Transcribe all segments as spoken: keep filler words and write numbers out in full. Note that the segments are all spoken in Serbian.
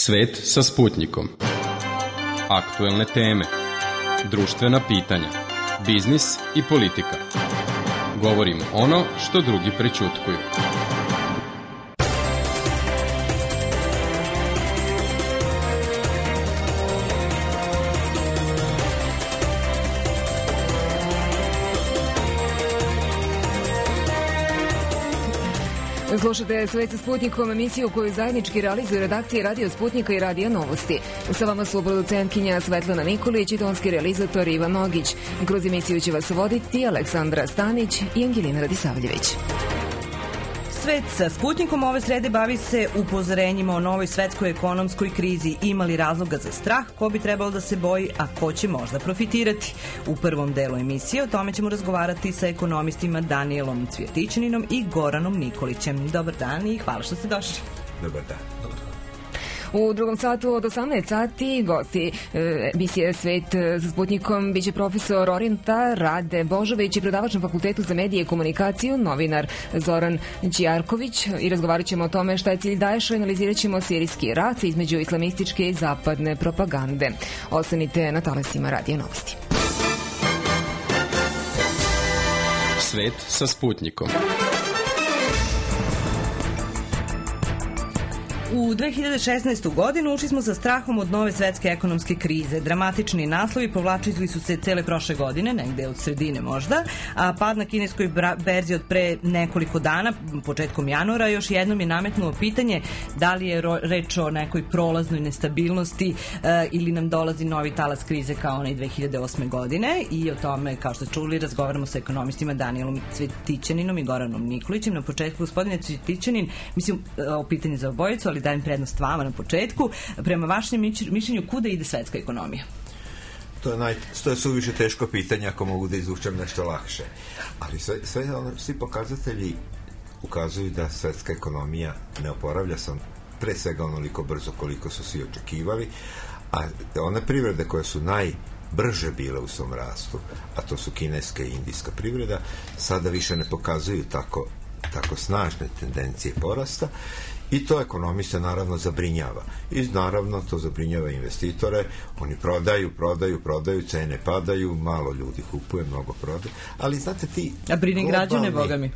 Svet sa Sputnikom. Aktuelne teme, društvena pitanja, biznis i politika. Govorimo ono što drugi prećutkuju. Slušate Svet sa Sputnikom, emisiju koju zajednički realizuju redakcije Radio Sputnika i Radija Novosti. Sa vama su producentkinja Svetlana Nikolić i tonski realizator Ivan Nogić. Kroz emisiju će vas voditi Aleksandra Stanić i Angelina Radisavljević. Svet sa Sputnikom ove srede bavi se upozorenjima o novoj svetskoj ekonomskoj krizi. Ima li razloga za strah, ko bi trebalo da se boji, a ko će možda profitirati? U prvom delu emisije o tome ćemo razgovarati sa ekonomistima Danijelom Cvjetićaninom i Goranom Nikolićem. Dobar dan i hvala što ste došli. Dobar dan. U drugom satu od osamnaest sati gosti emisije Svet sa Sputnikom biće profesor Orijenta Rade Božović i predavač na Fakultetu za medije i komunikaciju, novinar Zoran Ćijarković, i razgovarat ćemo o tome šta je cilj Daesha i analizirat ćemo sirijski rat između islamističke i zapadne propagande. Ostanite na talasima Radija Novosti. Svet sa Sputnikom. U dve hiljade šesnaestu. godinu ušli smo sa strahom od nove svetske ekonomske krize. Dramatični naslovi povlačili su se cele prošle godine, negde od sredine možda, a pad na kineskoj berzi od pre nekoliko dana, početkom januara, još jednom je nametnuo pitanje da li je reč o nekoj prolaznoj nestabilnosti e, ili nam dolazi novi talas krize kao onaj dve hiljade osme. godine, i o tome, kao što čuli, razgovaramo sa ekonomistima Danijelom Cvjetićaninom i Goranom Nikolićem. Na početku, gospodine Cvjetićanin, mislim o pitanju za obojicu, ali dajem prednost vama na početku. Prema vašem mišljenju, kuda ide svetska ekonomija? To je, naj, to je suviše teško pitanje, ako mogu da izvučem nešto lakše. Ali sve, sve ono, svi pokazatelji ukazuju da svetska ekonomija ne oporavlja se pre svega onoliko brzo koliko su svi očekivali, a one privrede koje su najbrže bile u svom rastu, a to su kineska i indijska privreda, sada više ne pokazuju tako, tako snažne tendencije porasta. I to ekonomiste naravno zabrinjava. I naravno to zabrinjava investitore. Oni prodaju, prodaju, prodaju, cene padaju, malo ljudi kupuje, mnogo prodaju. Ali znate ti... A brine građane, boga mi?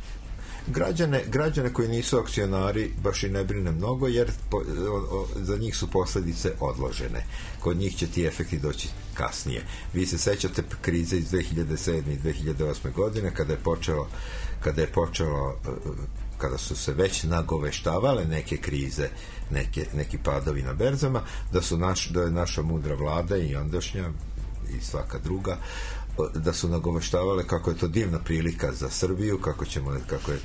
Građane, građane koji nisu akcionari baš i ne brine mnogo, jer po, o, o, za njih su posljedice odložene. Kod njih će ti efekti doći kasnije. Vi se sećate krize iz dve hiljade sedme. i dve hiljade osme. godine, kada je počelo kada je počelo kada su se već nagoveštavale neke krize, neke, neki padovi na berzama, da su naš, da je naša mudra vlada i ondašnja i svaka druga, da su nagoveštavale kako je to divna prilika za Srbiju, kako ćemo, kako je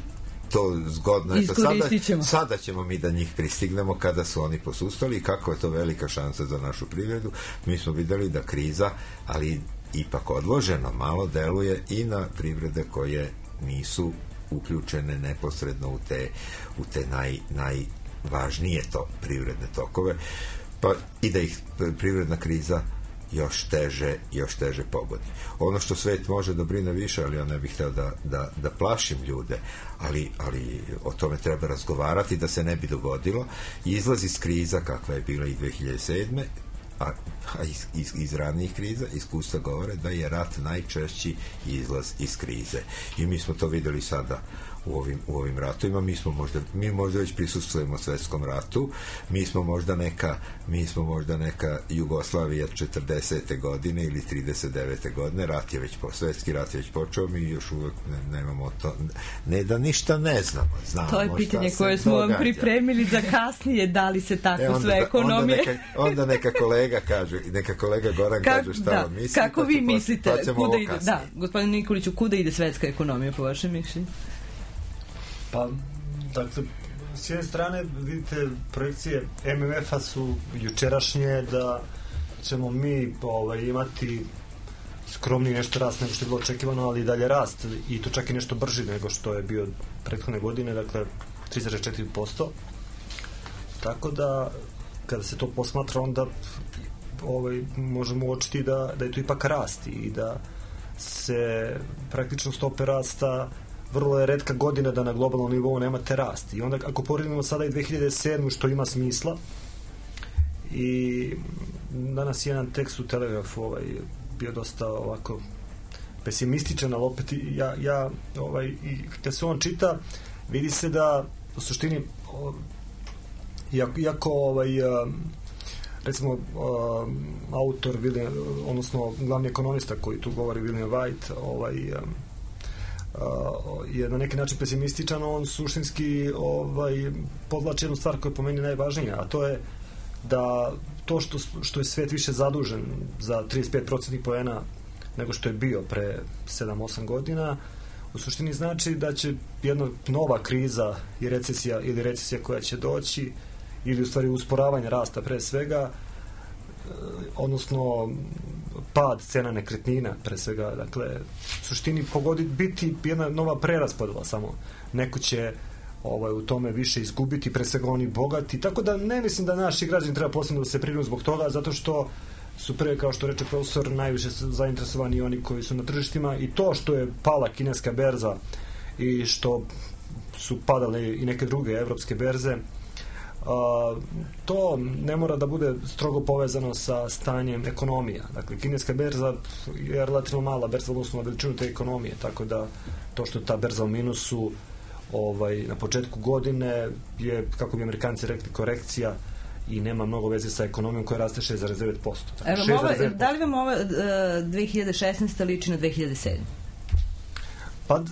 to zgodno. Eto, sada, ćemo. sada ćemo mi da njih pristignemo kada su oni posustali i kako je to velika šansa za našu privredu. Mi smo videli da kriza, ali ipak odloženo, malo deluje i na privrede koje nisu uključene neposredno u te, u te naj, najvažnije to privredne tokove, pa i da ih privredna kriza još teže, još teže pogodi. Ono što svet može da brine više, ali ja ne bih hteo da, da, da plašim ljude, ali, ali o tome treba razgovarati da se ne bi dogodilo. Izlaz iz kriza kakva je bila i dve hiljade sedme. a, a iz, iz, iz ranijih kriza iskustva govore da je rat najčešći izlaz iz krize. I mi smo to videli sada u ovim, u ovim ratovima. Mi smo možda, mi možda već prisustvujemo svetskom ratu. Mi smo možda neka, mi smo možda neka Jugoslavija četrdesete godine ili trideset devete godine. Rat je već, svetski rat je već počeo, mi još uvek ne, nemamo to, ne da ništa ne znamo. Znamo to je pitanje koje smo vam pripremili za kasnije, da li se tako e, onda, sve ekonomije. Onda neka, onda neka kolega kaže, neka kolega Goran Ka, kaže šta da, on misli. Kako vi mislite, pa kuda ide, da, gospodin Nikoliću, kuda ide svetska ekonomija po vašem mišljenju? Pa, dakle, s jedne strane, vidite, projekcije M M F-a su jučerašnje da ćemo mi ovaj, imati skromni nešto rast nego što je bilo očekivano, ali i dalje rast, i to čak i nešto brži nego što je bio prethodne godine, dakle tri zarez četiri posto. Tako da, kada se to posmatra, onda ovaj, možemo uočiti da, da je to ipak rast i da se praktično stope rasta, vrlo je retka godina da na globalnom nivou nemate rast. I onda ako poredimo sada i dve hiljade sedmu. što ima smisla, i danas je jedan tekst u Telegrafu ovaj, bio dosta ovako pesimističan, ali opet ja, ja ovaj, i kada se on čita vidi se da u suštini iako, iako ovaj, recimo autor William, odnosno glavni ekonomista koji tu govori William White ovaj, je na neki način pesimističan, on suštinski ovaj, podlači jednu stvar koja je po meni najvažnija, a to je da to što, što je svet više zadužen za trideset pet procentnih poena nego što je bio pre sedam osam godina, u suštini znači da će jedna nova kriza i recesija ili recesija koja će doći ili u stvari usporavanje rasta pre svega, odnosno pad cena nekretnina pre svega, dakle u suštini pogoditi biti jedna nova preraspodela samo. Neko će ovaj, u tome više izgubiti, pre svega oni bogati, tako da ne mislim da naši građani treba posebno da se brinu zbog toga, zato što su pre, kao što reče profesor, najviše zainteresovani oni koji su na tržištima i to što je pala kineska berza i što su padale i neke druge evropske berze, a, to ne mora da bude strogo povezano sa stanjem ekonomija. Dakle, kineska berza je relativno mala berza odnosno na veličinu te ekonomije, tako da to što je ta berza u minusu ovaj, na početku godine je, kako bi Amerikanci rekli, korekcija i nema mnogo veze sa ekonomijom koja raste šest zarez devet posto. Evo, ova, da li vam ova uh, dve hiljade šesnaesta liči na dve hiljade sedme? Pa,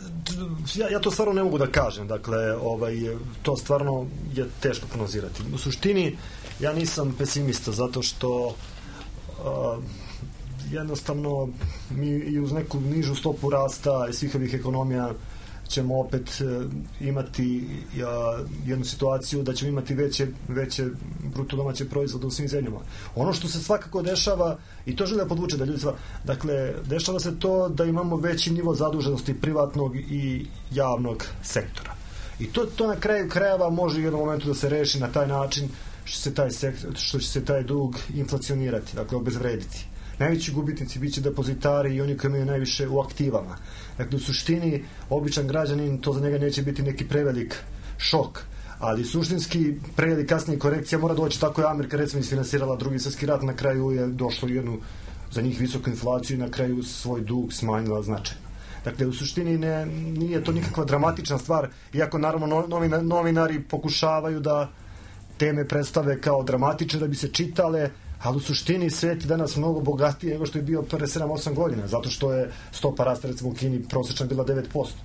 ja, ja to stvarno ne mogu da kažem. Dakle, ovaj, to stvarno je teško prognozirati. U suštini, ja nisam pesimista zato što uh, jednostavno mi i uz neku nižu stopu rasta i svih ovih ekonomija ćemo opet uh, imati uh, jednu situaciju da ćemo imati veće, veće bruto domaće proizvode u svim zemljama. Ono što se svakako dešava, i to želim da podvuče da ljudi sva, dakle, dešava se to da imamo veći nivo zaduženosti privatnog i javnog sektora. I to, to na kraju krajeva može u jednom momentu da se reši na taj način što, se taj sektor, što će se taj dug inflacionirati, dakle obezvrediti. Najveći gubitnici bit će depozitari i oni koji imaju najviše u aktivama. Dakle, u suštini, običan građanin, to za njega neće biti neki prevelik šok, ali suštinski pre ili kasnije korekcija mora doći. Tako je Amerika recimo isfinansirala drugi svjetski rat, na kraju je došlo u jednu za njih visoku inflaciju i na kraju svoj dug smanjila značajno. Dakle, u suštini ne, nije to nikakva dramatična stvar, iako naravno novina, novinari pokušavaju da teme predstave kao dramatične da bi se čitale, ali u suštini svet je danas mnogo bogatiji nego što je bio pre sedam osam godina, zato što je stopa rasta recimo u Kini prosječna bila devet posto.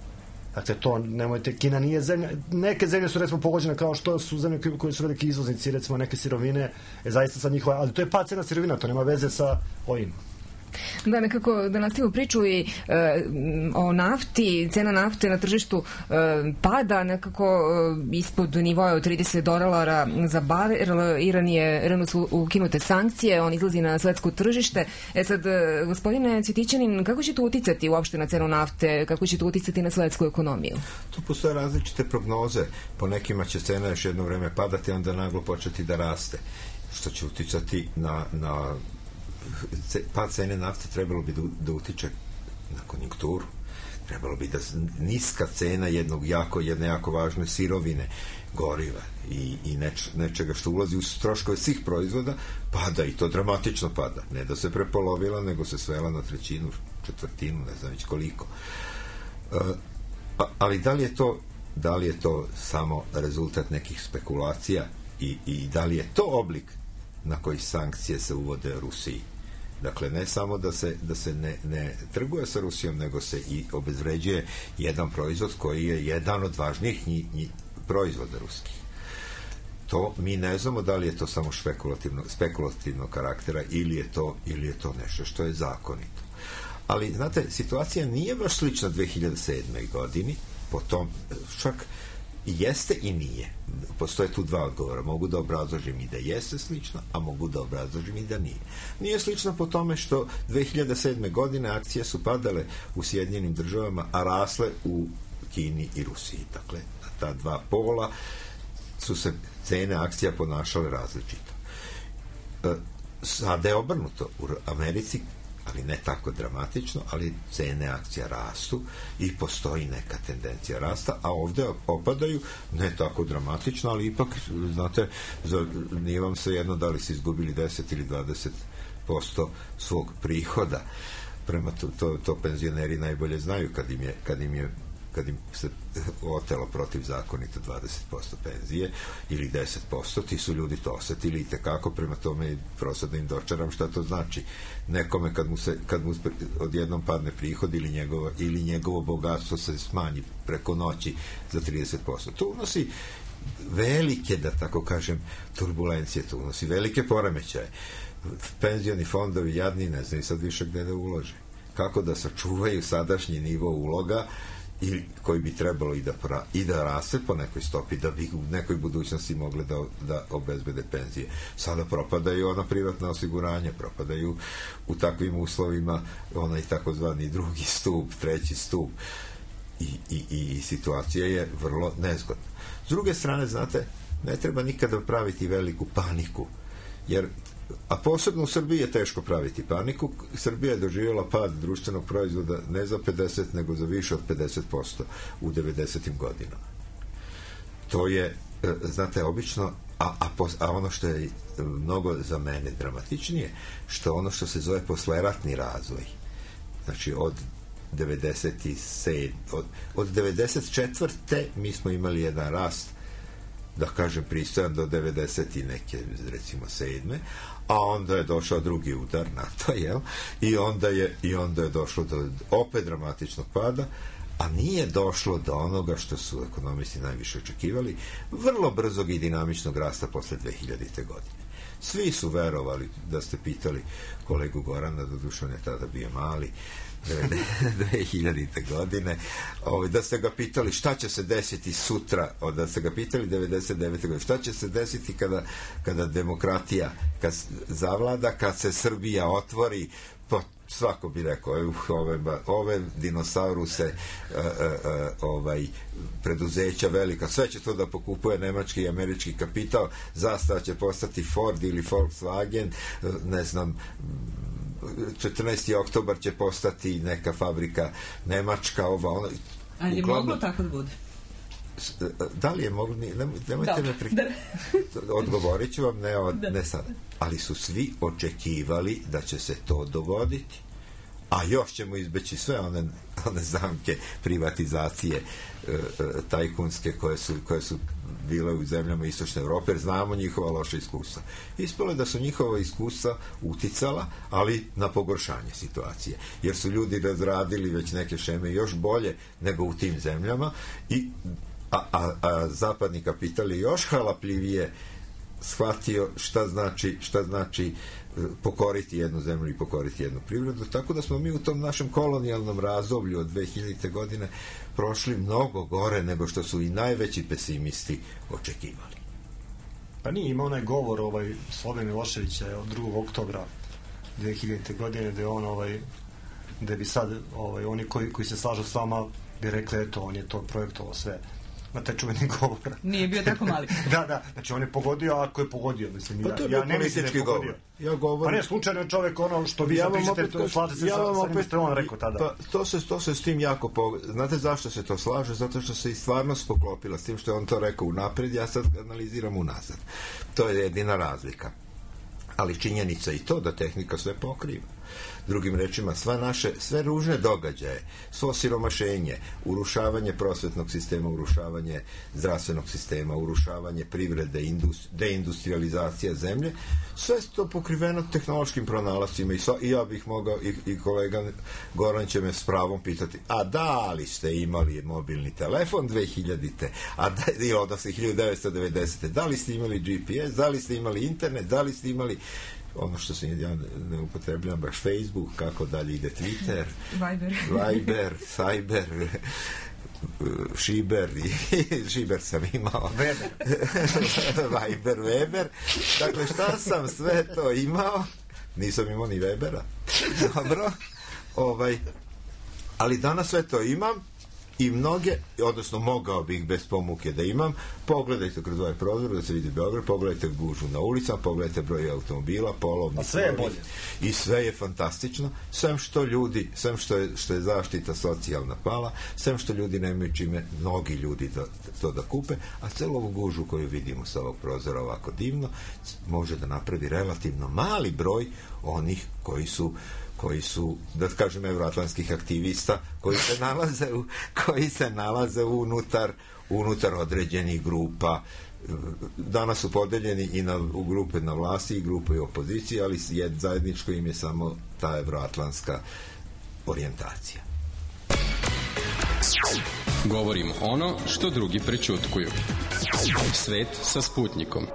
Dakle, to nemojte, Kina nije zemlja, neke zemlje su recimo pogođene kao što su zemlje koje su veliki izvoznici, recimo neke sirovine, je zaista sa njihova, ali to je pad cena sirovina, to nema veze sa ovim. Da, nekako da nastavimo priču i e, o nafti, cena nafte na tržištu e, pada nekako e, ispod nivoja od trideset dolara za barel. Iran je, Iranu su ukinute sankcije, on izlazi na svetsko tržište. E sad, e, gospodine Cvjetićanin, kako će to uticati uopšte na cenu nafte, kako će to uticati na svetsku ekonomiju? Tu postoje različite prognoze. Po nekima će cena još jedno vreme padati, onda naglo početi da raste, što će uticati na, na pad cene nafte. Trebalo bi da, da utiče na konjunkturu, trebalo bi da niska cena jednog jako, jedne jako važne sirovine, goriva i, i neč, nečega što ulazi u troškove svih proizvoda pada, i to dramatično pada, ne da se prepolovila, nego se svela na trećinu, četvrtinu, ne znam već koliko. Uh, ali da li je to da li je to samo rezultat nekih spekulacija i, i da li je to oblik na koji sankcije se uvode Rusiji? Dakle, ne samo da se, da se ne, ne trguje sa Rusijom, nego se i obezvređuje jedan proizvod koji je jedan od važnijih nji, nji, proizvoda ruskih. To mi ne znamo da li je to samo spekulativno, spekulativnog karaktera ili je to, ili je to nešto što je zakonito. Ali, znate, situacija nije baš slična dve hiljade sedme. godini, potom čak jeste i nije. Postoje tu dva odgovora. Mogu da obrazložim i da jeste slično, a mogu da obrazložim i da nije. Nije slično po tome što dve hiljade sedme. godine akcije su padale u Sjedinjenim Državama, a rasle u Kini i Rusiji. Dakle, na ta dva pola su se cene akcija ponašale različito. E, sada je obrnuto. U Americi ali ne tako dramatično, ali cene akcija rastu i postoji neka tendencija rasta, a ovde opadaju ne tako dramatično, ali ipak, znate, za, nije vam sve jedno da li se izgubili deset ili dvadeset posto svog prihoda. Prema to, to, to penzioneri najbolje znaju kad im je, kad im je kad im se otelo protivzakonito dvadeset posto penzije ili deset posto, ti su ljudi to osetili i tekako, prema tome prosto da im dočaram šta to znači. Nekome kad mu se, kad mu odjednom padne prihod ili njegovo, ili njegovo bogatstvo se smanji preko noći za trideset posto. To unosi velike, da tako kažem, turbulencije, to unosi velike poremećaje. Penzioni fondovi jadni ne znaju sad više gde da ulože. Kako da sačuvaju sadašnji nivo uloga i koji bi trebalo i da, pra, i da raste po nekoj stopi, da bi u nekoj budućnosti mogle da, da obezbede penzije. Sada propadaju ona privatna osiguranja, propadaju u takvim uslovima onaj takozvani drugi stup, treći stup i, i, i situacija je vrlo nezgodna. S druge strane, znate, ne treba nikada praviti veliku paniku, jer a posebno u Srbiji je teško praviti paniku. Srbija je doživjela pad društvenog proizvoda ne za pedeset, nego za više od pedeset posto u devedesetim godinama. To je, znate, obično, a, a, pos, a ono što je mnogo za mene dramatičnije, što ono što se zove posleratni razvoj, znači od devedeset sedme, od, od devedeset četvrte mi smo imali jedan rast, da kažem, pristojan do devedeset i neke, recimo sedme, a onda je došao drugi udar na to, jel? I onda je, i onda je došlo do opet dramatičnog pada, a nije došlo do onoga što su ekonomisti najviše očekivali, vrlo brzog i dinamičnog rasta posle dve hiljadite godine. Svi su verovali, da ste pitali kolegu Gorana, doduše on je tada bio mali, dve hiljadite godine, ovaj, da ste ga pitali šta će se desiti sutra, da ste ga pitali devedeset devete godine, šta će se desiti kada, kada demokratija kad zavlada, kad se Srbija otvori, pa svako bi rekao, uh, ove, ove dinosauruse uh, uh, uh, ovaj, preduzeća velika, sve će to da pokupuje nemački i američki kapital, zastava će postati Ford ili Volkswagen, uh, ne znam, četrnaesti oktobar će postati neka fabrika nemačka, ova, ona. A je moglo tako da bude? Da li je moglo? Nemojte me pri... Odgovorit ću vam, ne, od, ne sada. Ali su svi očekivali da će se to dogoditi. A još ćemo izbeći sve one, one zamke privatizacije e, e, tajkunske koje su, koje su bile u zemljama Istočne Evrope, jer znamo njihova loša iskustva. Ispalo je da su njihova iskustva uticala, ali na pogoršanje situacije. Jer su ljudi razradili već neke šeme još bolje nego u tim zemljama, i, a, a, a zapadni kapital je još halapljivije shvatio šta znači, šta znači pokoriti jednu zemlju i pokoriti jednu privredu, tako da smo mi u tom našem kolonijalnom razdoblju od dve hiljadite godine prošli mnogo gore nego što su i najveći pesimisti očekivali. Pa nije imao onaj govor ovaj Slobe Miloševića od drugog oktobra dve hiljadite godine, gde on ovaj gde bi sad ovaj oni koji koji se slažu s vama bi rekli, eto, on je to projektovao sve na taj čuveni govor. Nije bio tako mali. Da, da, znači on je pogodio, ako je pogodio, mislim, pa ja, ja ne mislim da je pogodio. Ja govorim... Pa ne, slučajno je čovjek ono što vi ja sad pričate, slaže se ja sa onim što on rekao tada. Pa to se, to se s tim jako... Po... Znate zašto se to slaže? Zato što se i stvarnost poklopila s tim što je on to rekao unapred, ja sad analiziram unazad. To je jedina razlika. Ali činjenica i to da tehnika sve pokriva. Drugim rečima, sva naše, sve ružne događaje, svo siromašenje, urušavanje prosvetnog sistema, urušavanje zdravstvenog sistema, urušavanje privrede, industri, deindustrializacija zemlje, sve to pokriveno tehnološkim pronalascima i, so, i ja bih mogao, i, i kolega Goran će me s pravom pitati, a da li ste imali mobilni telefon dve hiljadite, a da, odnosno hiljadu devetsto devedesete, da li ste imali G P S, da li ste imali internet, da li ste imali ono što se ja ne upotrebljam baš Facebook, kako dalje ide Twitter, Viber, Viber, Cyber, Šiber, Šiber sam imao, Viber, Weber, dakle šta sam sve to imao, nisam imao ni Webera, dobro, ovaj, ali danas sve to imam I mnoge, odnosno mogao bih bez pomuke da imam, pogledajte kroz ovaj prozor da se vidi Beograd, pogledajte gužu na ulicama, pogledajte broj automobila, polovni, sve je bolje. I sve je fantastično, sem što ljudi, sem što je, što je zaštita socijalna pala, sem što ljudi nemaju čime, mnogi ljudi da, to da kupe, a celu ovu gužu koju vidimo sa ovog prozora ovako divno, može da napravi relativno mali broj onih koji su koji su, da kažem, evroatlantskih aktivista, koji se nalaze u, koji se nalaze unutar, unutar određenih grupa. Danas su podeljeni i na, u grupe na vlasti i grupe u opoziciji, ali jed, zajedničko im je samo ta evroatlantska orijentacija. Govorimo ono što drugi prećutkuju. Svet sa Sputnikom.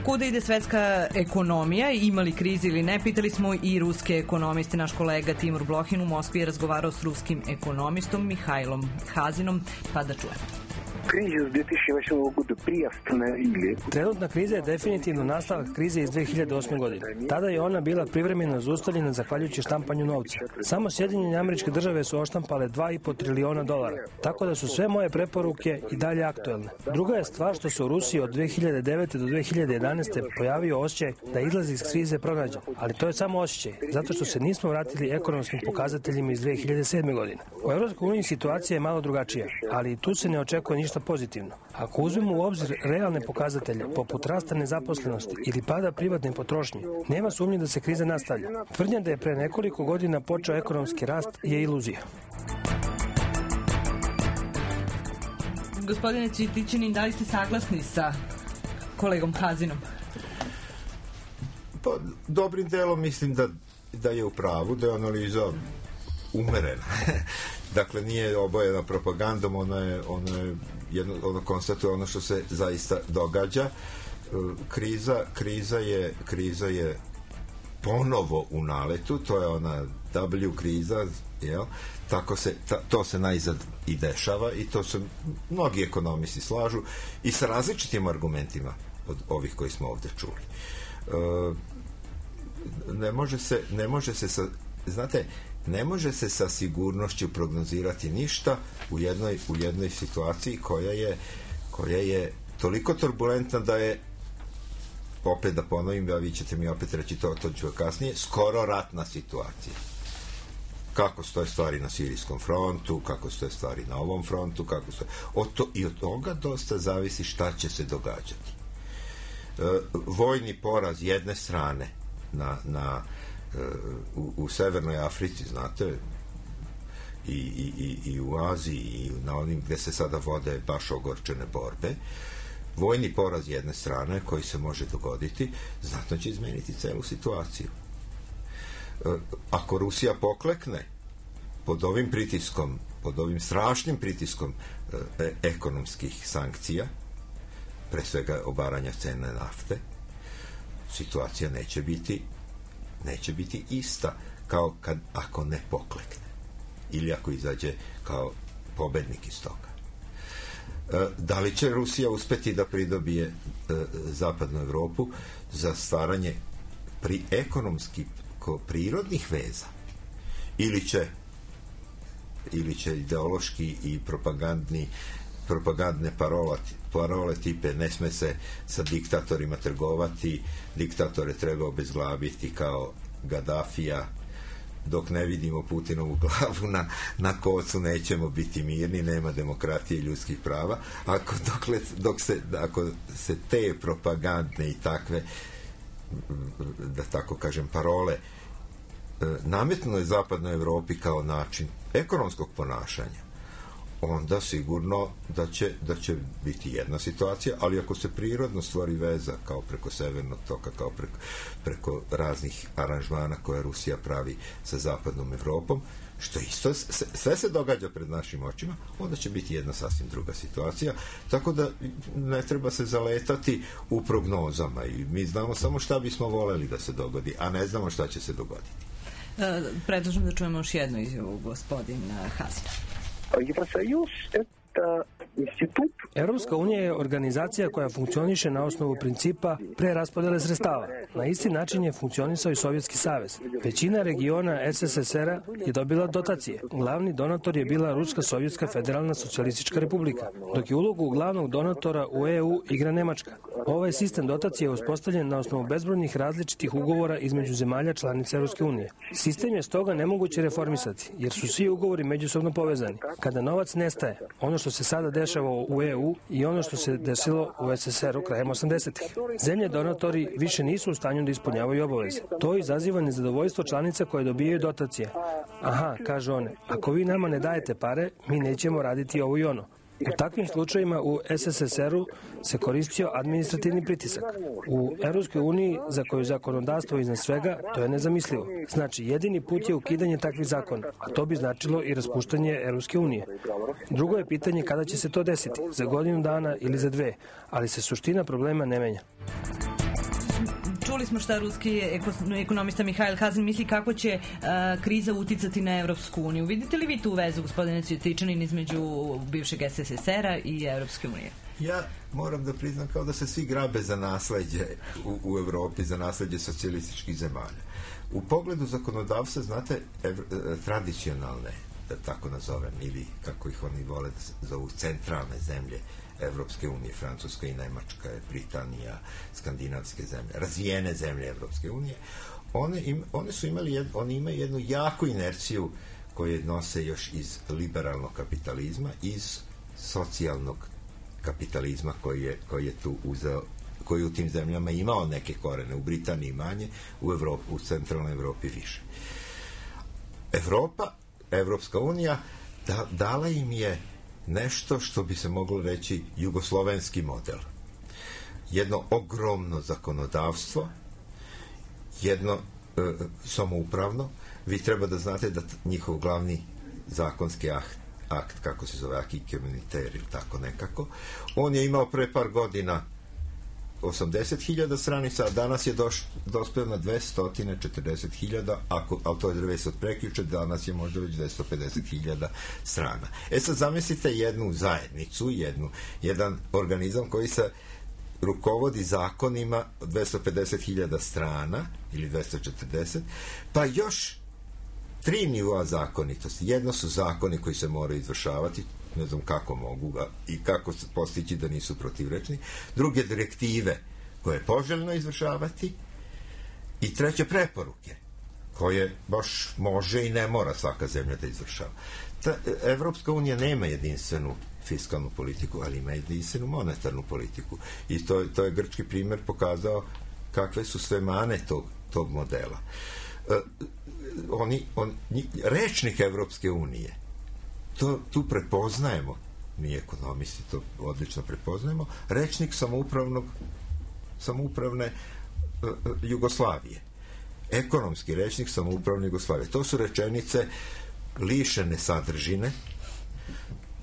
Kuda ide svetska ekonomija, ima li krize ili ne, pitali smo i ruske ekonomiste. Naš kolega Timur Blohin u Moskvi je razgovarao s ruskim ekonomistom Mihajlom Hazinom, pa da čujemo. Кризис две тысячи восьмого года приостановили. Trenutna kriza je definitivno nastavak krize iz dve hiljade osme. godine. Tada je ona bila privremeno zaustavljena zahvaljujući štampanju novca. Samo Sjedinjene Američke Države su oštampale dva i po triliona dolara, tako da su sve moje preporuke i dalje aktuelne. Druga je stvar što se u Rusiji od dve hiljade devete. do dve hiljade jedanaeste. pojavio osjećaj da izlaz iz krize pronađen, ali to je samo osjećaj, zato što se nismo vratili ekonomskim pokazateljima iz dve hiljade sedme. godine. U Evropskoj uniji situacija je malo drugačija, ali i tu se ne očekuje ništa pozitivno. Ako uzmemo u obzir realne pokazatelje, poput rasta nezaposlenosti ili pada privatne potrošnje, nema sumnje da se kriza nastavlja. Tvrdnja da je pre nekoliko godina počeo ekonomski rast je iluzija. Gospodine Cvitićanin, da li ste saglasni sa kolegom Hazinom? Pa, dobrim delom mislim da, da je u pravu, da je analiza umerena. Dakle, nije obojena propagandom, ono je, ono je jedno, ono konstatuje ono što se zaista događa. Kriza, kriza je, kriza je ponovo u naletu, to je ona W kriza, jel? Tako se, ta, to se najzad i dešava i to se mnogi ekonomisti slažu i sa različitim argumentima od ovih koji smo ovde čuli. E, ne može se, ne može se sa, znate, ne može se sa sigurnošću prognozirati ništa u jednoj, u jednoj situaciji koja je, koja je toliko turbulentna da je, opet da ponovim, a vi ćete mi opet reći to, to ću kasnije, skoro ratna situacija. Kako stoje stvari na sirijskom frontu, kako stoje stvari na ovom frontu, kako stoje... Od to, i od toga dosta zavisi šta će se događati. E, vojni poraz jedne strane na, na U, u Severnoj Africi, znate, i, i, i, i u Aziji i na onim gde se sada vode baš ogorčene borbe, vojni poraz jedne strane koji se može dogoditi, znatno će izmeniti celu situaciju. E, ako Rusija poklekne pod ovim pritiskom, pod ovim strašnim pritiskom e, ekonomskih sankcija, pre svega obaranja cene nafte, situacija neće biti neće biti ista kao kad, ako ne poklekne ili ako izađe kao pobednik iz toga. E, da li će Rusija uspeti da pridobije e, zapadnu Evropu za stvaranje pri ekonomski ko, prirodnih veza ili će ili će ideološki i propagandni propagandne parola, parole tipe ne sme se sa diktatorima trgovati, diktatore treba obezglaviti kao Gadafija, dok ne vidimo Putinovu glavu na, na kocu nećemo biti mirni, nema demokratije i ljudskih prava. Ako, dokle, dok se, ako se te propagandne i takve, da tako kažem, parole nametno je zapadnoj Evropi kao način ekonomskog ponašanja, onda sigurno da će, da će biti jedna situacija, ali ako se prirodno stvori veza kao preko Severnog toka, kao preko, preko raznih aranžmana koje Rusija pravi sa zapadnom Evropom, što isto sve se događa pred našim očima, onda će biti jedna sasvim druga situacija, tako da ne treba se zaletati u prognozama i mi znamo samo šta bismo voleli da se dogodi, a ne znamo šta će se dogoditi. E, predlažem da čujemo još jednu izjavu gospodina Hazina. Евросоюз – это institut. Evropska unija je organizacija koja funkcioniše na osnovu principa preraspodele sredstava. Na isti način je funkcionisao i Sovjetski savez. Većina regiona es es es er-a je dobila dotacije. Glavni donator je bila Ruska Sovjetska federalna socijalistička republika, dok je ulogu glavnog donatora u e u igra Nemačka. Ovaj sistem dotacije je uspostavljen na osnovu bezbrojnih različitih ugovora između zemalja članica Evropske unije. Sistem je stoga nemoguće reformisati, jer su svi ugovori međusobno povezani. Kada novac nestaje, ono što se sada dešava u e u i ono što se desilo u es es er-u krajem osamdesetih. Zemlje donatori više nisu u stanju da ispunjavaju obaveze. To izaziva nezadovoljstvo članica koje dobijaju dotacije. Aha, kaže one, ako vi nama ne dajete pare, mi nećemo raditi ovo i ono. U takvim slučajima u es es es er-u se koristio administrativni pritisak. U Evropskoj uniji, za koju zakonodavstvo iznad svega, to je nezamislivo. Znači, jedini put je ukidanje takvih zakona, a to bi značilo i raspuštanje Evropske unije. Drugo je pitanje kada će se to desiti, za godinu dana ili za dve, ali se suština problema ne menja. Čuli smo šta ruski ekonomista Mihajl Hazin misli kako će uh, kriza uticati na Evropsku uniju. Vidite li vi tu vezu, gospodine Cvjetičanin, između bivšeg es es es er-a i Evropske unije? Ja moram da priznam kao da se svi grabe za nasleđe u, u Evropi, za nasleđe socijalističkih zemalja. U pogledu zakonodavstva, znate, evr, tradicionalne, da tako nazovem, ili kako ih oni vole da zovu, centralne zemlje Evropske unije, Francuska i Nemačka, Britanija, skandinavske zemlje, razvijene zemlje Evropske unije, one, im, one su imali jed, oni imaju jednu jaku inerciju koje nose još iz liberalnog kapitalizma, iz socijalnog kapitalizma koji je, koji je tu uzeo, koji u tim zemljama imao neke korene, u Britaniji manje, u, Evropi, u centralnoj Evropi više. Evropa, Evropska unija da, dala im je nešto što bi se moglo reći jugoslovenski model. Jedno ogromno zakonodavstvo, jedno e, samoupravno. Vi treba da znate da njihov glavni zakonski akt, akt kako se zove, acquis communautaire ili tako nekako, on je imao pre par godina osamdeset hiljada stranica, a danas je doš, dospeo na dvesta četrdeset hiljada, ako, ali to je već od prekjuče, danas je možda već dvesta pedeset hiljada strana. E sad zamislite jednu zajednicu, jednu, jedan organizam koji se rukovodi zakonima od dvesta pedeset hiljada strana, ili dvesta četrdeset, pa još tri nivoa zakonitosti. Jedno su zakoni koji se moraju izvršavati, ne znam kako mogu ga i kako postići da nisu protivrečni. Druge, direktive koje je poželjno izvršavati, i treće, preporuke koje baš može i ne mora svaka zemlja da izvršava. Ta, Evropska unija nema jedinstvenu fiskalnu politiku, ali ima jedinstvenu monetarnu politiku. I to, to je grčki primjer pokazao kakve su sve mane tog, tog modela. Uh, oni, on, rečnik Evropske unije, to, tu prepoznajemo, mi ekonomisti to odlično prepoznajemo, rečnik samoupravnog samoupravne uh, Jugoslavije. Ekonomski rečnik samoupravne Jugoslavije. To su rečenice lišene sadržine,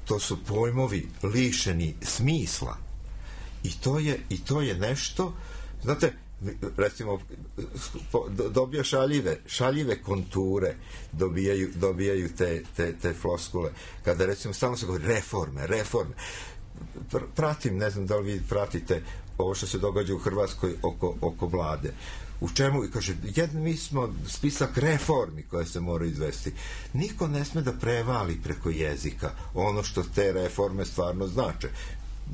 to su pojmovi lišeni smisla, i to je, i to je nešto, znate, recimo dobija šaljive šaljive konture, dobijaju, dobijaju te, te, te floskule kada recimo stalno se govori reforme, reforme Pr- pratim, ne znam da li vi pratite ovo što se događa u Hrvatskoj oko, oko vlade, u čemu, i kaže, jedno, mi smo spisak reformi koje se moraju izvesti. Niko ne sme da prevali preko jezika ono što te reforme stvarno znače.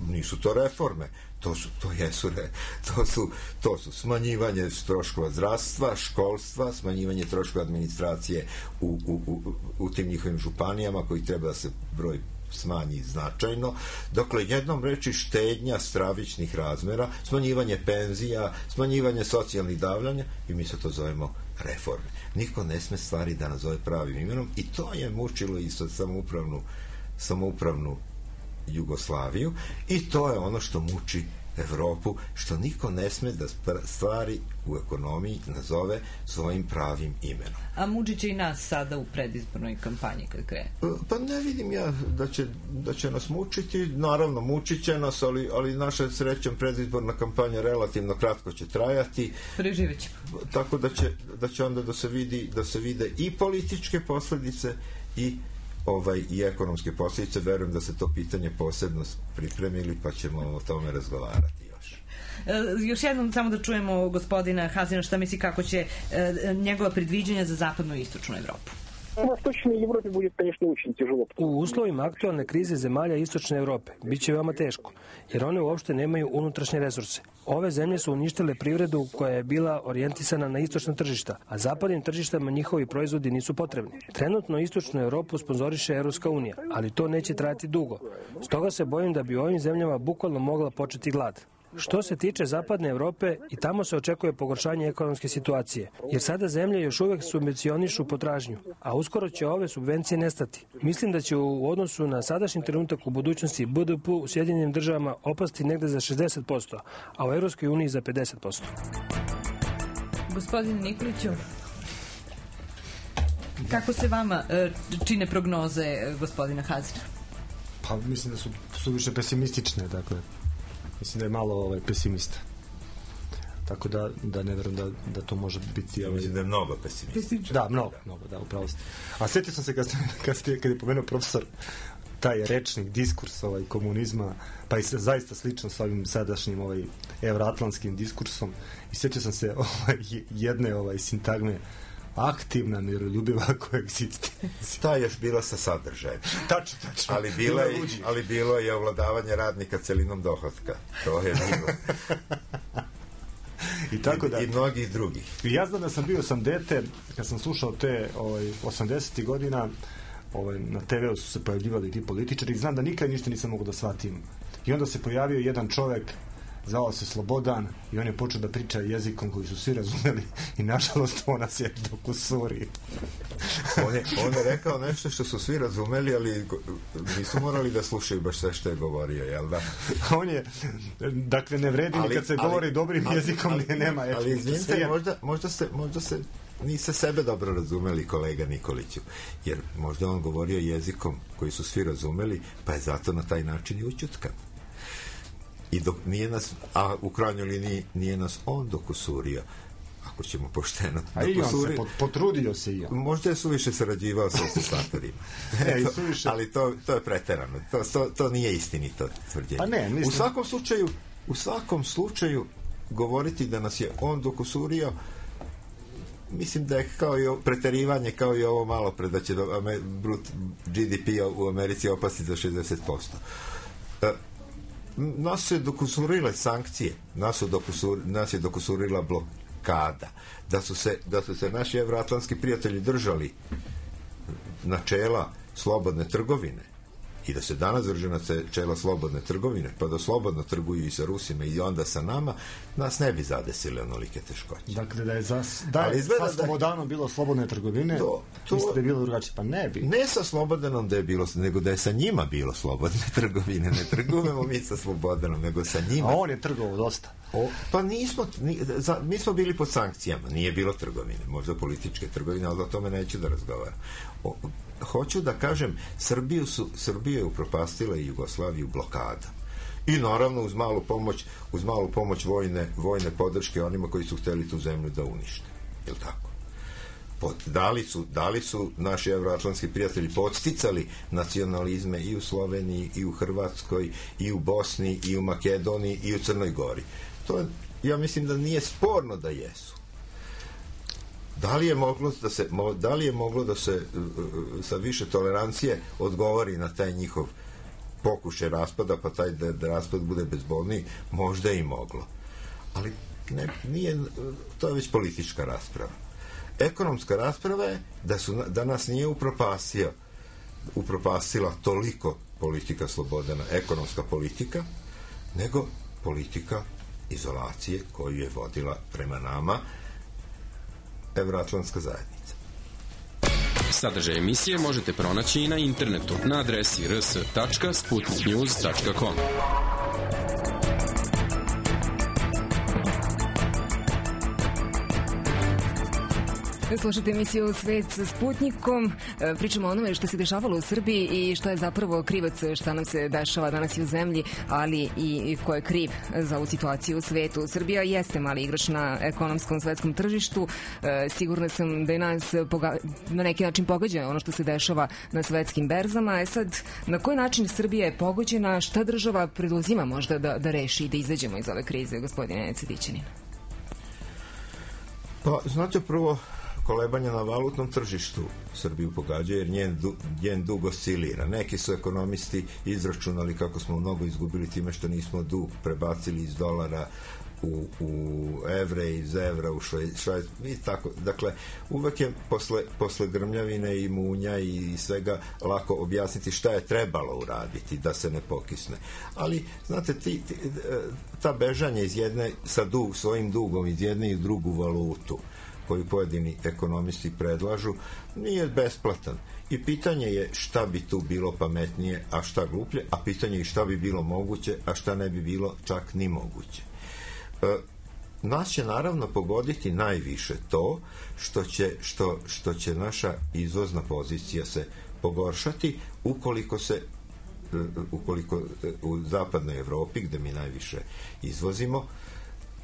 Nisu to reforme, to su, to jesu, re, to su, to su smanjivanje troškova zdravstva, školstva, smanjivanje troškova administracije u, u, u, u tim njihovim županijama koji treba da se broj smanji značajno. Dokle jednom reči štednja stravičnih razmera, smanjivanje penzija, smanjivanje socijalnih davljanja, i mi se to zovemo reforme. Niko ne sme stvari da nazove pravim imenom, i to je mučilo i sad samoupravnu, samoupravnu Jugoslaviju, i to je ono što muči Evropu, što niko ne sme da stvari u ekonomiji nazove svojim pravim imenom. A muči će i nas sada u predizbornoj kampanji kad krene? Pa ne vidim ja da će, da će nas mučiti, naravno mučit će nas, ali, ali naša srećom predizborna kampanja relativno kratko će trajati. Preživjet ćemo. Tako da će, da će onda da se vidi, da se vide i političke posledice i ovaj, i ekonomske posljedice. Verujem da se to pitanje posebno pripremili, pa ćemo o tome razgovarati još. E, još jednom samo da čujemo gospodina Hazina šta misli kako će e, njegova predviđanja za zapadnu i istočnu Evropu. U uslovima aktualne krize zemalja istočne Evrope biće veoma teško, jer one uopšte nemaju unutrašnje resurse. Ove zemlje su uništile privredu koja je bila orijentisana na istočna tržišta, a zapadnim tržištama njihovi proizvodi nisu potrebni. Trenutno istočnu Evropu sponzoriše Evropska unija, ali to neće trajati dugo. Stoga se bojim da bi u ovim zemljama bukvalno mogla početi glad. Što se tiče zapadne Evrope, i tamo se očekuje pogoršanje ekonomske situacije, jer sada zemlje još uvek subvencionišu potražnju, a uskoro će ove subvencije nestati. Mislim da će u odnosu na sadašnji trenutak u budućnosti B D P u Sjedinjenim državama opasti negde za šezdeset posto, a u Evropskoj uniji za pedeset posto. Gospodine Nikoliću, kako se vama čine prognoze gospodina Hazina? Pa mislim da su, su više pesimistične, dakle. Mislim da je malo ovaj, pesimista. Tako da, da ne verujem da, da to može biti... Ovaj... Mislim da je mnogo pesimističan. Da, mnogo, mnogo, da, upravo ste. A sjetio sam se kad, ste, kad, ste, kad je pomenuo profesor taj rečnik, diskurs ovaj, komunizma, pa i zaista slično sa ovim sadašnjim ovaj, evroatlantskim diskursom. I sjetio sam se ovaj, jedne ovaj, sintagme aktivna, miroljubiva koegzistencija. Ta je još bila sa sadržajem. Tačno, tačno. Ali, bila je, ali bilo je ovladavanje radnika celinom dohotka. To je bilo. I, tako da, I, i mnogih drugih. I ja znam da sam bio sam dete, kad sam slušao te ovaj, osamdesetih godina, ovaj, na te veu su se pojavljivali ti političari i znam da nikad ništa nisam mogu da shvatim. I onda se pojavio jedan čovek, zvao se Slobodan, i on je počeo da priča jezikom koji su svi razumeli i nažalost on nas je dok u Suriji. on, je, on je rekao nešto što su svi razumeli, ali nisu morali da slušaju baš sve što je govorio, jel da? On je, dakle, ne vredi ali, kad se ali, govori dobrim ali, jezikom, ali, nema ali, ali izvinite, možda, možda se, možda se niste sebe dobro razumeli, kolega Nikoliću, jer možda on govorio jezikom koji su svi razumeli, pa je zato na taj način i ućutkan. I dok nije nas, a u krajnjoj liniji nije nas on dokusurio, ako ćemo pošteno. A i on se potrudio se i on. Možda je suviše sarađivao sa okupatorima. e, suviše... Ali to, to je preterano. To, to, to nije istinito tvrđenje. Pa ne, mislim... U svakom slučaju, u svakom slučaju govoriti da nas je on dokusurio, mislim da je kao i preterivanje, kao i ovo malo pre, da će G D P u Americi opasti za šezdeset posto. Uh, nas su dokusurile sankcije, nas, su dokusur, nas je dokusurila blokada, da su se, da su se naši evroatlantski prijatelji držali načela slobodne trgovine i da se danas drže načela slobodne trgovine, pa da slobodno trguju i sa Rusima i onda sa nama, nas ne bi zadesile onolike teškoće. Dakle, da je, za, da je sa Slobodanom bilo slobodne trgovine, to, to, mislite da je bilo drugačije? Pa ne bi. Ne sa Slobodanom da je bilo, nego da je sa njima bilo slobodne trgovine. Ne trgujemo mi sa Slobodanom, nego sa njima. A on je trgovao dosta. O, pa nismo, ni, za, mi smo bili pod sankcijama, nije bilo trgovine, možda političke trgovine, ali o tome neću da razgovaram. O, hoću da kažem, Srbiju su, Srbiju je upropastila i Jugoslaviju blokada. I naravno uz malu pomoć, uz malu pomoć vojne, vojne podrške onima koji su hteli tu zemlju da unište. Jel tako? Pod, da, li su, da li su naši evroatlantski prijatelji podsticali nacionalizme i u Sloveniji, i u Hrvatskoj, i u Bosni, i u Makedoniji, i u Crnoj Gori? To je, ja mislim da nije sporno da jesu. Da li je moglo da se, da li je moglo da se sa više tolerancije odgovori na taj njihov pokušaj raspada, pa taj da, da raspad bude bezbolniji? Možda je i moglo. Ali ne, nije, to je već politička rasprava. Ekonomska rasprava je da, su, da nas nije upropastio, upropastila toliko politika Slobodana, ekonomska politika, nego politika izolacije koju je vodila prema nama Evroatlantska zajednica. Sadržaj emisije možete pronaći i na internetu na adresi r s tačka sputnik news tačka com. Slušajte emisiju Svet sa Sputnikom. Pričamo o onome što se dešavalo u Srbiji i što je zapravo krivac šta nam se dešava danas i u zemlji, ali i ko je kriv za ovu situaciju u svetu. Srbija jeste mali igrač na ekonomskom svetskom tržištu. Sigurna sam da je nas na neki način pogađa ono što se dešava na svetskim berzama. E sad, na koji način Srbija je pogođena, šta država preduzima možda da, da reši i da izađemo iz ove krize, gospodine Cvetićanin? Pa, znate, prvo, kolebanja na valutnom tržištu Srbiju pogađa, jer njen, du, njen dug oscilira. Neki su ekonomisti izračunali kako smo mnogo izgubili time što nismo dug prebacili iz dolara u, u evre, iz evra u švajc i tako. Dakle, uvek je posle, posle grmljavine i munja i svega lako objasniti šta je trebalo uraditi da se ne pokisne. Ali, znate, ti, ti, ta bežanje iz jedne, sa dug, svojim dugom iz jedne i drugu valutu koju pojedini ekonomisti predlažu, nije besplatan. I pitanje je šta bi tu bilo pametnije, a šta gluplje, a pitanje je šta bi bilo moguće, a šta ne bi bilo čak ni moguće. E, nas će naravno pogoditi najviše to što će, što, što će naša izvozna pozicija se pogoršati ukoliko se ukoliko u zapadnoj Evropi, gde mi najviše izvozimo,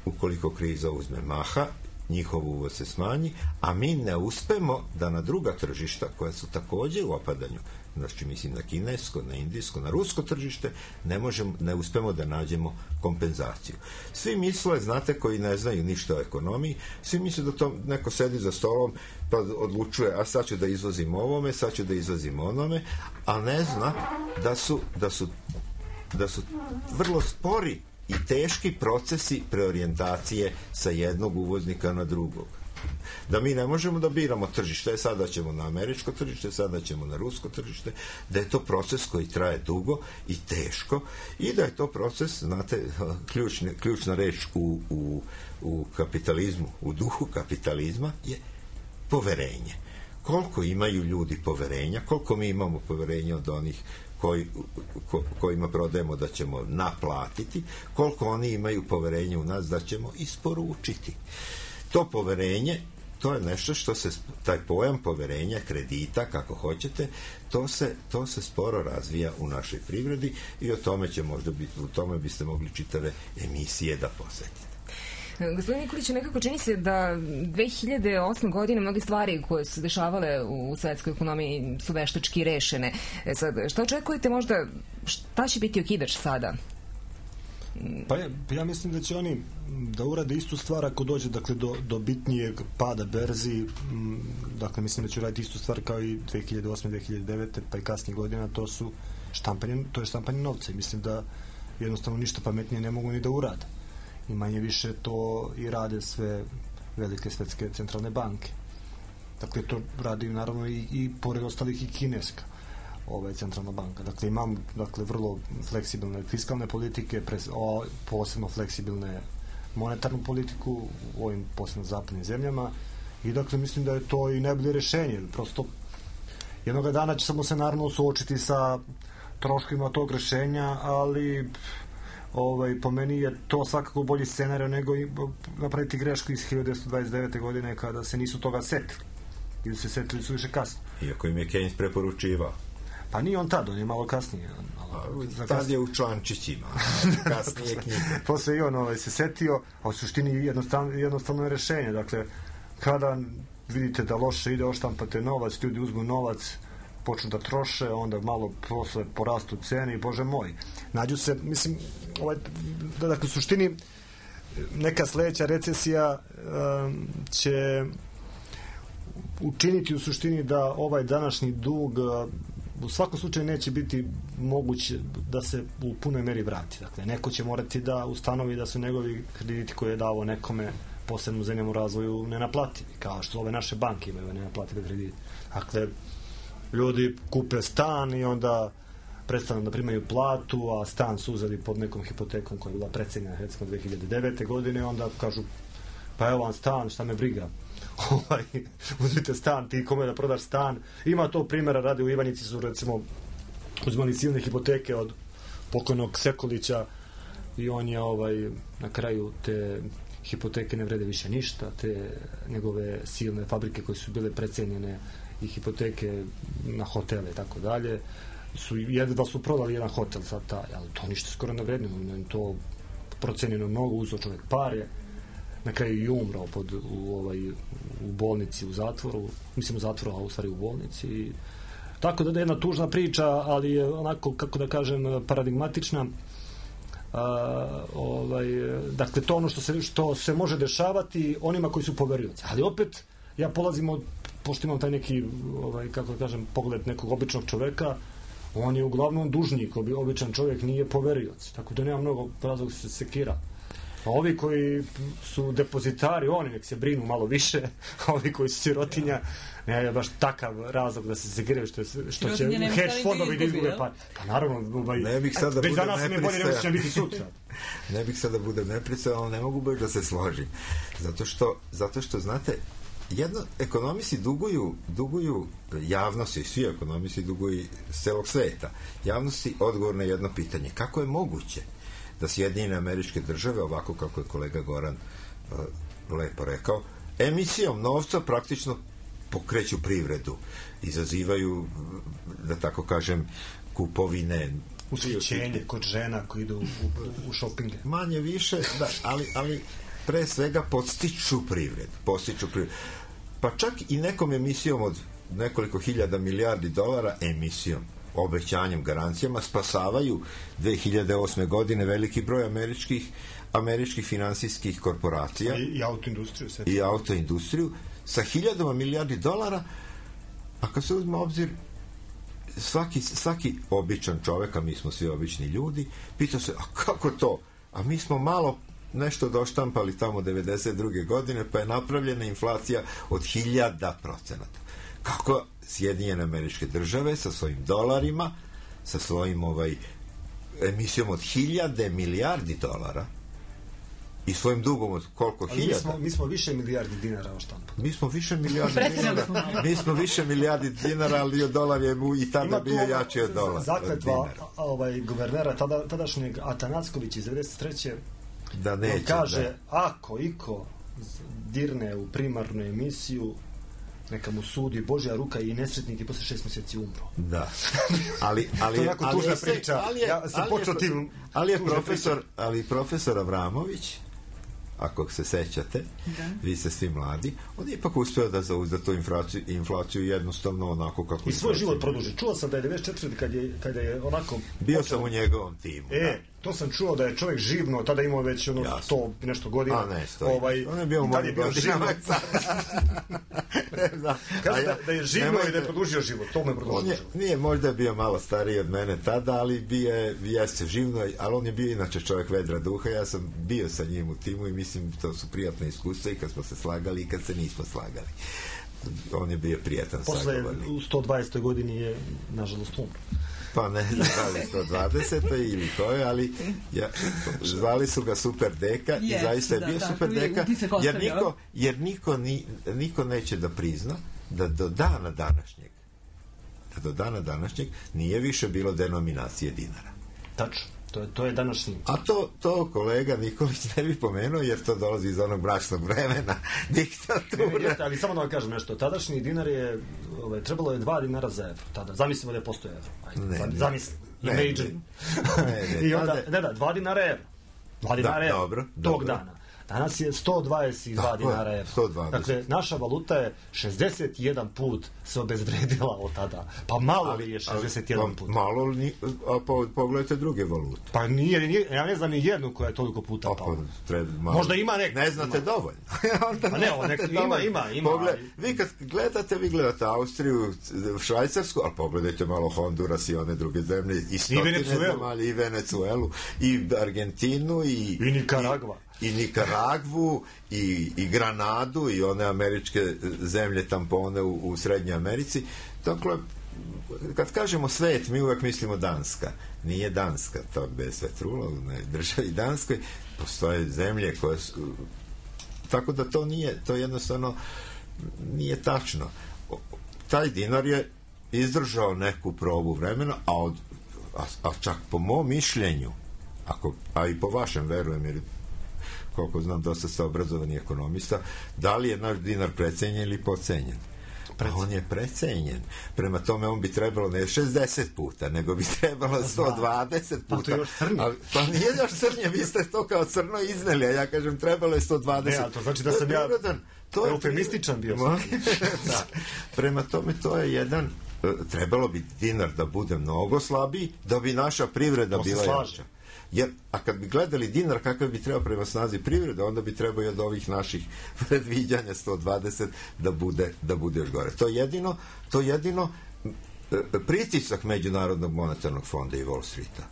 ukoliko kriza uzme maha, njihov uvoz se smanji, a mi ne uspemo da na druga tržišta, koja su takođe u opadanju, znači mislim na kinesko, na indijsko, na rusko tržište, ne možemo, ne uspemo da nađemo kompenzaciju. Svi misle, znate, koji ne znaju ništa o ekonomiji, svi misle da to neko sedi za stolom pa odlučuje, a sad ću da izvozim ovome, sad ću da izvozim onome, a ne zna da su, da su, da su vrlo spori i teški procesi preorijentacije sa jednog uvoznika na drugog. Da mi ne možemo da biramo tržište, sada ćemo na američko tržište, sada ćemo na rusko tržište, da je to proces koji traje dugo i teško i da je to proces, znate, ključne, ključna reč u, u, u kapitalizmu, u duhu kapitalizma je poverenje. Koliko imaju ljudi poverenja, koliko mi imamo poverenja od onih Koji, ko, kojima prodajemo da ćemo naplatiti, koliko oni imaju poverenje u nas da ćemo isporučiti. To poverenje, to je nešto što se, taj pojam poverenja, kredita, kako hoćete, to se, to se sporo razvija u našoj privredi i o tome će možda biti, u tome biste mogli čitave emisije da posvetite. Gospodin Nikolić, nekako čini se da dve hiljade osme godine mnoge stvari koje su se dešavale u svetskoj ekonomiji su veštački rešene. E sad, šta očekujete možda, šta će biti okidač sada? Pa ja, ja mislim da će oni da urade istu stvar ako dođe, dakle, do, do bitnijeg pada berzi. Dakle, mislim da će uraditi istu stvar kao i dve hiljade osme, dve hiljade devete pa i kasnije godina, to su štampanje, to je štampanje novca. Mislim da jednostavno ništa pametnije ne mogu ni da urade. I manje više to i rade sve velike svetske centralne banke. Dakle, to radi naravno i, i pored ostalih i kineska ovaj, centralna banka. Dakle, imam dakle, vrlo fleksibilne fiskalne politike, pres, o, posebno fleksibilne monetarnu politiku u ovim posebno zapadnim zemljama i dakle, mislim da je to i najbolje rešenje. Prosto, jednog dana ćemo se naravno suočiti sa troškovima tog rešenja, ali Ovaj, po meni je to svakako bolji scenario nego i napraviti grešku iz hiljadu devetsto dvadeset devete godine kada se nisu toga setili ili se setili su više kasno. Iako im je Keynes preporučivao. Pa nije on tad, on je malo kasnije. Ali, tad kasnije. Je u člančićima, kasnije knjige. Posle i on ovaj, se setio, a u suštini jednostavno, jednostavno je rešenje. Dakle, kada vidite da loše ide, oštampate novac, ljudi uzmu novac, počnu da troše, onda malo posle porastu cene i bože moj. Nađu se, mislim, ovaj, dakle, u suštini neka sledeća recesija um, će učiniti u suštini da ovaj današnji dug uh, u svakom slučaju neće biti moguće da se u punoj meri vrati. Dakle, neko će morati da ustanovi da su njegovi krediti koje je davo nekome posebno zemljama u razvoju nenaplativi, kao što ove naše banke imaju nenaplative kredite. Dakle, ljudi kupe stan i onda prestanu da primaju platu, a stan su uzeli pod nekom hipotekom koja je bila precenjena recimo dve hiljade devete godine, onda kažu pa evo vam stan, šta me briga. Ovaj, uzmite stan, ti kome da prodaš stan. Ima to primjera, radi u Ivanjici su recimo uzmali silne hipoteke od pokojnog Sekulića i on je ovaj, na kraju te hipoteke ne vrede više ništa, te njegove silne fabrike koje su bile precenjene i hipoteke na hotele i tako dalje, su jedva su prodali jedan hotel sad taj, ali to ništa skoro ne vredi, to procenjeno mnogo, uzeo čovjek pare, na kraju i umrao pod, u, ovaj, u bolnici, u zatvoru, mislim u zatvoru, a u stvari u bolnici. I, tako da je jedna tužna priča, ali je onako, kako da kažem, paradigmatična. A, ovaj, dakle, to ono što se, što se može dešavati onima koji su poverioci. Ali opet, ja polazim od, pošto imam taj neki, ovaj, kako da kažem, pogled nekog običnog čoveka, on je uglavnom dužnik, običan čovjek nije poverioc. Tako da nema mnogo razloga se sekira. A ovi koji su depozitari, oni nek se brinu malo više, a ovi koji su sirotinja, ne je baš takav razlog da se sekiraju što, što će hedge fondovi da izgube par. Pa naravno, ovaj, ne bih sad da budem nepristojan. Biti sutra. Ne bih sad da budem nepristojan, ali ne mogu baš da se složim. Zato što, zato što znate, jedno, ekonomisti duguju, duguju javnosti, svi ekonomisti duguju s celog sveta. Javnosti odgovor na jedno pitanje. Kako je moguće da Sjedinjene Američke Države, ovako kako je kolega Goran uh, lepo rekao, emisijom novca praktično pokreću privredu, izazivaju, da tako kažem, kupovine, ushićenje kod žena koji idu u, u, u šopinge. Manje više, da, ali, ali pre svega podstiču privredu, podstiču privredu. Pa čak i nekom emisijom od nekoliko hiljada milijardi dolara, emisijom, obećanjem, garancijama, spasavaju dve hiljade osme godine veliki broj američkih američkih finansijskih korporacija i, i autoindustriju sve. i autoindustriju sa hiljadama milijardi dolara, a kad se uzme obzir svaki, svaki običan čovek, a mi smo svi obični ljudi, pita se, a kako to? A mi smo malo nešto doštampali tamo devedeset druge godine, pa je napravljena inflacija od hiljada procenata. Kako Sjedinjene Američke Države sa svojim dolarima, sa svojim ovaj emisijom od hiljade milijardi dolara i svojim dugom od koliko ali hiljada? Mi smo, mi smo više milijardi dinara oštampali. Mi smo više milijardi dinara. Mi smo više milijardi dinara, ali dolar je mu i tada bio jači od dolara. Zakletva ovaj, guvernera tada, tadašnjeg Atanackovića iz devedeset treće da neće, kaže, da. ako iko dirne u primarnu emisiju, neka mu sudi Božja ruka i nesretnik i posle šest mjeseci umro. Da. Ali, ali, to je jako tužna ali, priča. Ali je, ja sam počeo tim... Ali je profesor, ali profesor Avramović, ako se sećate, da. Vi ste svi mladi, on je ipak uspeo da zauzda tu inflaciju, inflaciju jednostavno onako kako... I svoj život produži. Čuo sam da je devedeset četvrte kad je, kad je onako... Bio sam u njegovom timu. E, da. To sam čuo da je čovjek živno, tada imao već ono Jasno. sto nešto godina. A ne, sto. Ovaj, on je bio u mojim godinama. Kaže da, da je živno i da je produžio život. To me produžio život. Nije možda bio malo stariji od mene tada, ali bio je, jeste živno, ali on je bio inače čovjek vedra duha. Ja sam bio sa njim u timu i mislim to su prijatne iskustva i kad smo se slagali i kad se nismo slagali. On je bio prijatan sagovornik. Posle u sto dvadesetoj godini je nažalost umro. Pa ne znam da li sto dvadesetoj ili koje, ali ja, zvali su ga Super Deka i yes, zaista je da, bio da, Super Deka, jer niko, jer niko, ni, niko neće da prizna da do dana današnjeg da do dana današnjeg nije više bilo denominacije dinara. Tačno. To je, to je današnji. A to, to kolega Nikolić ne bi pomenuo, jer to dolazi iz onog mračnog vremena diktature. Jeste, ali samo da vam kažem nešto. Tadašnji dinar je, ovaj, trebalo je dva dinara za evro. Tada. Zamislimo da je postoje evro. Ajde, ne, ne, zamislim. Ne, Imagine. Ne, ne, I onda, ne, da, dva dinara evro. Dva dinara da, evro. Dobro, tog dobro. dana. Danas je sto dvadeset dva dinara evro. sto dvadeset. Dakle, naša valuta je šezdeset jedan put se obezvredila od tada. Pa malo li je šezdeset jedan ali, put? Malo li, a po, pogledajte druge valute. Pa nije, nije, ja ne znam ni jednu koja je toliko puta pala. Pa, možda ima neku. Ne znate ima. Dovoljno. Pa ne, on nek, ima, ima, ima. Pogled, vi kad gledate, vi gledate Austriju, Švajcarsku, ali pogledajte malo Honduras i one druge zemlje, i stotine zemalja, i Venecuelu, i Argentinu, i... I Nikaragva. I, i Nikaragvu, i, i Granadu, i one američke zemlje tampone u, u Srednjoj Americi. Dakle, kad kažemo svet, mi uvek mislimo Danska. Nije Danska, to bez svetrula, u državi Danskoj postoje zemlje koje su... Tako da to nije, to jednostavno nije tačno. Taj dinar je izdržao neku probu vremena, a, od, a, a čak po mom mišljenju, ako, a i po vašem, verujem, jer koliko znam, dosta ste obrazovani ekonomista, da li je naš dinar precenjen ili pocenjen? Pa on je precenjen. Prema tome on bi trebalo ne šezdeset puta, nego bi trebalo sto dvadeset puta. Pa to je još crnje. A, pa nije još crnje, vi ste to kao crno izneli, a ja kažem trebalo je sto dvadeset. Ne, a to znači da sam ja to je eufemističan bio. Da. Prema tome to je jedan, trebalo bi dinar da bude mnogo slabiji, da bi naša privreda to bila jača. Jer, a kad bi gledali dinar kakav bi trebao prema snazi privrede, onda bi trebao i od ovih naših predviđanja sto dvadeset da bude, da bude još gore. To je jedino, to je jedino pritisak Međunarodnog monetarnog fonda i Wall Streeta.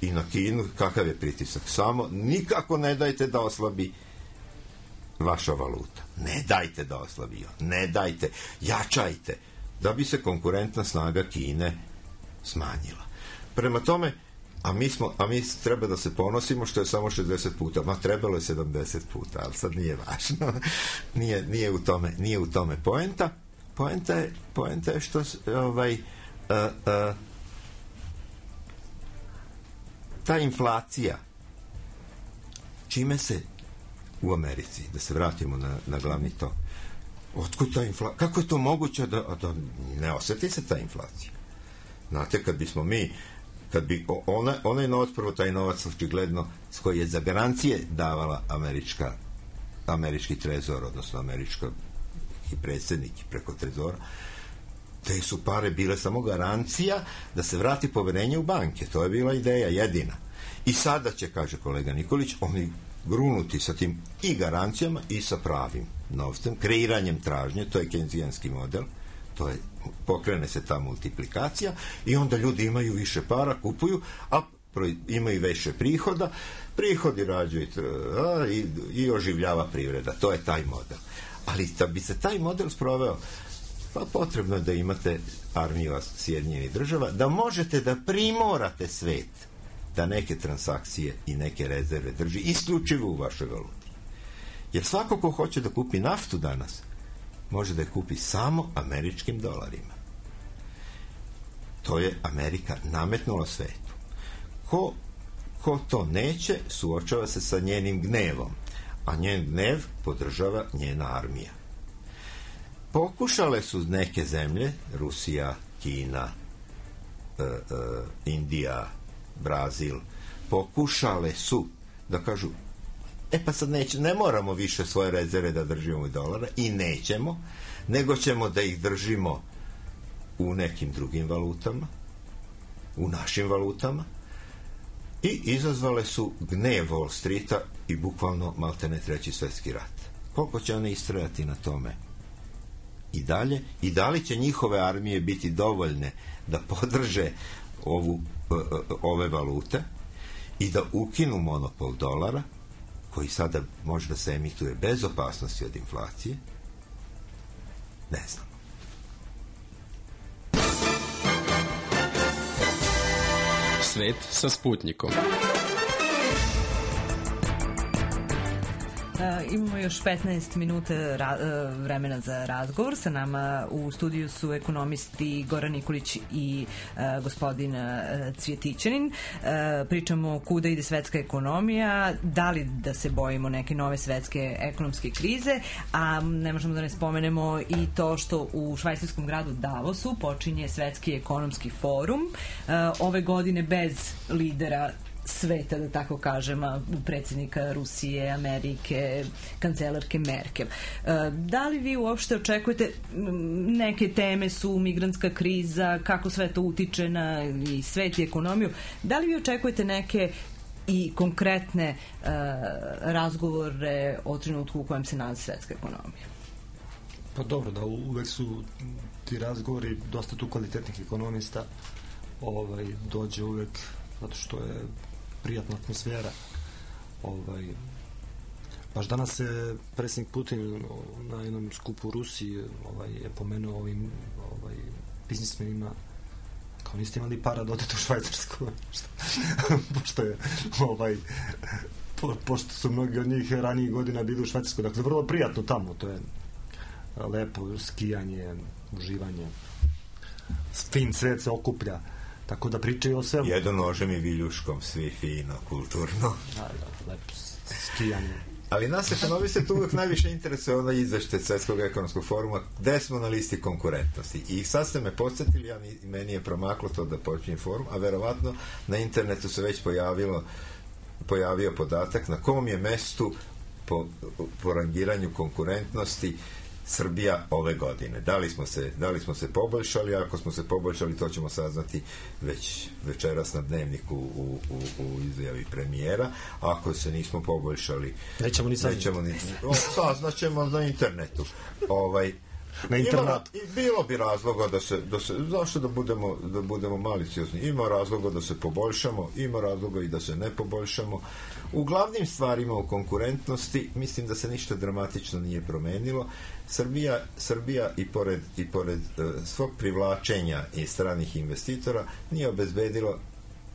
I na Kinu, kakav je pritisak? Samo nikako ne dajte da oslabi vaša valuta. Ne dajte da oslabi. Ne dajte. Jačajte. Da bi se konkurentna snaga Kine smanjila. Prema tome, A mi, smo, a mi treba da se ponosimo što je samo šezdeset puta, ma trebalo je sedamdeset puta, ali sad nije važno. nije, nije, u tome, nije u tome poenta. Poenta je, poenta je što ovaj, uh, uh, ta inflacija, čime se u Americi, da se vratimo na, na glavni to, otkud ta inflacija, kako je to moguće da, da ne osjeti se ta inflacija? Znate, kad bismo mi kad bi ona, onaj novac, prvo taj novac očigledno s koji je za garancije davala američka američki trezor, odnosno američki predsjednik preko trezora, te su pare bile samo garancija da se vrati poverenje u banke. To je bila ideja jedina. I sada će, kaže kolega Nikolić, oni grunuti sa tim i garancijama i sa pravim novcem, kreiranjem tražnje, to je kenzijanski model, to je, pokrene se ta multiplikacija i onda ljudi imaju više para, kupuju, a imaju više prihoda, prihodi rađuju a, i, i oživljava privreda. To je taj model. Ali da bi se taj model sproveo, pa potrebno je da imate armiju Sjedinjenih država, da možete da primorate svet da neke transakcije i neke rezerve drži isključivo u vašoj valuti. Jer svako ko hoće da kupi naftu danas, može da je kupi samo američkim dolarima. To je Amerika nametnula svetu. Ko, ko to neće, suočava se sa njenim gnevom, a njen gnev podržava njena armija. Pokušale su neke zemlje, Rusija, Kina, e, e, Indija, Brazil, pokušale su da kažu, e pa sad neće, ne moramo više svoje rezerve da držimo u dolara i nećemo, nego ćemo da ih držimo u nekim drugim valutama, u našim valutama, i izazvale su gnev Wall Streeta i bukvalno maltene treći svjetski rat. Koliko će one istrajati na tome i dalje, i da li će njihove armije biti dovoljne da podrže ovu, ove valute i da ukinu monopol dolara, koji sada može da se emituje bez opasnosti od inflacije? Ne znam. Svet sa Sputnikom. Uh, imamo još petnaest minuta ra- uh, vremena za razgovor. Sa nama u studiju su ekonomisti Goran Nikolić i uh, gospodin uh, Cvjetićanin. Uh, pričamo kuda ide svetska ekonomija, da li da se bojimo neke nove svetske ekonomske krize, a ne možemo da ne spomenemo i to što u švajcarskom gradu Davosu počinje svetski ekonomski forum. Uh, ove godine bez lidera sveta, da tako kažem, predsjednika Rusije, Amerike, kancelarke Merkel. Da li vi uopšte očekujete, neke teme su migrantska kriza, kako sve to utiče na i svet i ekonomiju, da li vi očekujete neke i konkretne uh, razgovore o trenutku u kojem se nalazi svetska ekonomija? Pa dobro, da uvek su ti razgovori dosta tu kvalitetnih ekonomista, ovaj, dođe uvek zato što je prijatna atmosfera. Ovaj, baš danas se predsjednik Putin na jednom skupu u Rusiji ovaj, je pomenuo ovim ovaj, biznismenima, kao niste imali para da odete u Švajcarsku. Pošto je ovaj, po, pošto su mnogi od njih ranijih godina bili u Švajcarsku. Dakle, vrlo prijatno tamo. To je lepo skijanje, uživanje. Fin svet se okuplja. Tako da pričaju o svemu. Jedno nožem i viljuškom, svi fino, kulturno. Da, da, lepo skijanje. Ali nas ekonomiste tu uvijek najviše interesuje onaj izveštaj Svetskog ekonomskog foruma gde smo na listi konkurentnosti. I sad ste me podsjetili, ja, meni je promaklo to da počinje forum, a verovatno na internetu se već pojavilo, pojavio podatak na kom je mestu po, po rangiranju konkurentnosti Srbija ove godine. Da li smo se, da li smo se poboljšali? Ako smo se poboljšali, to ćemo saznati već večeras na Dnevniku u, u, u izjavi premijera. Ako se nismo poboljšali, nećemo ni saznati. Nećemo ni, o, saznaćemo na internetu. Ovaj, na internetu. Ima, bilo bi razloga da se, da se zašto da budemo, da budemo maliciozni? Ima razloga da se poboljšamo, ima razloga i da se ne poboljšamo. U glavnim stvarima u konkurentnosti mislim da se ništa dramatično nije promenilo. Srbija, Srbija i pored, i pored uh, svog privlačenja i stranih investitora nije obezbedilo,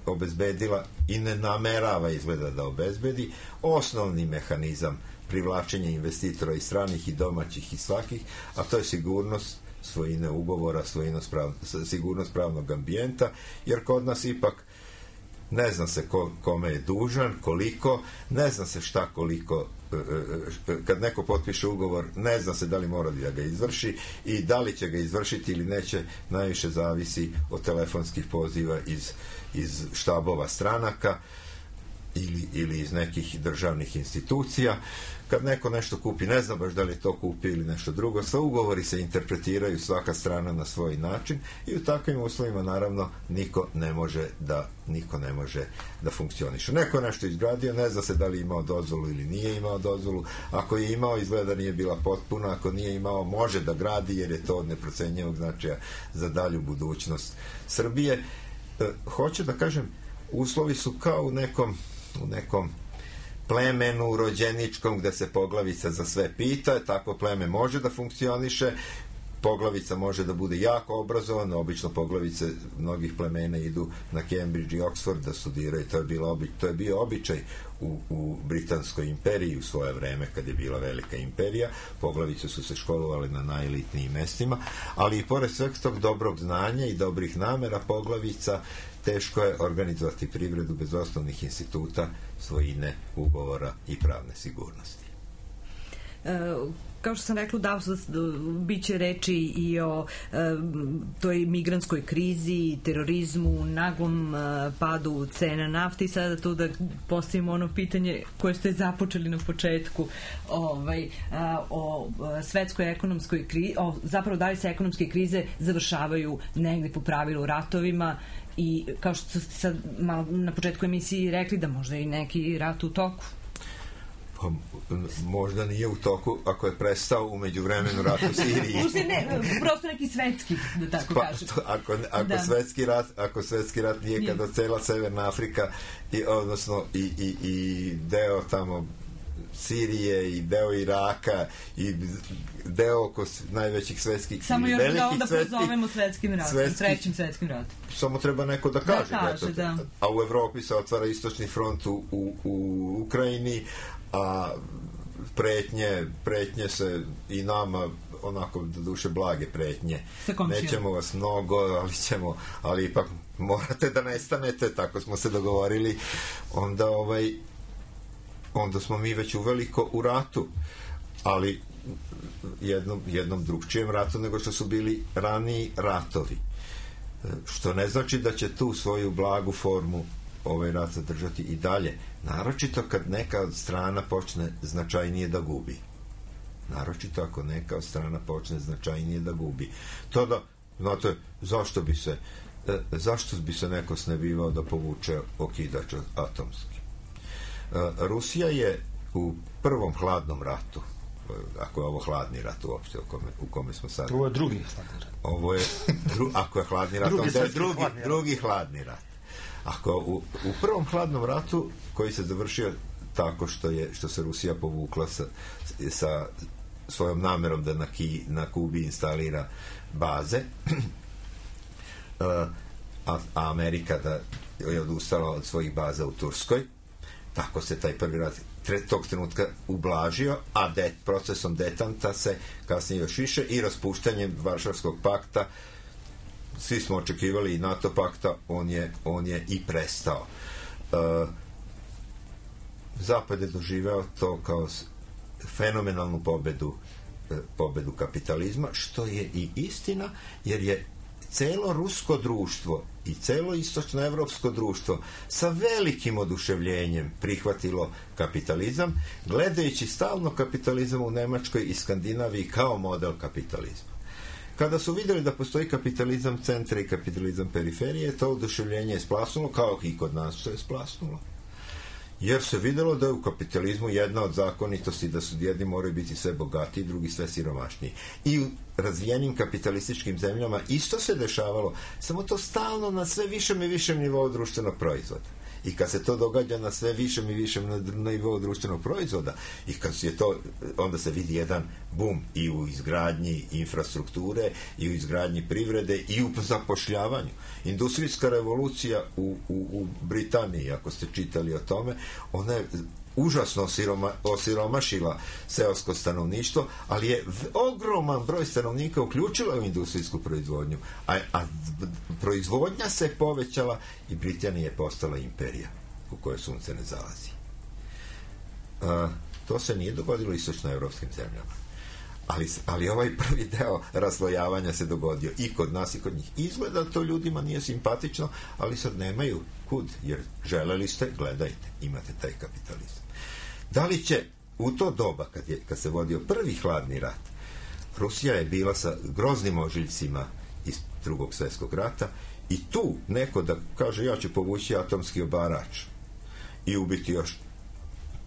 obezbedila i ne namerava izgleda da obezbedi osnovni mehanizam privlačenja investitora i stranih i domaćih i svakih, a to je sigurnost svojine ugovora, prav, sigurnost pravnog ambijenta, jer kod nas ipak ne zna se ko, kome je dužan, koliko, ne zna se šta koliko, kad neko potpiše ugovor, ne zna se da li mora da ga izvrši i da li će ga izvršiti ili neće, najviše zavisi od telefonskih poziva iz, iz štabova stranaka ili, ili iz nekih državnih institucija. Kad neko nešto kupi, ne zna baš da li to kupi ili nešto drugo, sva ugovori se interpretiraju svaka strana na svoj način i u takvim uslovima naravno niko ne može da niko ne može da funkcioniše. Neko nešto izgradio, ne zna se da li imao dozvolu ili nije imao dozvolu, ako je imao, izgleda nije bila potpuna, ako nije imao, može da gradi jer je to od neprocenjivog značaja za dalju budućnost Srbije. E, hoću da kažem, uslovi su kao u nekom u nekom plemenu rođeničkom gde se poglavica za sve pita, tako pleme može da funkcioniše, poglavica može da bude jako obrazovana, obično poglavice mnogih plemena idu na Cambridge i Oxford da studiraju, to je, bilo obi, to je bio običaj u, u Britanskoj imperiji u svoje vreme kad je bila velika imperija, poglavice su se školovale na najelitnijim mestima, ali i pored sveg tog dobrog znanja i dobrih namera poglavica teško je organizovati privredu bez osnovnih instituta, svojine, ugovora i pravne sigurnosti. E, kao što sam rekla, da bit će reči i o e, toj migrantskoj krizi, terorizmu, naglom e, padu cena nafte i sada tu da postavimo ono pitanje koje ste započeli na početku ovaj, a, o svetskoj ekonomskoj krizi, o, zapravo da li se ekonomske krize završavaju negde po pravilu ratovima i kao što ste sad malo na početku emisiji rekli da možda i neki rat u toku. Pa, možda nije u toku ako je prestao u međuvremenu rat u Siriji. Možda ne, prosto neki svetski, da tako pa, kažem. Ako, ako, da. svetski rat, ako svetski rat nije, nije. Kada cela Severna Afrika i, odnosno i, i, i deo tamo Sirije i deo Iraka i deo oko najvećih svetskih samo još da onda pozovemo svetskim ratom, svetskih, trećim svetskim ratom. Samo treba neko da kaže. Da kaže, da. A u Evropi se otvara istočni front u, u, u Ukrajini, a pretnje, pretnje se i nama onako do duše blage pretnje. Nećemo vas mnogo, ali ćemo, ali ipak morate da nestanete, tako smo se dogovorili. Onda ovaj onda smo mi već uveliko u ratu, ali jednom, jednom drugčijem ratu nego što su bili raniji ratovi. Što ne znači da će tu svoju blagu formu ovaj rat zadržati i dalje. Naročito kad neka od strana počne značajnije da gubi. Naročito ako neka od strana počne značajnije da gubi. To da, znate, zašto bi se zašto bi se neko snebivao da povuče okidač atomski? Rusija je u prvom hladnom ratu, ako je ovo hladni rat uopšte u kome, u kome smo sad. Ovo je drugi hladni rat. Ovo je, dru, ako je hladni rat, drugi, onda je drugi, hladni drugi hladni rat. Ako u, u prvom hladnom ratu, koji se završio tako što je što se Rusija povukla sa, sa svojom namerom da na, Ki, na Kubi instalira baze, a, a Amerika da je odustala od svojih baza u Turskoj, tako se taj prvi rat tog trenutka ublažio, a de, procesom detanta se kasnije još više i raspuštanjem Varšavskog pakta, svi smo očekivali i NATO pakta, on je, on je i prestao. Uh, Zapad je doživeo to kao fenomenalnu pobedu pobedu kapitalizma, što je i istina, jer je celo rusko društvo i celo istočnoevropsko društvo sa velikim oduševljenjem prihvatilo kapitalizam, gledajući stalno kapitalizam u Nemačkoj i Skandinaviji kao model kapitalizma. Kada su vidjeli da postoji kapitalizam centra i kapitalizam periferije, to oduševljenje je splasnulo, kao i kod nas što je splasnulo. Jer se vidjelo da je u kapitalizmu jedna od zakonitosti da su jedni moraju biti sve bogatiji, drugi sve siromašniji. I u razvijenim kapitalističkim zemljama isto se dešavalo, samo to stalno na sve višem i višem nivou društvenog proizvoda. I kad se to događa na sve višem i višem nivou društvenog proizvoda i kad je to, onda se vidi jedan bum i u izgradnji infrastrukture i u izgradnji privrede i u zapošljavanju. Industrijska revolucija u, u, u Britaniji, ako ste čitali o tome, ona je užasno osiroma, osiromašila seosko stanovništvo, ali je ogroman broj stanovnika uključila u industrijsku proizvodnju, a, a proizvodnja se povećala i Britanija je postala imperija u kojoj sunce ne zalazi. A, to se nije dogodilo istočnoevropskim zemljama. Ali, ali ovaj prvi deo raslojavanja se dogodio i kod nas i kod njih. Izgleda to ljudima nije simpatično, ali sad nemaju kud, jer želeli ste, gledajte, imate taj kapitalizam. Da li će u to doba, kad, je, kad se vodio prvi hladni rat, Rusija je bila sa groznim ožiljcima iz drugog svjetskog rata i tu neko da kaže ja ću povući atomski obarač i ubiti još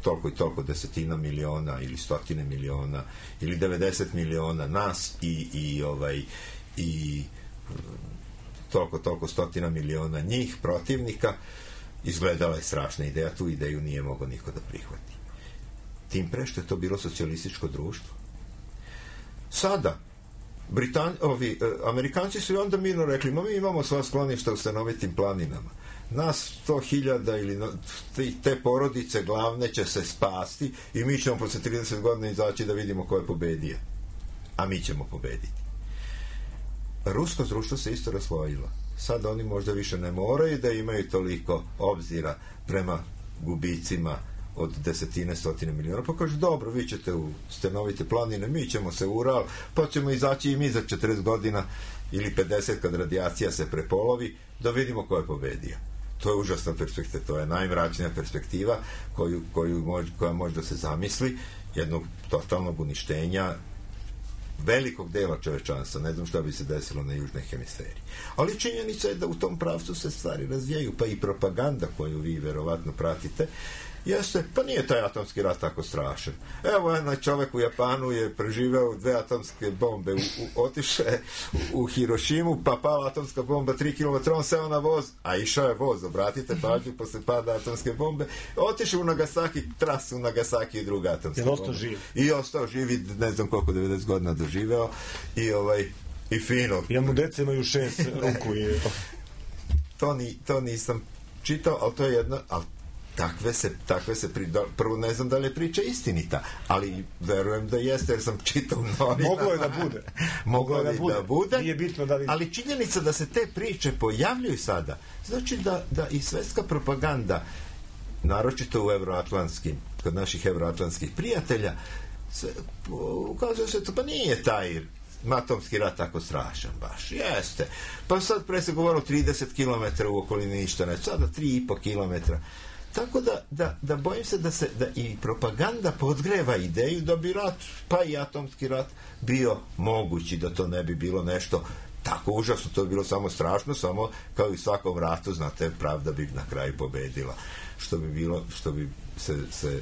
toliko i toliko desetina miliona ili stotine miliona ili devedeset miliona nas i, i ovaj i toliko toliko stotina miliona njih protivnika, izgledala je strašna ideja, tu ideju nije mogao niko da prihvati. Tim pre što je to bilo socijalističko društvo. Sada Britan, ovi, Amerikanci su i onda mirno rekli, ma mi imamo sva skloništa u stanovitim planinama. Nas sto hiljada ili te porodice glavne će se spasti i mi ćemo posle trideset godina izaći da vidimo ko je pobedio. A mi ćemo pobediti. Rusko društvo se isto raslojilo. Sad oni možda više ne moraju da imaju toliko obzira prema gubicima od desetine, stotine miliona. Pa kaže, dobro, vi ćete u stanovite planine, mi ćemo se u Ural, pa ćemo izaći i mi za četrdeset godina ili pedeset kad radijacija se prepolovi, da vidimo ko je pobedio. To je užasna perspektiva, to je najmračnija perspektiva koju, koju mož, koja može da se zamisli, jednog totalnog uništenja velikog dela čovečanstva. Ne znam šta bi se desilo na južnoj hemisferi. Ali činjenica je da u tom pravcu se stvari razvijaju, pa i propaganda koju vi verovatno pratite, jeste, pa nije taj atomski rat tako strašan. Evo, jedan čovek u Japanu je preživeo dve atomske bombe, u, u, otiše u, u Hirošimu, pa pala atomska bomba tri kilometra, on seo na voz, a išao je voz, obratite pažnju, posle pada atomske bombe, otiše u Nagasaki, tras u Nagasaki i druga atomska bomba. ostao živ. I ostao živi, ne znam koliko, devedeset godina doživeo, i ovaj, i fino. Ja mu deca imaju šest ruku i... to, ni, to nisam čitao, ali to je jedno, ali takve se, takve se pri, da, prvo ne znam da li je priča istinita, ali verujem da jeste, jer sam čitao novina. Moglo je da bude. Moglo je da bude. Da bude, nije bitno da li... ali činjenica da se te priče pojavljuju sada, znači da, da i svetska propaganda, naročito u evroatlantskim, kod naših evroatlantskih prijatelja, se, ukazuje se to, pa nije taj atomski rat tako strašan baš. Jeste. Pa sad pre se govorilo trideset kilometara u okolini ništa ne, sada tri i po kilometra. Tako da, da, da bojim se da se da i propaganda podgreva ideju da bi rat, pa i atomski rat, bio mogući, da to ne bi bilo nešto tako užasno, to bi bilo samo strašno, samo kao i u svakom ratu, znate, pravda bi na kraju pobedila. Što bi bilo, što bi se, se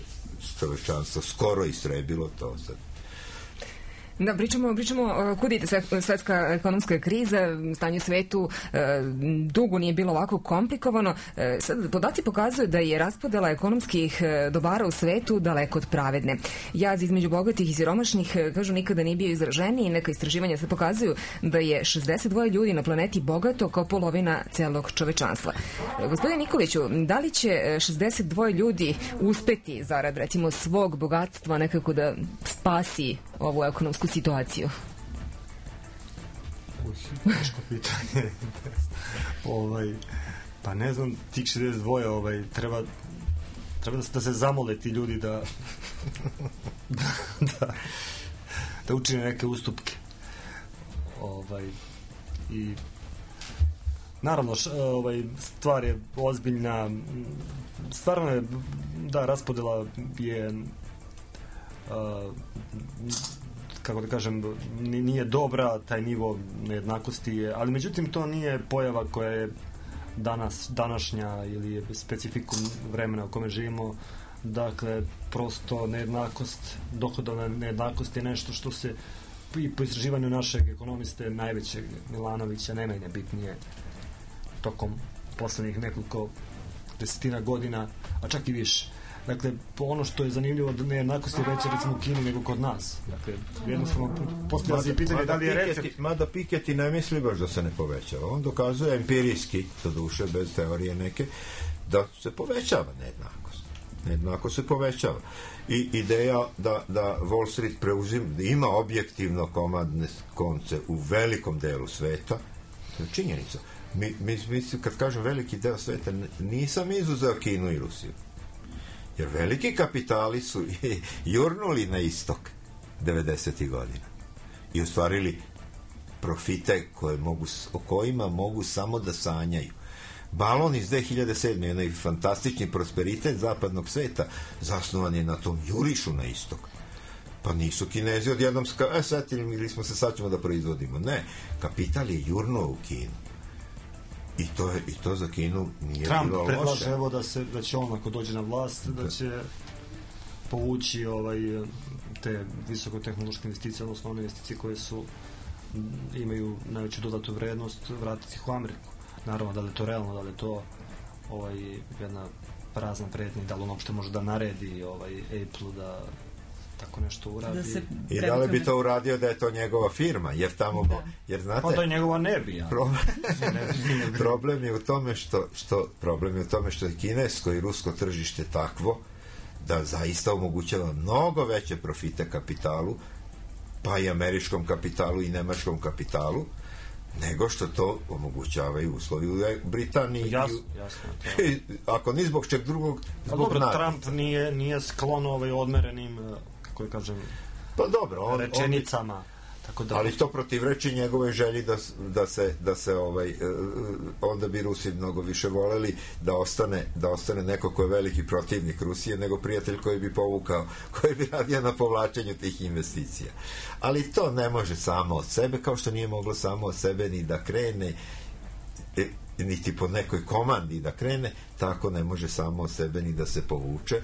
čovečanstvo skoro istrebilo, to sad. Da, pričamo, pričamo kud ide svetska ekonomska kriza, stanje u svetu dugo nije bilo ovako komplikovano. Sad, podaci pokazuju da je raspodela ekonomskih dobara u svetu daleko od pravedne. Jaz između bogatih i siromašnih, kažu, nikada nije bio izraženiji. Neka istraživanja se pokazuju da je šezdeset dva ljudi na planeti bogato kao polovina celog čovečanstva. Gospodine Nikoliću, da li će šezdeset dva ljudi uspeti zarad, recimo, svog bogatstva nekako da spasi ovu ekonomsku situaciju? Teško pitanje. ovaj, pa ne znam, tih šezdeset dva ovaj, treba treba da se, da se zamole ti ljudi da da, da, da učine neke ustupke. Ovaj, i naravno, š, ovaj, stvar je ozbiljna, stvarno je, da, raspodela je uh, kako da kažem, nije dobra, taj nivo nejednakosti je, ali međutim to nije pojava koja je danas, današnja ili je specifikum vremena u kome živimo. Dakle, prosto nejednakost, dohodovna nejednakost je nešto što se i po istraživanju našeg ekonomiste najvećeg Milanovića ne menja bitnije tokom poslednjih nekoliko desetina godina, a čak i više. Dakle, ono što je zanimljivo da nejednakost je veća recimo u Kini nego kod nas. Dakle, jednostavno postavlja se pitanje da li je recept. Mada Piketty ne misli baš da se ne povećava. On dokazuje empirijski, to duše, bez teorije neke, da se povećava nejednakost. Nejednakost se povećava. I ideja da, da Wall Street preuzim, da ima objektivno komandne konce u velikom delu sveta, to je činjenica. Mi, mi, mi, kad kažem veliki deo sveta, nisam izuzeo Kinu i Rusiju. Jer veliki kapitali su jurnuli na istok devedesetih godina i ostvarili profite koje mogu, o kojima mogu samo da sanjaju. Balon iz dve hiljade sedme. Jedan fantastični prosperitet zapadnog sveta zasnovan je na tom jurišu na istok. Pa nisu Kinezi odjednom ska, e, setili ili smo se sad ćemo da proizvodimo. Ne, kapital je jurnuo u Kinu. I to, je, i to za Kinu nije Trump bilo loše. Trump predlaže evo da, se, da će on ako dođe na vlast da će povući ovaj, te visokotehnološke investicije, odnosno one investicije koje su imaju najveću dodatu vrednost, vratiti ih u Ameriku. Naravno, da li je to realno, da li je to ovaj, jedna prazna pretnja, da li on uopšte može da naredi ovaj, Apple da tako nešto uradi. Da I da li bi to uradio da je to njegova firma, jer tamo da. Jer znate, pa da je njegova ne bi, ja. Problem, problem je u tome što, što problem je u tome što je kinesko i rusko tržište takvo da zaista omogućava mnogo veće profite kapitalu, pa i američkom kapitalu i nemačkom kapitalu, nego što to omogućavaju uslovi u Britaniji. Jasno, jasno. Ako ni zbog čeg drugog, zbog dobro, nas. Trump nije, nije sklon ovaj odmerenim, kako je kažem, pa dobro, on, rečenicama. On, tako da... ali to protivreči njegove želji da, da se, da se ovaj, onda bi Rusi mnogo više voleli da ostane, da ostane neko ko je veliki protivnik Rusije nego prijatelj koji bi povukao, koji bi radio na povlačenju tih investicija. Ali to ne može samo od sebe, kao što nije moglo samo od sebe ni da krene, niti po nekoj komandi da krene, tako ne može samo od sebe ni da se povuče.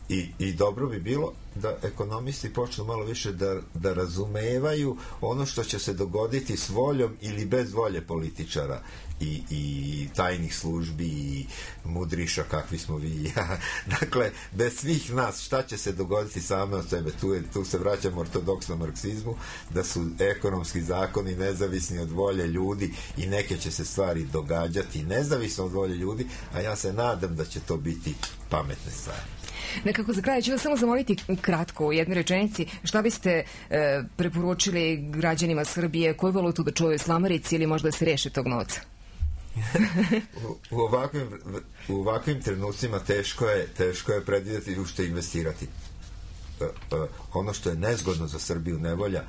I, i dobro bi bilo da ekonomisti počnu malo više da, da razumevaju ono što će se dogoditi s voljom ili bez volje političara i, i tajnih službi i mudriša kakvi smo vi i ja. Dakle, bez svih nas šta će se dogoditi same od sebe. Tu, je, tu se vraćamo ortodoksnom marksizmu, da su ekonomski zakoni nezavisni od volje ljudi i neke će se stvari događati nezavisno od volje ljudi, a ja se nadam da će to biti pametne stvari. Nekako za kraj ću vas samo zamoliti kratko u jednoj rečenici šta biste e, preporučili građanima Srbije, koju valutu da čuvaju slamarici ili možda se reše tog novca? u, u, ovakvim, u ovakvim trenucima teško je, teško je predvidjeti u što investirati. E, e, ono što je nezgodno za Srbiju, nevolja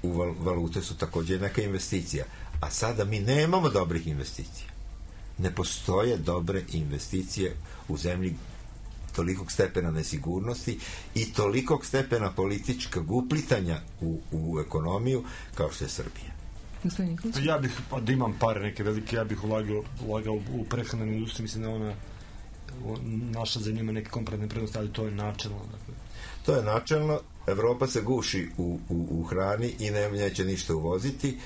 u val, valute su također neka investicija, a sada mi nemamo dobrih investicija. Ne postoje dobre investicije u zemlji tolikog stepena nesigurnosti i tolikog stepena političkog uplitanja u, u ekonomiju kao što je Srbija. Ja bih, pa da imam pare neke velike, ja bih ulagao, ulagao u prehranenu industriju, mislim da ona naša zemlja ima neke komparativne prednosti, ali to je načelno. Dakle. To je načelno. Evropa se guši u, u, u hrani i ne, neće ništa uvoziti.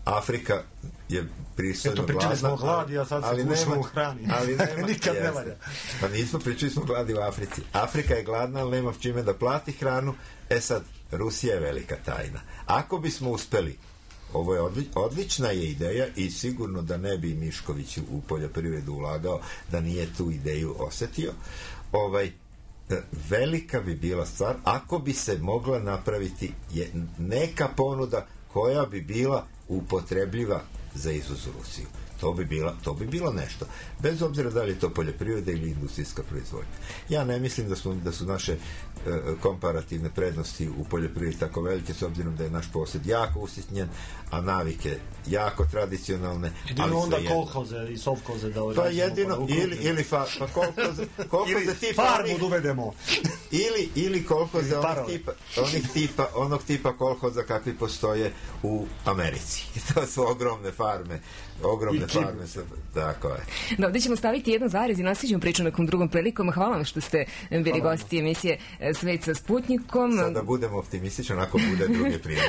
Afrika je pristojno gladna. Eto, pričali smo o gladi, a sad se gušimo u hrani. Ali nema, nikad ne valja. Pa nismo, pričali smo gladi u Africi. Afrika je gladna, ali nema čime da plati hranu. E sad, Rusija je velika tajna. Ako bismo uspeli, ovo je odli, odlična je ideja i sigurno da ne bi Mišković u poljoprivredu ulagao da nije tu ideju osetio. Ovaj, velika bi bila stvar ako bi se mogla napraviti je neka ponuda koja bi bila upotrebljiva za izvoz u Rusiju. To bi, bila, to bi bilo nešto. Bez obzira da li je to poljoprivreda ili industrijska proizvodnja. Ja ne mislim da, smo, da su naše e, komparativne prednosti u poljoprivredi tako velike, s obzirom da je naš posjed jako usitnjen, a navike jako tradicionalne. Jedino onda kolhoze i sovkoze da pa jedino, ili, ili fa, pa kolhoze, kolhoze tipa farmu onih, dovedemo. ili, ili kolhoze onih tipa, onih tipa, onog tipa kolhoza kakvi postoje u Americi. To su ogromne farme, ogromne farme, tako je. Da, ovdje ćemo staviti jedan zarez i nastavit priču nekom drugom prilikom. Hvala vam što ste bili Hvala. gosti emisije Svet sa Sputnikom. Sada budemo optimističan ako bude druge prilike.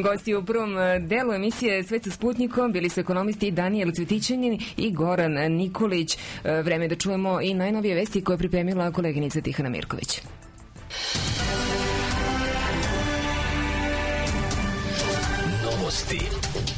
Gosti u prvom delu emisije Svet sa Sputnikom bili su ekonomisti Danijel Cvetićanin i Goran Nikolić. Vreme da čujemo i najnovije vesti koje je pripremila koleginica Tihana Mirković. Novosti.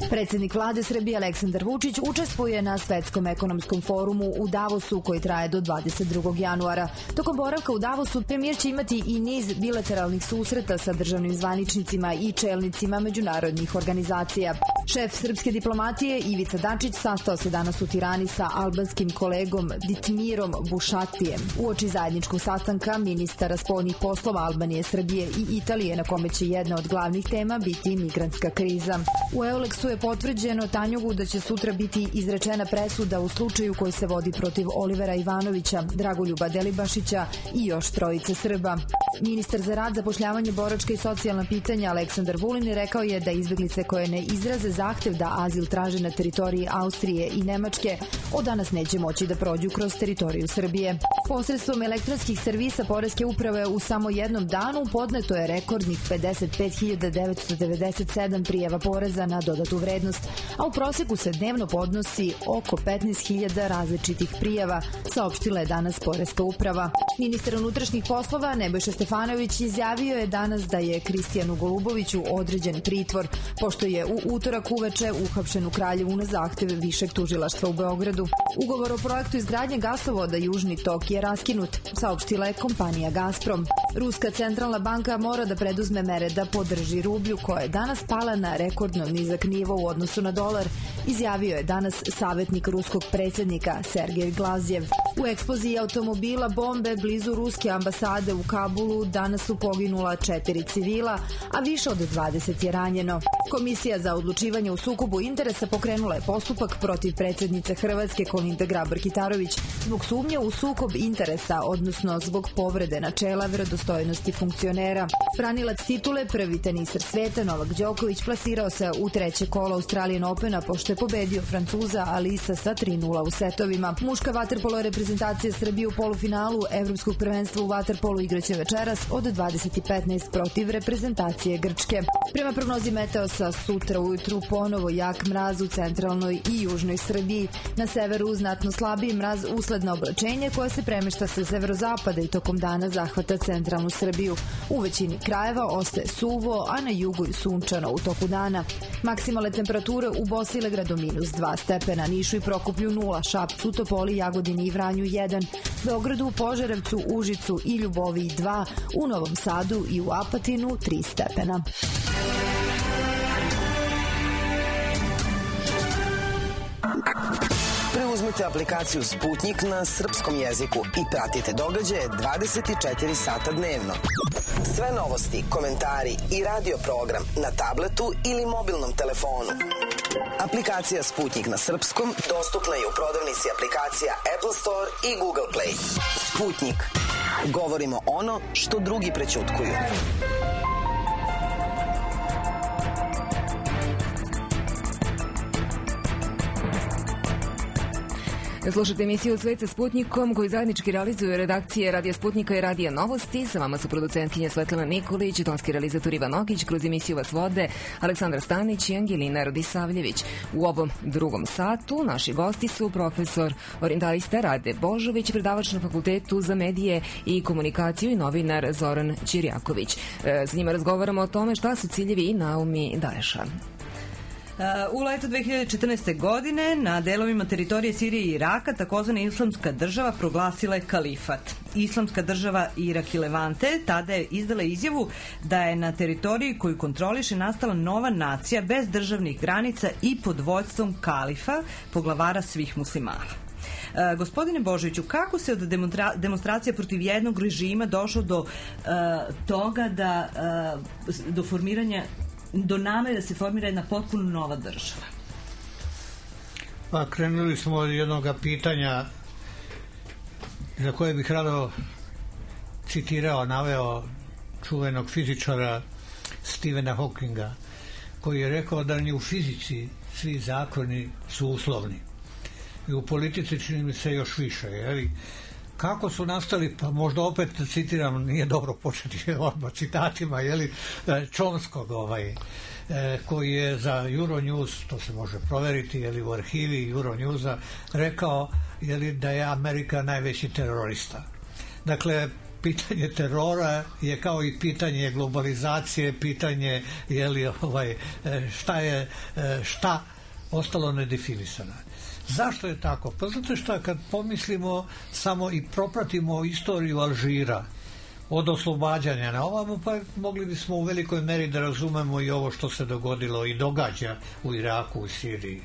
Predsednik vlade Srbije Aleksandar Vučić učestvuje na Svetskom ekonomskom forumu u Davosu koji traje do dvadeset drugog januara. Tokom boravka u Davosu premijer će imati i niz bilateralnih susreta sa državnim zvaničnicima i čelnicima međunarodnih organizacija. Šef srpske diplomatije Ivica Dačić sastao se danas u Tirani sa albanskim kolegom Ditmirom Bušatijem. Uoči zajedničkog sastanka ministara spoljnih poslova Albanije, Srbije i Italije, na kome će jedna od glavnih tema biti migrantska kriza. U Euleksu je potvrđeno Tanjugu da će sutra biti izrečena presuda u slučaju koji se vodi protiv Olivera Ivanovića, Dragoljuba Delibašića i još trojice Srba. Ministar za rad, zapošljavanje, boračka i socijalna pitanja Aleksandar Vulin rekao je da izbeglice koje ne izraze zahtev da azil traže na teritoriji Austrije i Nemačke od danas neće moći da prođu kroz teritoriju Srbije. Posredstvom elektronskih servisa Poreske uprave u samo jednom danu podneto je rekordnih pedeset pet hiljada devetsto devedeset sedam prijava poreza na dodatu vrednost, a u proseku se dnevno podnosi oko petnaest hiljada različitih prijava, saopštila je danas Poreska uprava. Ministar unutrašnjih poslova Nebojša Stefanović izjavio je danas da je Kristijanu Goluboviću određen pritvor, pošto je u utorak uveče uhapšen u Kraljevu na zahtev Višeg tužilaštva u Beogradu. Ugovor o projektu izgradnje gasovoda Južni tok je raskinut, saopštila je kompanija Gazprom. Ruska centralna banka mora da preduzme mere da podrži rublju, koja je danas pala na rekordno nizak nivo u odnosu na dolar, izjavio je danas savjetnik ruskog predsjednika Sergej Glazjev. U eksploziji automobila bombe blizu ruske ambasade u Kabulu danas su poginula četiri civila, a više od dvadeset je ranjeno. Komisija za odlučivanje u sukobu interesa pokrenula je postupak protiv predsjednice Hrvatske Kolinde Grabar-Kitarović zbog sumnje u sukob interesa, odnosno zbog povrede načela verodostojnosti funkcionera. Branilac titule, prvi teniser sveta Novak Đoković, plasirao se u treće kolo Australian Opena pošto je pobedio Francuza Alisa sa tri nula u setovima. Muška vaterpolo reprezentacija Srbije u polufinalu Evropskog prvenstva u vaterpolu igraće večeras od dvadeset petnaest protiv reprezentacije Grčke. Prema prognozi Meteosa, sutra ujutru ponovo jak mraz u centralnoj i južnoj Srbiji. Na severu znatno slabiji mraz usled na oblačenje koje se premešta sa severozapada i tokom dana zahvata centralnu Srbiju. U većini krajeva ostaje suvo, a na jugu i sunčano u toku dana. Maksimalne temperature u Bosilegradu minus dva stepena, Nišu i Prokuplju nula, Šapcu, Topoli, Jagodini i Vranju jedan, Beogradu, Požarevcu, Užicu i Ljuboviji dva, u Novom Sadu i u Apatinu tri stepena. Preuzmite aplikaciju Sputnik na srpskom jeziku i pratite događaje dvadeset četiri sata dnevno. Sve novosti, komentari i radio program na tabletu ili mobilnom telefonu. Aplikacija Sputnik na srpskom dostupna je u prodavnici aplikacija Apple Store i Google Play. Sputnik. Govorimo ono što drugi prećutkuju. Slušajte emisiju Svet sa Sputnikom koju zajednički realizuju redakcije Radija Sputnika i Radija Novosti. Sa vama su producentkinja Svetlana Nikolić, tonski realizator Ivan Ogić, kroz emisiju vas vode Aleksandar Stanić i Angelina Rodisavljević. U ovom drugom satu naši gosti su profesor orientalista Rade Božović, predavač na Fakultetu za medije i komunikaciju i novinar Zoran Ćirjaković. E, s njima razgovaramo o tome šta su ciljevi i naumi Daesha. U letu dve hiljade četrnaeste. godine na delovima teritorije Sirije i Iraka takozvana Islamska država proglasila je kalifat. Islamska država Irak i Levante tada je izdala izjavu da je na teritoriji koju kontroliše nastala nova nacija bez državnih granica i pod vođstvom kalifa, poglavara svih muslimana. Uh, gospodine Božoviću, kako se od demonstra- demonstracija protiv jednog režima došlo do uh, toga da uh, do formiranja do namere da se formira jedna potpuno nova država? Pa krenuli smo od jednog pitanja za koje bih rado citirao, naveo čuvenog fizičara Stephena Hawkinga, koji je rekao da ni u fizici svi zakoni su uslovni. I u politici čini mi se još više. Jeli? Kako su nastali, pa možda opet citiram, nije dobro početi odmah citatima, jeli, Chomskog, ovaj, koji je za Euronews, to se može proveriti, jeli, u arhivi Euronewsa, rekao, jeli, da je Amerika najveći terorista. Dakle, pitanje terora je kao i pitanje globalizacije, pitanje, jeli, ovaj, šta je, šta ostalo nedefinisano. Zašto je tako? Pa zato što kad pomislimo samo i propratimo istoriju Alžira od oslobađanja na ovamo, pa mogli bismo u velikoj meri da razumemo i ovo što se dogodilo i događa u Iraku, u Siriji.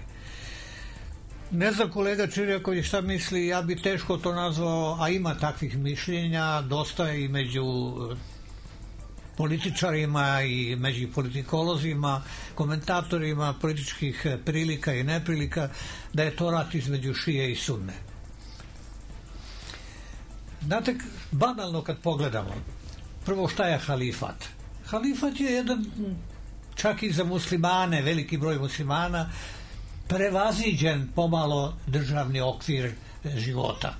Ne znam kolega Čirjaković šta misli, ja bi teško to nazvao, a ima takvih mišljenja, dosta i među političarima i među politikolozima, komentatorima političkih prilika i neprilika, da je to rat između šije i sunne. Znate, banalno kad pogledamo, prvo šta je halifat? Halifat je jedan, čak i za muslimane, veliki broj muslimana, prevaziđen pomalo državni okvir života.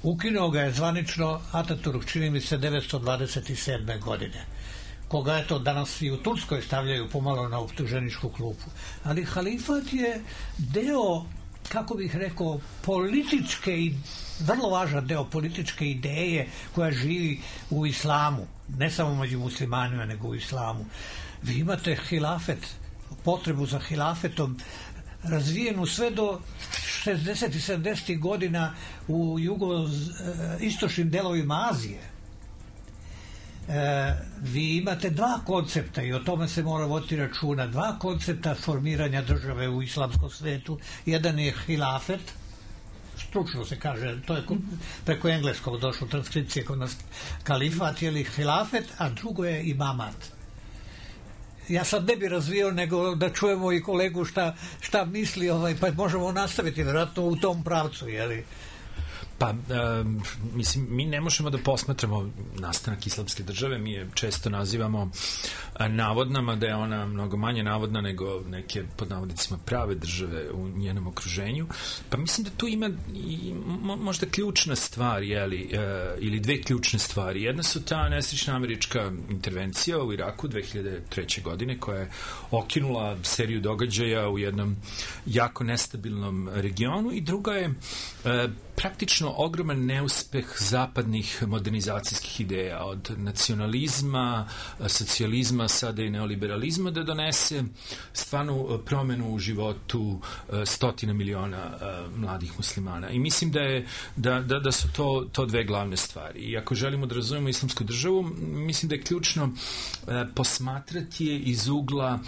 Ukinuo ga je zvanično Ataturk, čini mi se, devetsto dvadeset sedme. godine, koga je to danas i u Turskoj stavljaju pomalo na optuženičku klupu. Ali halifat je deo, kako bih rekao, političke i vrlo važan deo političke ideje koja živi u islamu, ne samo među muslimanima, nego u islamu. Vi imate hilafet, potrebu za hilafetom razvijenu sve do šezdesetih i sedamdesetih godina u jugoistočnim delovima Azije. E, vi imate dva koncepta i o tome se mora voditi računa. Dva koncepta formiranja države u islamskom svetu. Jedan je hilafet, stručno se kaže, to je preko engleskog došlo transkripcije kod nas, kalifat ili hilafet, a drugo je imamat. Ja sad ne bi razvio, nego da čujemo i kolegu šta, šta misli, ovaj, pa možemo nastaviti vjerojatno u tom pravcu, jeli? Pa, um, mislim, mi ne možemo da posmatramo nastanak islamske države, mi je često nazivamo navodnama, da je ona mnogo manje navodna nego neke, pod navodnicima, prave države u njenom okruženju. Pa mislim da tu ima i možda ključna stvar, jeli, uh, ili dve ključne stvari. Jedna su ta nesrećna američka intervencija u Iraku dve hiljade treće. godine, koja je okinula seriju događaja u jednom jako nestabilnom regionu, i druga je uh, praktično ogroman neuspeh zapadnih modernizacijskih ideja, od nacionalizma, socijalizma, sada i neoliberalizma, da donese stvarnu promenu u životu stotina miliona mladih muslimana. I mislim da, je, da, da, da su to, to dve glavne stvari. I ako želimo da razumemo islamsku državu, mislim da je ključno posmatrati je iz ugla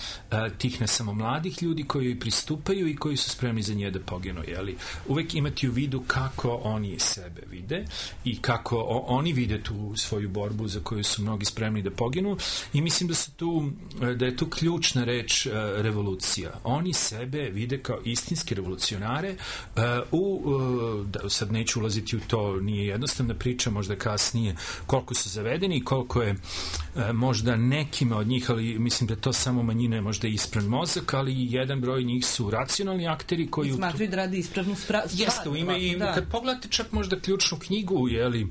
tih ne samo mladih ljudi koji pristupaju i koji su spremni za nje da poginu. Jeli? Uvek imati u vidu kako oni sebe vide i kako o, oni vide tu svoju borbu za koju su mnogi spremni da poginu, i mislim da su tu, da je tu ključna reč uh, revolucija. Oni sebe vide kao istinski revolucionare uh, u, uh, da, sad neću ulaziti u to, nije jednostavna priča, možda kasnije, koliko su zavedeni i koliko je uh, možda nekima od njih, ali mislim da to samo manjina, možda ispran mozak, ali jedan broj njih su racionalni akteri koji... Smatruju da radi ispravnu stvar. Jeste, u ime i da. Kad pogledate čak možda ključnu knjigu, jeli, uh,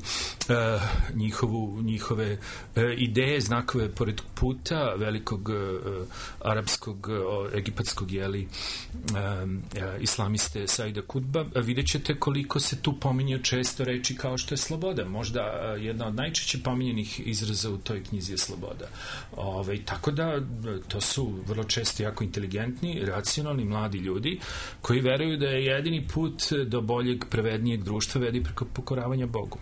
njihovu, njihove uh, ideje, znakove pored puta velikog uh, arapskog, uh, egipatskog, jeli, uh, uh, islamiste Saida Kutba, uh, vidjet ćete koliko se tu pominje često reči kao što je sloboda. Možda uh, jedna od najčešće pominjenih izraza u toj knjizi iluzija sloboda. Ove, tako da to su vrlo često jako inteligentni, racionalni, mladi ljudi koji veruju da je jedini put do boljeg, pravednijeg društva vedi preko pokoravanja Bogu.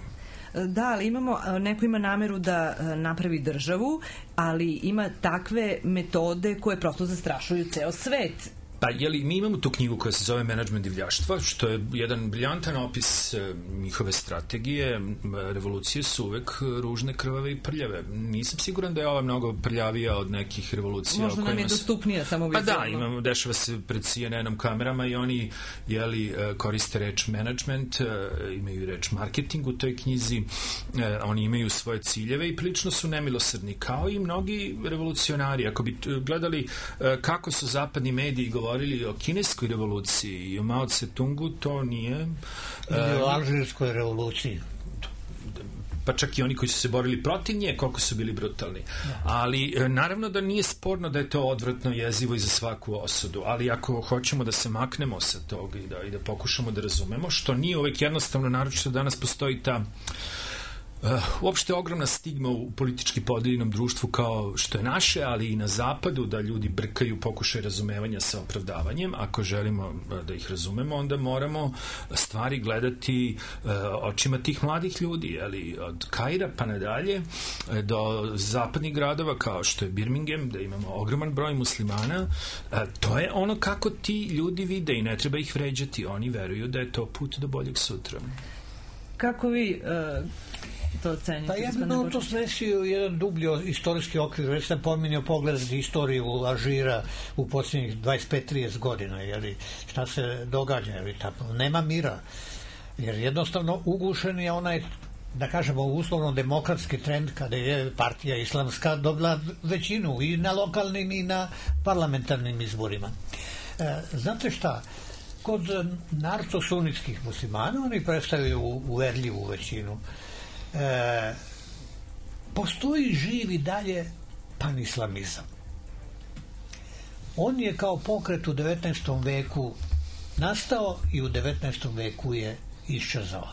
Da, ali imamo, neko ima nameru da napravi državu, ali ima takve metode koje prosto zastrašuju ceo svet. Pa, jeli, mi imamo tu knjigu koja se zove Menadžment divljaštva, što je jedan briljantan opis e, njihove strategije. Revolucije su uvek ružne, krvave i prljave. Nisam siguran da je ova mnogo prljavija od nekih revolucija. Možda nam je dostupnija samo vizualno. Pa da, imamo, dešava se pred C N N-om kamerama i oni jeli, koriste reč management, imaju reč marketing u toj knjizi, oni imaju svoje ciljeve i prilično su nemilosrdni, kao i mnogi revolucionari. Ako bi gledali kako su zapadni mediji govorili o kineskoj revoluciji i o Mao Tse-tungu, to nije... Ili o alžirskoj revoluciji. Pa čak i oni koji su se borili protiv nje, koliko su bili brutalni. Ali naravno da nije sporno da je to odvratno, jezivo i za svaku osudu, ali ako hoćemo da se maknemo sa toga i da, i da pokušamo da razumemo, što nije uvek jednostavno, naročito danas postoji ta Uh, uopšte ogromna stigma u politički podeljenom društvu kao što je naše, ali i na zapadu, da ljudi brkaju pokušaj razumevanja sa opravdavanjem. Ako želimo da ih razumemo, onda moramo stvari gledati uh, očima tih mladih ljudi, ali od Kaira pa nadalje do zapadnih gradova kao što je Birmingham, da imamo ogroman broj muslimana. Uh, to je ono kako ti ljudi vide i ne treba ih vređati. Oni veruju da je to put do boljeg sutra. Kako vi uh, to ocenite? Pa ja bih malo to smesio jedan dublji istorijski okvir. Već sam pominjao pogledati istoriju Alžira u posljednjih dvadeset pet do trideset godina. Jeli, šta se događa? Jeli, tako, nema mira. Jer jednostavno ugušen je onaj, da kažemo, uslovno demokratski trend kada je partija islamska dobila većinu i na lokalnim i na parlamentarnim izborima. E, znate šta? Kod narco-sunitskih muslimana oni predstavljaju uverljivu većinu. E, postoji živi dalje panislamizam. On je kao pokret u devetnaestom veku nastao i u devetnaestom veku je iščezao.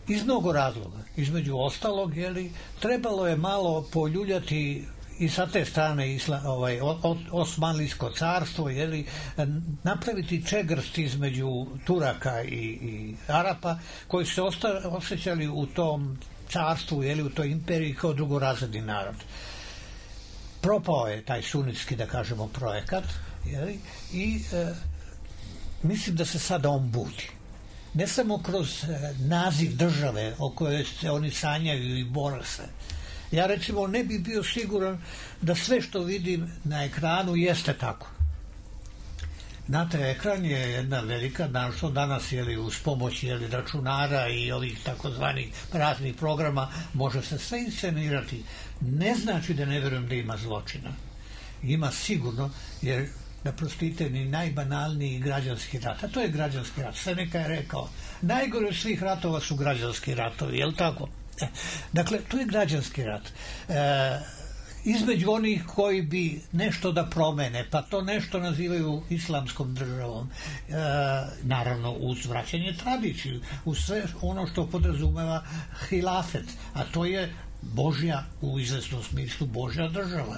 Iz mnogo razloga. Između ostalog, jeli, trebalo je malo poljuljati i sa te strane isla, ovaj, Osmanlijsko carstvo, jeli, napraviti čegrst između Turaka i, i Arapa, koji se osta, osjećali u tom carstvu, jeli, u toj imperiji kao drugorazredni narod. Propao je taj sunitski, da kažemo, projekat, jeli, i e, mislim da se sada on budi. Ne samo kroz e, naziv države o kojoj se oni sanjaju i bore se. Ja recimo ne bih bio siguran da sve što vidim na ekranu jeste tako. Znate, ekran je jedna velika, što danas jeli, uz pomoć jeli, računara i ovih takozvanih raznih programa može se sve inscenirati. Ne znači da ne vjerujem da ima zločina. Ima sigurno, jer da prostite ni najbanalniji građanski rat, a to je građanski rat. Seneca je rekao, najgore svih ratova su građanski ratovi, je li tako? Dakle, to je građanski rat. E, između onih koji bi nešto da promene, pa to nešto nazivaju islamskom državom, e, naravno uz vraćanje tradiciju, uz sve ono što podrazumeva hilafet, a to je Božja, u izvesnom smislu Božja država.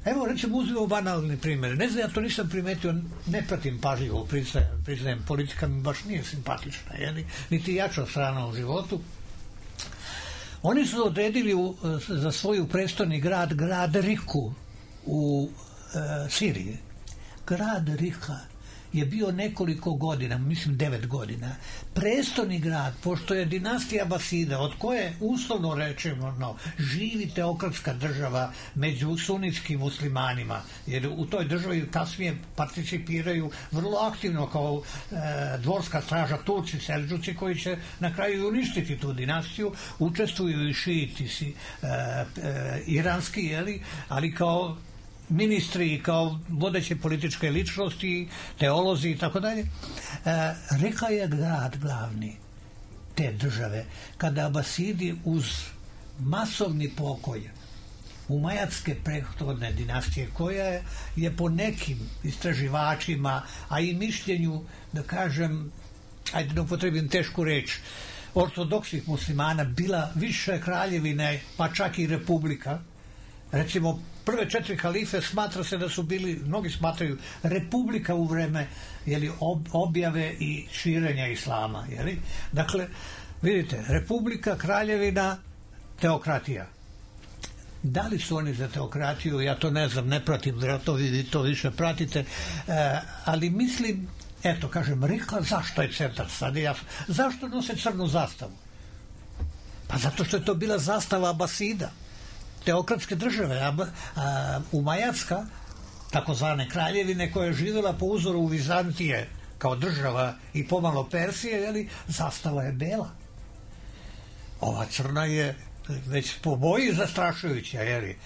Evo, recimo, uzmemo banalni primjer. Ne znam, ja to nisam primetio, ne pratim pažljivo, priznajem, priznajem, politika mi baš nije simpatična, jeli? Niti jača strana u životu. Oni su odredili u, za svoju prestolni grad, grad Riku u e, Siriji. Grad Rika je bio nekoliko godina, mislim devet godina, prestolni grad, pošto je dinastija Abasida, od koje uslovno rečemo, no, živi teokratska država među sunitskim muslimanima, jer u toj državi kasnije participiraju vrlo aktivno kao e, dvorska straža Turci, Selđuci, koji će na kraju uništiti tu dinastiju, učestvuju i šijiti si e, e, iranski, jeli, ali kao ministri, kao vodeće političke ličnosti, teolozi i tako dalje. Reka je grad glavni te države kada Abasidi uz masovni pokoj umajatske prethodne dinastije, koja je po nekim istraživačima, a i mišljenju, da kažem, ajde da upotrebim tešku reč, ortodoksnih muslimana, bila više kraljevine, pa čak i republika, Recimo, prve četiri halife smatra se da su bili, mnogi smatraju, republika u vreme jeli, ob, objave i širenja islama. Jeli? Dakle, vidite, republika, kraljevina, teokratija. Da li su oni za teokratiju, ja to ne znam, ne pratim, to vi to više pratite, e, ali mislim, eto, kažem, Rika, zašto je centar sad? Ja, zašto nose crnu zastavu? Pa zato što je to bila zastava Abasida, teokratske države, a, a, Umajatska, takozvane kraljevine, koja je živjela po uzoru Vizantije kao država i pomalo Persije, jeli, zastava je bela. Ova crna je već po boji zastrašujuća, jeli.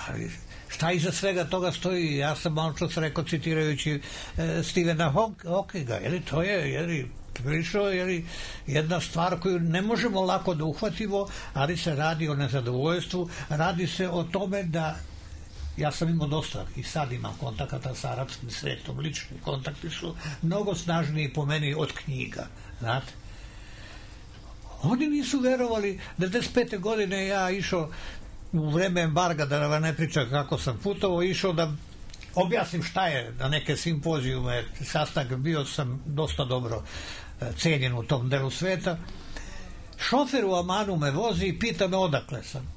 Ali šta iza svega toga stoji? Ja sam malo čas rekao, citirajući e, Stephena Hawkinga, jeli, to je, jeli, prilično, jeli, jedna stvar koju ne možemo lako da uhvatimo, ali se radi o nezadovoljstvu, radi se o tome da ja sam imao dosta i sad imam kontakata sa arapskim svetom, lični kontakti su mnogo snažniji po meni od knjiga, znate. Oni nisu verovali, devedeset pete godine ja išao u vreme embarga, da vam ne pričam kako sam putovao, išao da objasnim šta je na neke simpozijume, sastanak, bio sam dosta dobro cenjen u tom delu sveta. Šofer u Amanu me vozi i pita me odakle sam.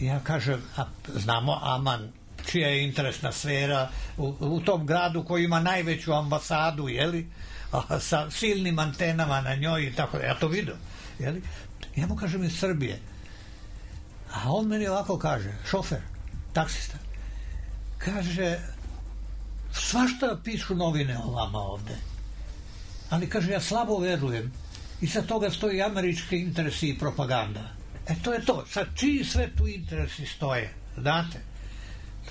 Ja kažem, a znamo Aman, čija je interesna sfera u, u tom gradu koji ima najveću ambasadu, jeli? A, sa silnim antenama na njoj i tako da, ja to vidio, jeli? Ja mu kažem iz Srbije. A on meni ovako kaže, šofer, taksista, kaže, svašta pišu novine o vama ovde, ali kaže, ja slabo verujem i sa toga stoji američki interesi i propaganda. E to je to, sad čiji sve tu interesi stoje, znate?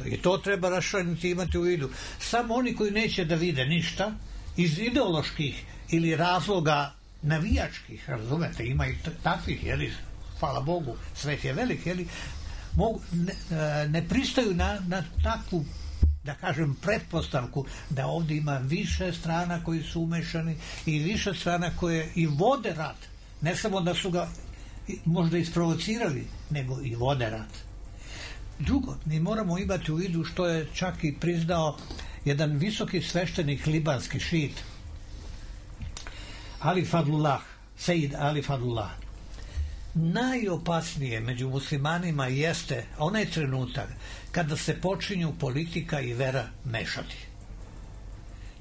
I to treba raščlaniti, imati u vidu. Samo oni koji neće da vide ništa, iz ideoloških ili razloga navijačkih, razumete, ima i takvih, jeli, hvala Bogu, svet je velik, jeli, mogu, ne, ne pristaju na, na takvu, da kažem, pretpostavku da ovdje ima više strana koji su umešani i više strana koje i vode rat, ne samo da su ga možda isprovocirali, nego i vode rat. Drugo, mi moramo imati u vidu što je čak i priznao jedan visoki sveštenik libanski šit, Ali Fadlullah, Sejid Ali Fadlullah. Najopasnije među muslimanima jeste onaj trenutak kada se počinju politika i vera mešati.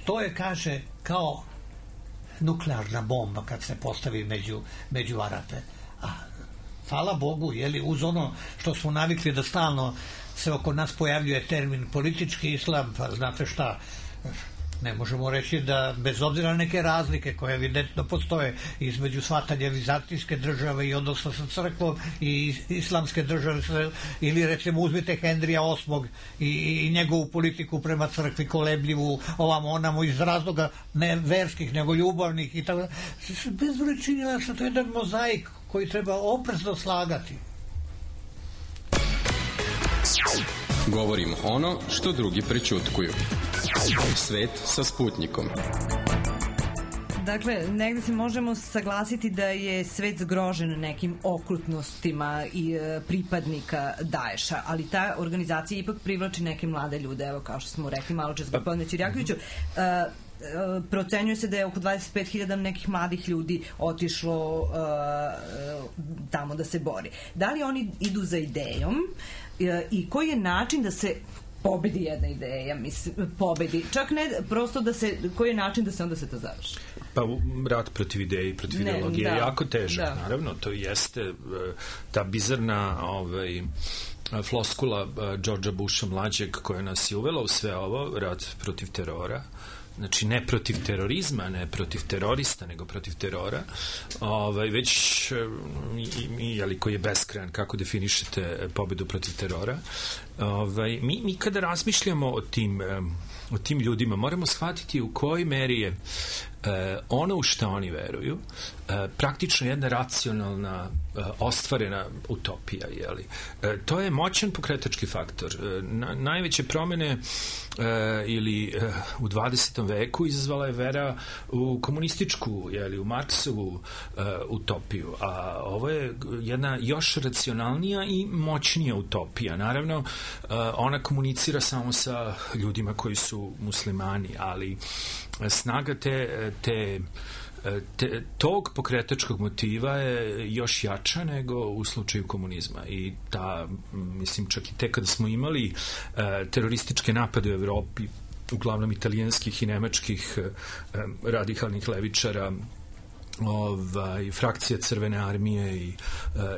To je, kaže, kao nuklearna bomba kad se postavi među, među Arape. A hvala Bogu, jeli, uz ono što smo navikli da stalno se oko nas pojavljuje termin politički islam, pa znate šta, ne možemo reći da bez obzira na neke razlike koje evidentno postoje između shvatanja vizantijske države i odnosa sa crkvom i islamske države, ili recimo uzmite Henrija osmog i, i njegovu politiku prema crkvi kolebljivu, ovamo onamo iz razloga ne verskih nego ljubavnih i tako da. Bez činjena što to je jedan mozaik koji treba oprezno slagati. Govorimo ono što drugi prećutkuju. Svet sa Sputnikom. Dakle, negde se možemo saglasiti da je svet zgrožen nekim okrutnostima i e, pripadnika Daesha, ali ta organizacija ipak privlači neke mlade ljude, evo kao što smo rekli malo čas gospodine Ćirjakoviću. E, procenjuje se da je oko dvadeset pet hiljada nekih mladih ljudi otišlo uh, tamo da se bori. Da li oni idu za idejom uh, i koji je način da se pobedi jedna ideja, mislim, pobedi, čak ne prosto da se, koji je način da se onda se to završi? Pa rat protiv ideje i protiv ne, ideologije da, je jako težak, da. Naravno, to jeste ta bizarna ovaj, floskula Georgea Busha mlađeg koja nas je uvela u sve ovo, rat protiv terora. Znači, ne protiv terorizma, ne protiv terorista, nego protiv terora, ovaj, već i, i, jeli, koji je beskrajan, kako definišete pobedu protiv terora. Ovaj, mi, mi kada razmišljamo o tim, o tim ljudima, moramo shvatiti u kojoj meri je e, ono u što oni veruju, e, praktično jedna racionalna, e, ostvarena utopija, jeli. E, to je moćan pokretački faktor. E, na, najveće promene e, ili e, u dvadesetom veku izazvala je vera u komunističku, jeli, u Marksovu e, utopiju, a ovo je jedna još racionalnija i moćnija utopija. Naravno, e, ona komunicira samo sa ljudima koji su muslimani, ali snaga te, te Te, tog pokretačkog motiva je još jača nego u slučaju komunizma i ta, mislim, čak i te kada smo imali e, terorističke napade u Evropi, uglavnom italijanskih i nemačkih e, radikalnih levičara, ovaj, frakcija Crvene armije i, e,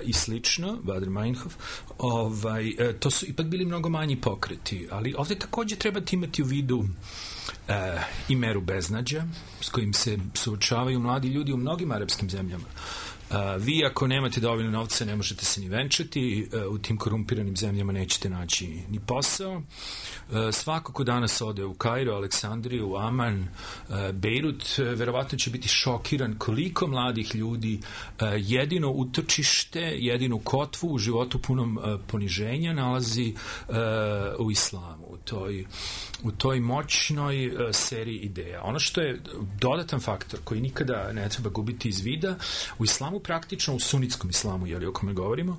i slično, Bader Meinhof, ovaj, e, to su ipak bili mnogo manji pokreti, ali ovde takođe treba imati u vidu E, i meru beznađa s kojim se suočavaju mladi ljudi u mnogim arapskim zemljama. E, vi ako nemate dovoljno novca ne možete se ni venčati, e, u tim korumpiranim zemljama nećete naći ni posao. E, svako ko danas ode u Kairo, Aleksandriju, Aman, e, Bejrut, e, verovatno će biti šokiran koliko mladih ljudi e, jedino utočište, jedinu kotvu u životu punom e, poniženja nalazi e, u islamu, u toj u toj moćnoj uh, seriji ideja. Ono što je dodatan faktor koji nikada ne treba gubiti iz vida, u islamu praktično, u sunitskom islamu, jeli o kome govorimo,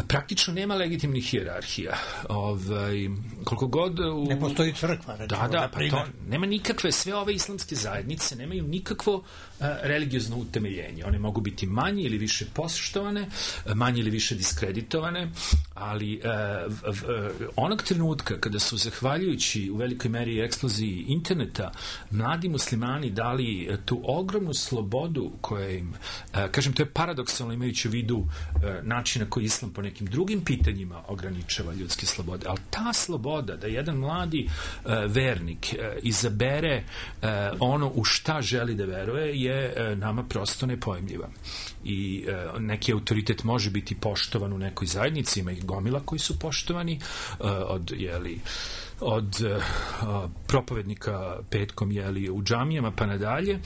praktično nema legitimnih hijerarhija. Ovaj, koliko god... U... Ne postoji crkva, recimo, da, da, pa to, nema nikakve, sve ove islamske zajednice nemaju nikakvo uh, religiozno utemeljenje. One mogu biti manje ili više poštovane, manje ili više diskreditovane, ali uh, v, v, onog trenutka kada su, zahvaljujući u velikoj meri eksploziji interneta, mladi muslimani dali tu ogromnu slobodu koja im, uh, kažem, to je paradoksalno imajući u vidu uh, načina koji islam po nekim drugim pitanjima ograničava ljudske slobode, ali ta sloboda da jedan mladi uh, vernik uh, izabere uh, ono u šta želi da veruje je uh, nama prosto nepojmljiva. I uh, neki autoritet može biti poštovan u nekoj zajednici, ima ih gomila koji su poštovani uh, od, jeli, od uh, propovednika petkom, jeli, u džamijama pa nadalje,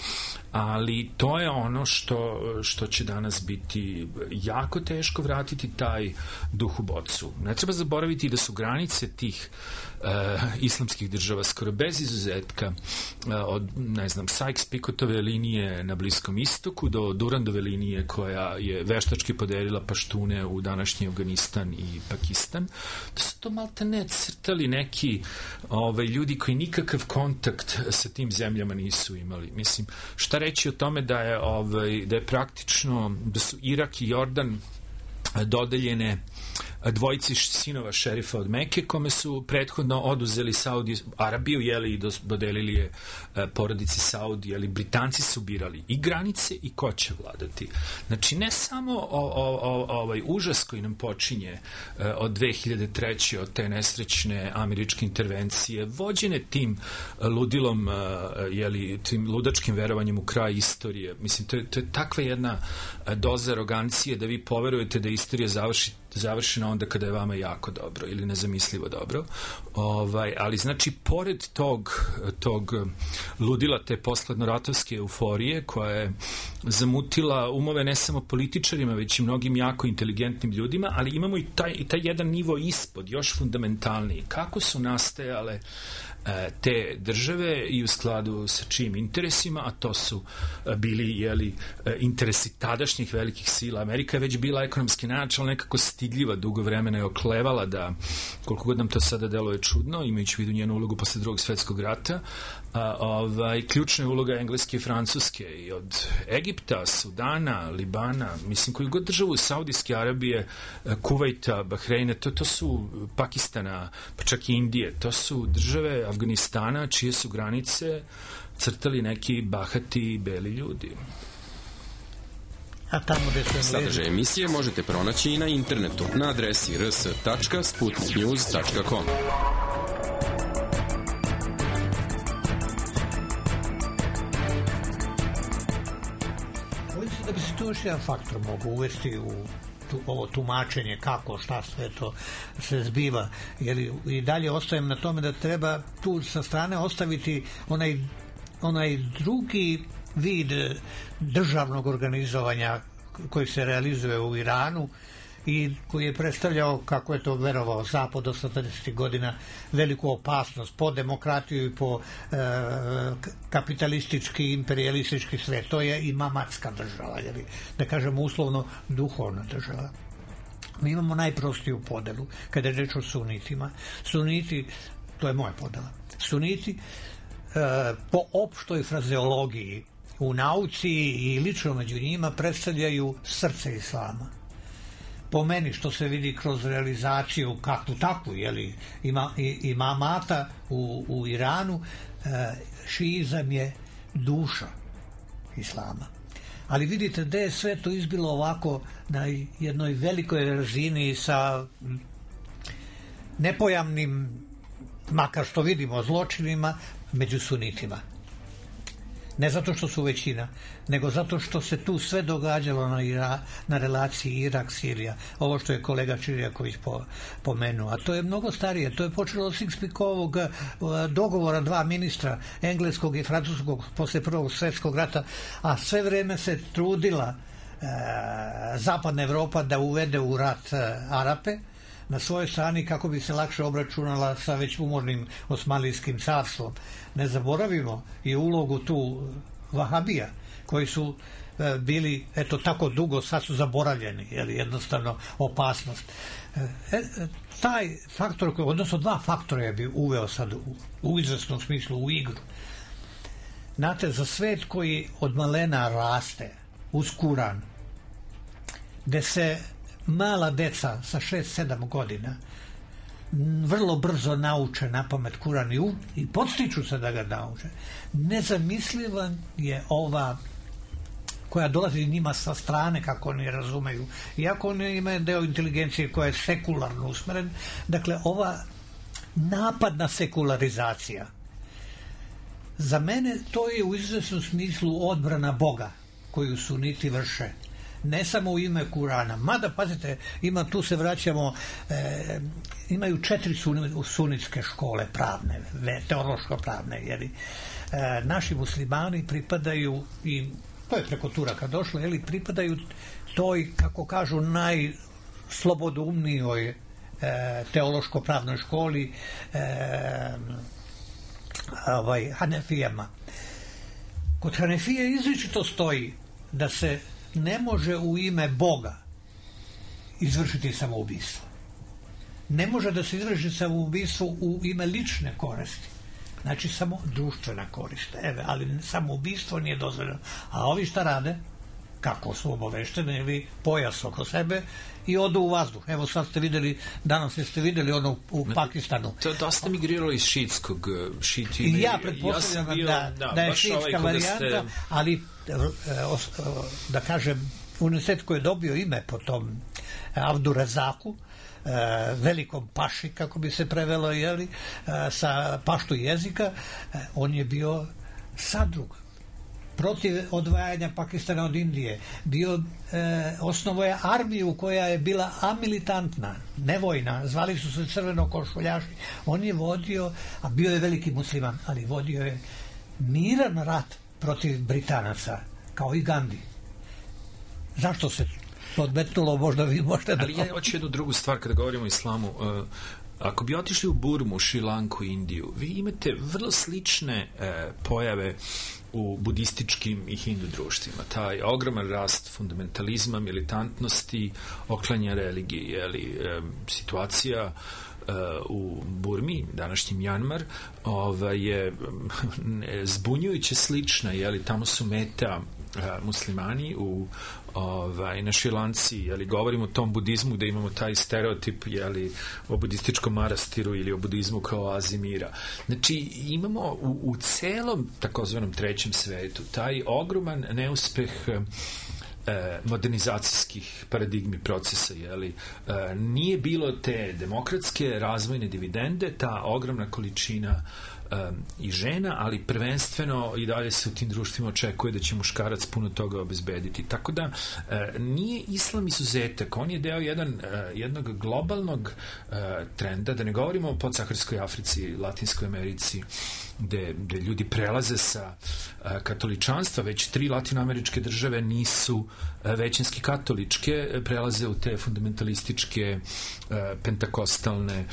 ali to je ono što, što će danas biti jako teško vratiti taj duh u bocu. Ne treba zaboraviti da su granice tih uh, islamskih država skoro bez izuzetka uh, od, ne znam, Sykes-Picotove linije na Bliskom istoku do Durandove linije koja je veštački podelila paštune u današnji Afganistan i Pakistan. Da su to malte ne crtali neki ovaj, ljudi koji nikakav kontakt sa tim zemljama nisu imali. Mislim, šta reći o tome da je, ovaj, da je praktično, da su Irak i Jordan dodeljene dvojici sinova šerifa od Mekke, kome su prethodno oduzeli Saudi Arabiju, jeli, i dodelili je porodici Saudi, jeli, Britanci su birali i granice i ko će vladati. Znači, ne samo o, o, o, ovaj užas koji nam počinje od dve hiljade treće od te nesrećne američke intervencije, vođene tim ludilom, jeli, tim ludačkim verovanjem u kraj istorije. Mislim, to je, to je takva jedna doza arogancije da vi poverujete da istorija završi završena onda kada je vama jako dobro ili nezamislivo dobro. Ovaj, ali znači, pored tog, tog ludila, te poslednoratovske euforije koja je zamutila umove ne samo političarima, već i mnogim jako inteligentnim ljudima, ali imamo i taj, i taj jedan nivo ispod, još fundamentalniji. Kako su nastajale te države i u skladu sa čijim interesima, a to su bili, jeli, interesi tadašnjih velikih sila. Amerika je već bila ekonomski najjača, ali nekako stidljiva, dugo vremena je oklevala da, koliko god nam to sada deluje čudno, imajući vidu njenu ulogu posle drugog svetskog rata, a, ovaj, ključna je uloga Engleske i Francuske i od Egipta, Sudana, Libana, mislim, koju god državu, Saudijske Arabije, Kuvajta, Bahreina, to, to su Pakistana, pa čak i Indije, to su države Afganistana čije su granice crtali neki bahati beli ljudi. A tamo gde su sadržaj emisije možete pronaći i na internetu na adresi r s tačka sputnik news tačka com. Bojim se da bi se tu još jedan faktor mogu uvesti u tu, ovo tumačenje kako, šta sve to se zbiva. Jer i dalje ostajem na tome da treba tu sa strane ostaviti onaj onaj drugi vid državnog organizovanja koji se realizuje u Iranu i koji je predstavljao, kako je to verovao Zapad do sedamdesetih godina, veliku opasnost po demokratiju i po e, kapitalistički, imperialistički svet. To je imamatska država, jer, da kažemo uslovno duhovna država. Mi imamo najprostiju podelu kada je reč o sunitima. Suniti, to je moja podela, suniti e, po opštoj frazeologiji u nauci i lično među njima predstavljaju srce islama. Po meni, što se vidi kroz realizaciju kakvu takvu, jeli, ima, imamata u, u Iranu, e, šiizam je duša islama. Ali vidite da je sve to izbilo ovako na jednoj velikoj razini sa nepojamnim, makar što vidimo, zločinima među sunitima. Ne zato što su većina, nego zato što se tu sve događalo na, Ira, na relaciji Irak-Sirija. Ovo što je kolega Čirjaković po, pomenuo. A to je mnogo starije. To je počelo od Six-Pickovog dogovora dva ministra, engleskog i francuskog, posle Prvog svjetskog rata, a sve vreme se trudila e, zapadna Evropa da uvede u rat e, Arape na svojoj strani kako bi se lakše obračunala sa već umornim Osmanlijskim carstvom. Ne zaboravimo i ulogu tu Vahabija, koji su e, bili, eto, tako dugo, sad su zaboravljeni, jer jednostavno opasnost. E, taj faktor, odnosno dva faktora je bi uveo sad u, u izvesnom smislu u igru. Znate, za svet koji od malena raste uz Kuran, gde se mala deca sa šest sedam godina vrlo brzo nauče napamet Kuran i, u, i podstiču se da ga nauče. Nezamisliva je ova koja dolazi njima sa strane, kako oni razumeju, iako oni imaju deo inteligencije koja je sekularno usmeren. Dakle, ova napadna sekularizacija, za mene to je u izvesnom smislu odbrana Boga koju suniti vrše, ne samo u ime Kurana. Mada, pazite, ima, tu se vraćamo, e, imaju četiri sun, sunitske škole pravne, teološko pravne, jer e, naši muslimani pripadaju, i to je preko Turaka došlo, jeli, pripadaju toj, kako kažu, najslobodoumnijoj e, teološko-pravnoj školi e, ovaj, Hanefijama. Kod Hanefije izričito stoji da se ne može u ime Boga izvršiti samoubistvo. Ne može da se izvrši samoubistvo u ime lične koristi. Znači samo društvena korist. Eve, ali samoubistvo nije dozvoljeno. A ovi šta rade? Kako su obavešteni, ili pojas oko sebe i odu u vazduh. Evo sad ste videli, danas ste videli ono u Pakistanu. To je dosta migriralo iz šitskog šiti. I ja pretpostavljam ja bio, da, da, da je šitska ovaj varijanta, ste... ali da kažem, univerzitet koji je dobio ime po tom Abdurazaku, velikom paši, kako bi se prevelo, jeli, sa paštu jezika, on je bio sadrug protiv odvajanja Pakistana od Indije. Bio, e, osnovo je armiju koja je bila amilitantna, nevojna, zvali su se crvenokošuljaši. On je vodio, a bio je veliki musliman, ali vodio je miran rat protiv Britanaca, kao i Gandhi. Zašto se podmetnulo, možda vi možete da... Ali ja hoću jednu drugu stvar kada govorimo o islamu. Uh, ako bi otišli u Burmu, Šrilanku, Indiju, vi imate vrlo slične uh, pojave u budističkim i hindu društvima. Taj ogroman rast fundamentalizma, militantnosti, oklanja religije, jeli, um, situacija uh, u Burmi, današnji Mjanmar, ovaj, je zbunjujuće slična, jeli, tamo su meta uh, muslimani u ovaj, na Šrilanci, jeli, govorimo o tom budizmu gde imamo taj stereotip, jeli, o budističkom manastiru ili o budizmu kao oazi mira. Znači, imamo u, u celom takozvanom trećem svetu taj ogroman neuspeh e, modernizacijskih paradigmi procesa, jeli, e, nije bilo te demokratske razvojne dividende, ta ogromna količina i žena, ali prvenstveno i dalje se u tim društvima očekuje da će muškarac puno toga obezbediti. Tako da nije islam izuzetak, on je deo jedan, jednog globalnog trenda, da ne govorimo o podsaharskoj Africi, Latinskoj Americi, gde, gde ljudi prelaze sa katoličanstva, već tri latinoameričke države nisu većinski katoličke, prelaze u te fundamentalističke, pentakostalne,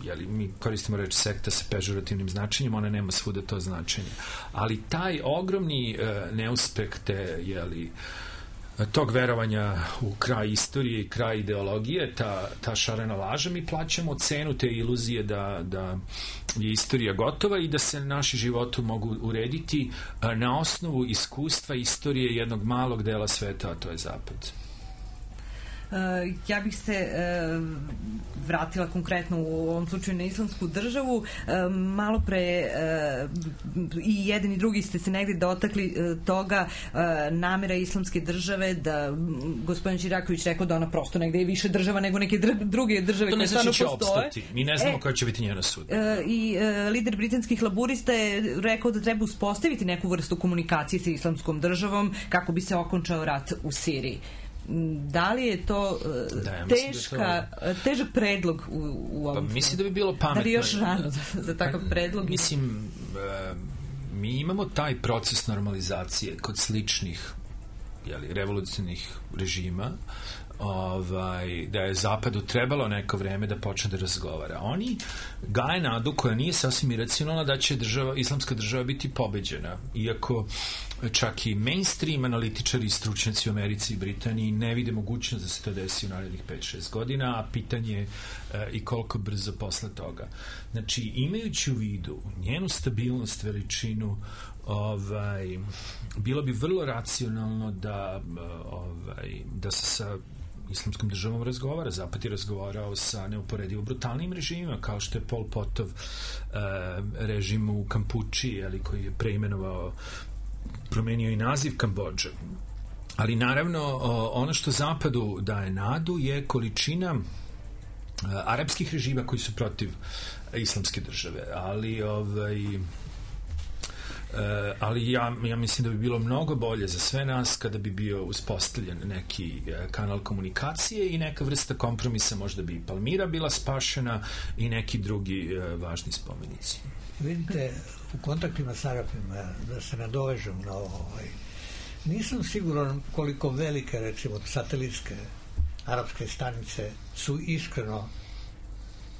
jeli, mi koristimo reč sekta sa pežorativnim značenjem, ona nema svuda to značenje. Ali taj ogromni neuspeh te, jeli, tog verovanja u kraj istorije i kraj ideologije, ta, ta šarena laža, mi plaćamo cenu te iluzije da, da je istorija gotova i da se naši životi mogu urediti na osnovu iskustva istorije jednog malog dela sveta, a to je Zapad. Ja bih se vratila konkretno u ovom slučaju na islamsku državu. Malo pre i jedan i drugi ste se negdje dotakli toga, namera islamske države, da gospodin Čiraković rekao da ona prosto negdje je više država nego neke druge države koje stvarno postoje. To ne znači će opstati. Mi ne znamo koja će biti njena sud. I lider britanskih laburista je rekao da treba uspostaviti neku vrstu komunikacije sa islamskom državom kako bi se okončao rat u Siriji. Da li je to da, ja teška, da to... težak predlog u, u ovom? Pa, mislim da bi bilo pametno. Da li još rano za, za takav predlog? Mislim, uh, mi imamo taj proces normalizacije kod sličnih, jeli, revolucionarnih režima, ovaj, da je Zapadu trebalo neko vreme da počne da razgovara. Oni gaje nadu koja nije sasvim iracionalna da će država, islamska država biti pobeđena, iako čak i mainstream analitičari i stručnjaci u Americi i Britaniji ne vide mogućnost da se to desi u narednih pet šest godina, a pitanje je e, i koliko brzo posle toga. Znači, imajući u vidu njenu stabilnost, veličinu, ovaj, bilo bi vrlo racionalno da, ovaj, da se sa islamskom državom razgovara. Zapad je razgovarao sa neuporedivo brutalnim režimima, kao što je Pol Potov e, režim u Kampuči, ali koji je preimenovao, promenio i naziv Kambodže. Ali naravno ono što Zapadu daje nadu je količina arapskih režima koji su protiv islamske države, ali ovaj ali ja, ja mislim da bi bilo mnogo bolje za sve nas kada bi bio uspostavljen neki kanal komunikacije i neka vrsta kompromisa, možda bi i Palmira bila spašena i neki drugi važni spomenici. Vidite, u kontaktima s Arapima, da se nadovežem na ovo, ovaj, nisam siguran koliko velike, recimo, satelitske arapske stanice su iskreno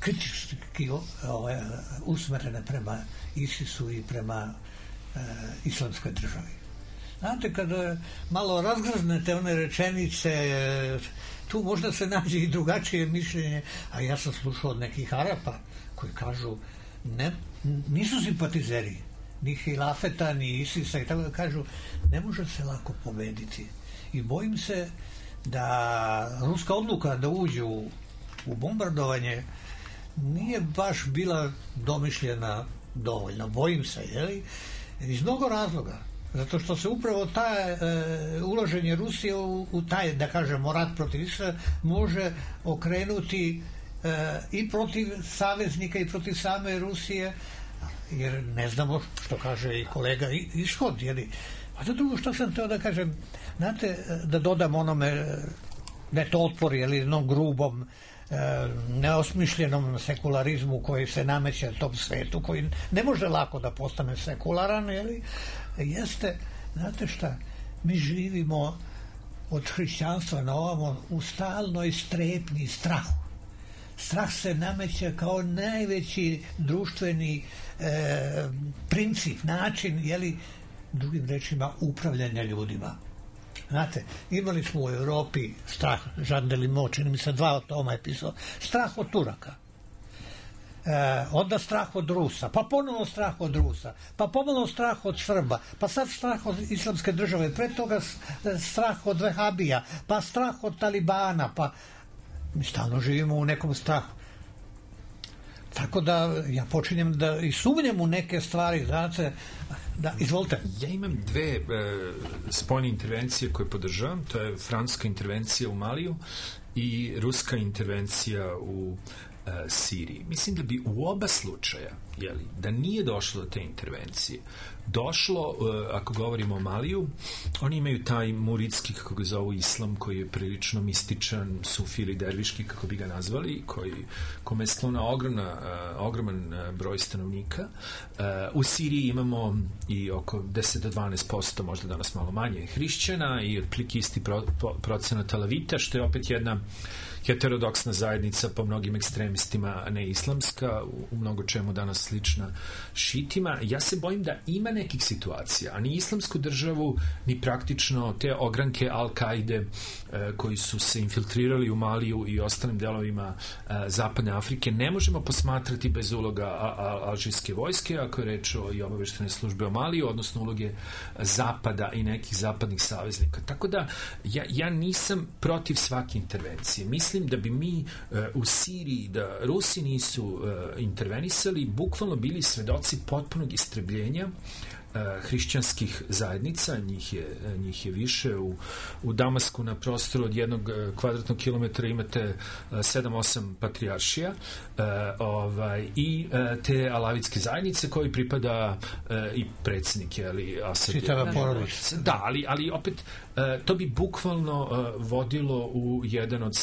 kritički ovaj, usmerene prema ISIS-u i prema e, islamskoj državi. Znate, kada malo razgraznete one rečenice, tu možda se nađe i drugačije mišljenje, a ja sam slušao od nekih Arapa koji kažu ne, nisu simpatizeri ni Hilafeta, ni Isisa i tako da kažu, ne može se lako pobediti. I bojim se da ruska odluka da uđe u, u bombardovanje nije baš bila domišljena dovoljno. Bojim se, jeli? Iz mnogo razloga. Zato što se upravo ta e, uloženje Rusije u, u taj, da kažemo, rat protiv Israela može okrenuti e, i protiv saveznika i protiv same Rusije, jer ne znamo što kaže i kolega ishod, jeli? A to drugo što sam teo da kažem, znate, da dodam onome, ne to otpor, jeli, jednom grubom, e, neosmišljenom sekularizmu koji se nameće tom svetu, koji ne može lako da postane sekularan, jeli, jeste, znate šta, mi živimo od hrišćanstva na ovamo u stalnoj strepnji strahu. Strah se nameće kao najveći društveni e, princip, način, jeli, drugim rečima, upravljanja ljudima. Znate, imali smo u Europi strah, Jean Delimot, čini mi se dva toma je pisao, strah od Turaka. E, onda strah od Rusa, pa ponovno strah od Rusa, pa ponovno strah od Srba, pa sad strah od islamske države, pre toga strah od Vehabija, pa strah od Talibana, pa mi stalno živimo u nekom strahu. Tako da ja počinjem da i sumnjam u neke stvari, znate, da, izvolite. Ja imam dve e, spoljne intervencije koje podržavam, to je francuska intervencija u Maliju i ruska intervencija u Siriji. Mislim da bi u oba slučaja, jeli, da nije došlo do te intervencije, došlo, ako govorimo o Maliju, oni imaju taj muridski, kako ga zovu, islam, koji je prilično mističan, sufi ili derviški, kako bi ga nazvali, koji, kome je sklona ogromna, ogroman broj stanovnika. U Siriji imamo i oko deset do dvanaest posto, možda danas malo manje, hrišćana i otprilike isti pro, pro, procenat alavita, što je opet jedna heterodoksna zajednica po mnogim ekstremistima, ne islamska, u, u mnogo čemu danas slična šitima. Ja se bojim da ima nekih situacija, a ni islamsku državu, ni praktično te ogranke Al-Kaide e, koji su se infiltrirali u Maliju i ostalim delovima e, zapadne Afrike ne možemo posmatrati bez uloga a, a, alžirske vojske, ako je reč o i obaveštene službe o Maliju, odnosno uloge Zapada i nekih zapadnih saveznika. Tako da ja, ja nisam protiv svake intervencije. Mislim da bi mi uh, u Siriji, da Rusi nisu uh, intervenisali, bukvalno bili svedoci potpunog istrebljenja hrišćanskih zajednica, njih je, njih je više. U, u Damasku na prostoru od jednog kvadratnog kilometra imate sedam osam patrijaršija uh, ovaj, i uh, te alavitske zajednice koji pripada uh, i predsjednik, ali Asad. Čitava porodica. Da, ali, ali opet uh, to bi bukvalno uh, vodilo u jedan od,